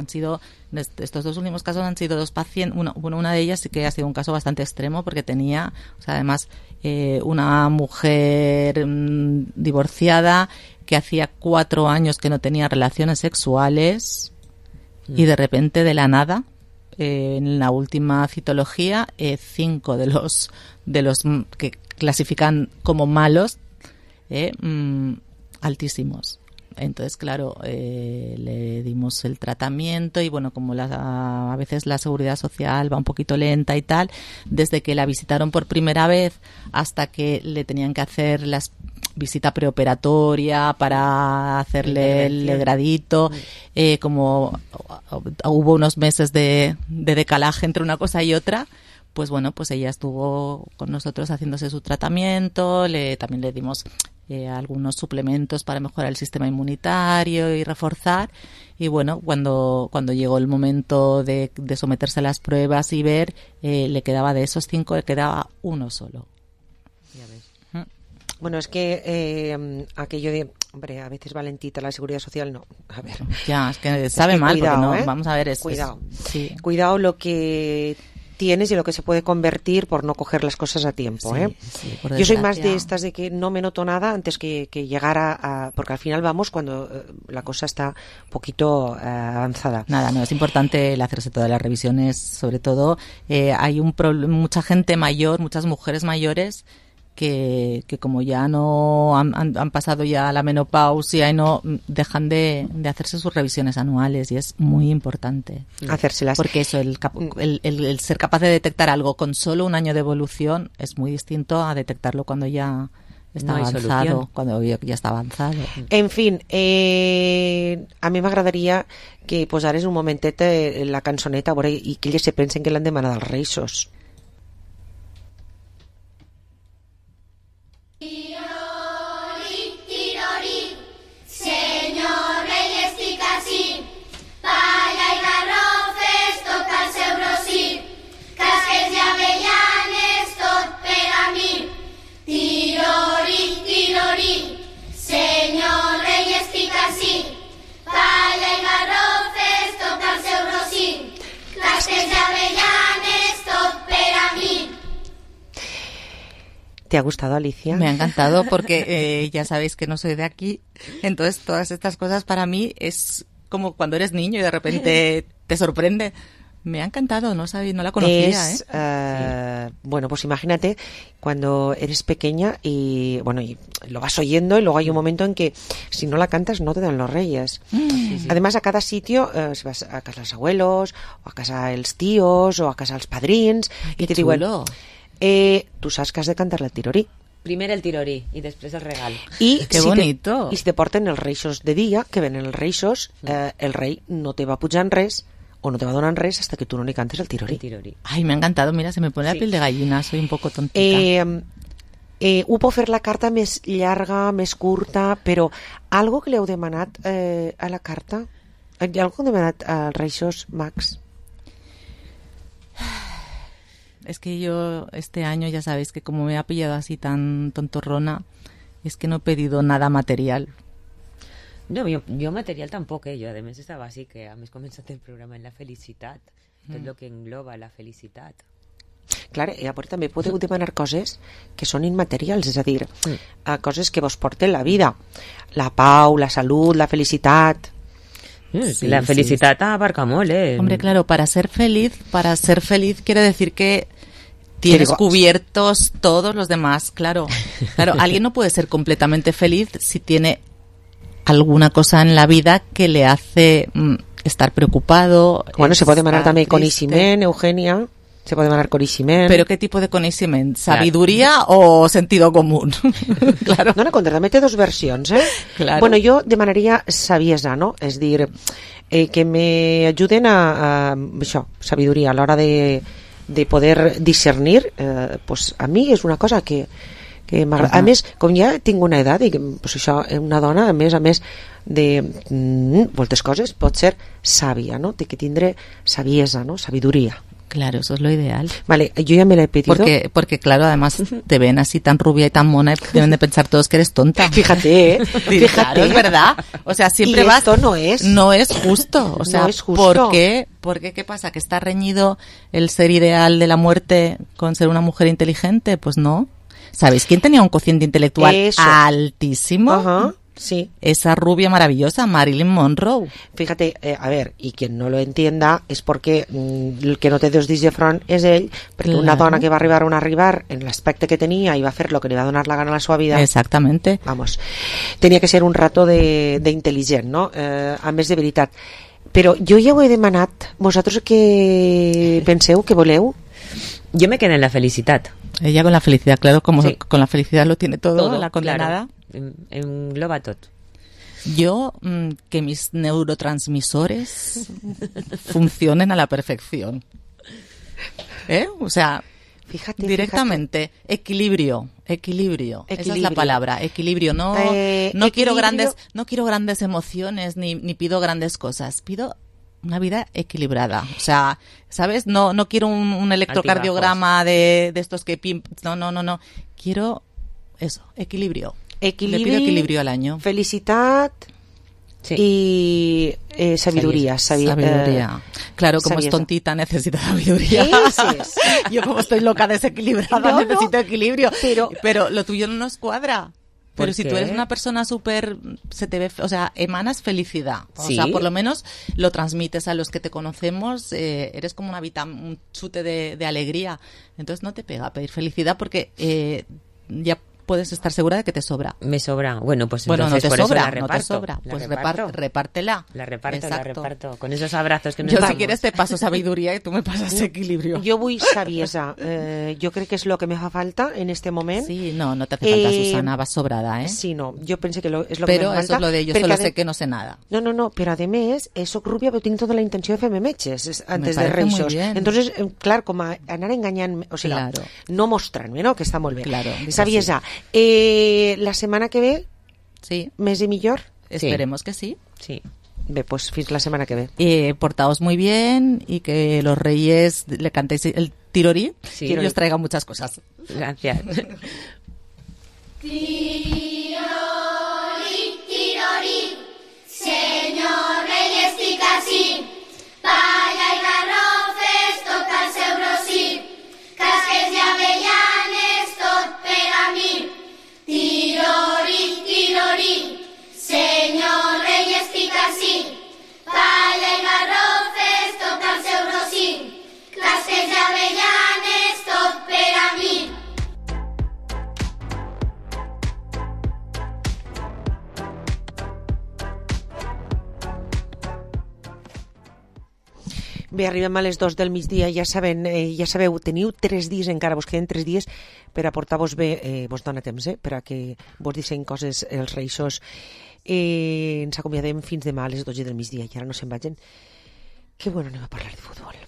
estos dos últimos casos han sido dos pacientes, una de ellas sí que ha sido un caso bastante extremo, porque tenía, o sea, además, una mujer divorciada que hacía 4 años que no tenía relaciones sexuales y de repente, de la nada, en la última citología, 5 de los que clasifican como malos, altísimos. Entonces, claro, le dimos el tratamiento y bueno, como a veces la seguridad social va un poquito lenta y tal, desde que la visitaron por primera vez hasta que le tenían que hacer la visita preoperatoria para hacerle el legradito, como hubo unos meses de decalaje entre una cosa y otra, pues bueno, pues ella estuvo con nosotros haciéndose su tratamiento, también le dimos algunos suplementos para mejorar el sistema inmunitario y reforzar, y bueno, cuando llegó el momento de someterse a las pruebas y ver, le quedaba de esos 5, le quedaba uno solo. Ya ves. Bueno, es que aquello de, hombre, a veces valentita la seguridad social, no, a ver. Ya, es que sabe mal, cuidado, porque no, vamos a ver, cuidado lo que tienes y lo que se puede convertir por no coger las cosas a tiempo, Yo soy más de estas de que no me noto nada antes que llegar a porque al final vamos cuando la cosa está un poquito avanzada. Nada, no, es importante el hacerse todas las revisiones, sobre todo hay mucha gente mayor, muchas mujeres mayores que como ya no han pasado ya la menopausia y no dejan de hacerse sus revisiones anuales, y es muy importante hacérselas, porque eso, el ser capaz de detectar algo con solo un año de evolución es muy distinto a detectarlo cuando ya está avanzado, cuando ya está avanzado. En fin, a mi m'agradaria que posares un momentet la cançoneta i que ells se pensen que l'han demanat als Reis. Palla i garrofes, tot al seu rossí, que ¿Te ha gustado, Alicia? Me ha encantado porque ya sabéis que no soy de aquí, entonces todas estas cosas para mí es como cuando eres niño y de repente te sorprende. Me ha encantado, no la conocía. Bueno, pues imagínate cuando eres pequeña y lo vas oyendo y luego hay un momento en que si no la cantas no te dan los reyes. Además, a cada sitio, si vas a casa dels abuelos, o a casa dels tíos, o a casa dels padrins, i te diuen, tu saps que has de cantar el tirorí. Primer el tirorí i després el regal. I que bonito. I si te porten els reixos de dia, que venen els reixos, el rei no te va pujar en res o no te va donar res hasta que tú no le cantes el tirorí. Ay, me ha encantado, mira, se me pone la piel de gallina, soy un poco tontita. Ho puc fer la carta més llarga, més curta, però algo que li heu demanat a la carta? Algo que heu demanat als Reixos Mags? Es que yo este año ya sabéis que como me ha pillado así tan tontorrona, es que no he pedido nada material. No, jo material tampoc, jo a més estava així, que a més començat el programa en la felicitat, tot el que engloba la felicitat. Clar, i llavors també podeu demanar coses que són immaterials, és a dir, coses que vos porten la vida, la pau, la salut, la felicitat. Sí, la felicitat abarca molt, Hombre, claro, para ser feliz quiere decir que tienes cubiertos todos los demás, claro. Claro, alguien no puede ser completamente feliz si tiene alguna cosa en la vida que le hace estar preocupado. Bueno, se puede demanar también coneixement, Eugenia. Se puede demanar coneixement. ¿Pero qué tipo de coneixement? ¿Sabiduría o sentido común? Claro. No, també té dos versions, Claro. Bueno, jo demanaria saviesa, no? És dir, que me ajuden a això, sabiduria, a l'hora de poder discernir, pues a mi és una cosa que m'agrada. A més, com ja tinc una edat i pues això, una dona, a més de moltes coses, pot ser sàvia, no? Té que tindre saviesa, no? Sabiduría. Claro, eso es lo ideal. Vale, yo ya me la he pedido. Porque claro, además te ven así tan rubia y tan mona y deben de pensar todos que eres tonta. Fíjate, Fíjate. Claro, es verdad. O sea, siempre y vas... esto no es justo. O sea, no es justo. ¿por qué? ¿Qué pasa? ¿Que está reñido el ser ideal de la muerte con ser una mujer inteligente? Pues no. ¿Sabéis quién tenía un cociente intelectual altísimo? Ajá. Sí. Esa rubia maravillosa, Marilyn Monroe. Fíjate, a ver, y quien no lo entienda es porque el que no té dos dits de front és ell, perquè una dona que va arribar on arribar en l'aspecte que tenia i va fer lo que li va donar la gana a la seva vida. Exactamente. Vamos, tenia que ser un rato d'intel·ligent, no? A més de veritat. Però jo ja ho he demanat. Vosaltres què penseu, què voleu? Jo me quedo en la felicitat. Ella con la felicidad, claro, como sí. Con la felicidad lo tiene todo la condenada. Claro. Engloba tot. Yo, que mis neurotransmisores funcionen a la perfección. O sea, fíjate, directamente. Fíjate. Equilibrio. Esa es la palabra. Equilibrio. No quiero grandes emociones ni pido grandes cosas. Pido una vida equilibrada. O sea, ¿sabes? No quiero un electrocardiograma de estos que... No. Quiero eso, equilibrio. Le pido equilibrio al año. Felicitat y sabiduría. Sabiduría. Claro, como sabiesa. Es tontita, necesita sabiduría. Yo como estoy loca, desequilibrada, necesito equilibrio. Pero lo tuyo no nos cuadra. Pero si tú eres una persona súper, se te ve, o sea, emanas felicidad. O sea, por lo menos lo transmites a los que te conocemos, eres como un chute de alegría. Entonces no te pega pedir felicidad porque ya puedes estar segura de que te sobra. Me sobra. Bueno, pues bueno, entonces no te por sobra, eso la reparto. No te sobra. Pues repártela. La reparto. Con esos abrazos que nos Yo damos. Si quieres te paso sabiduría y tú me pasas equilibrio. Jo vull saviesa. Jo crec que és lo que me fa falta en este moment. Sí, no te hace falta, Susana, vas sobrada, ¿eh? Sí, no, jo penso que és lo pero que me eso falta. Es lo de yo solo sé que no sé nada. No, però a més, soc rúbia però tinc tota la intenció de fer-me metges antes de Reixos. Entonces, clar, com a anar enganyant, o sigui, claro. No mostrant-me, no? Que està molt bé. Claro, saviesa. La semana que ve, sí. Més i millor. Esperemos que sí. Sí. Bé, pues fins la semana que ve. Portaos muy bien y que los reyes le cantéis el tirorí y os traigan muchas cosas. Gracias. Tirorí, tirorí, senyor rei estic ací, palla i garrofes tot al seu rossí, casques i avellanes tot per a Bé, arribem a les 2 del migdia, ja sabeu, teniu 3 dies encara, vos queden 3 dies per a portar-vos bé, vos dona temps, per a que vos disseny coses els reixos. Ens acomiadem fins demà a les 12 del migdia i ara no se'n vagin. Que bueno, anem a parlar de futbol.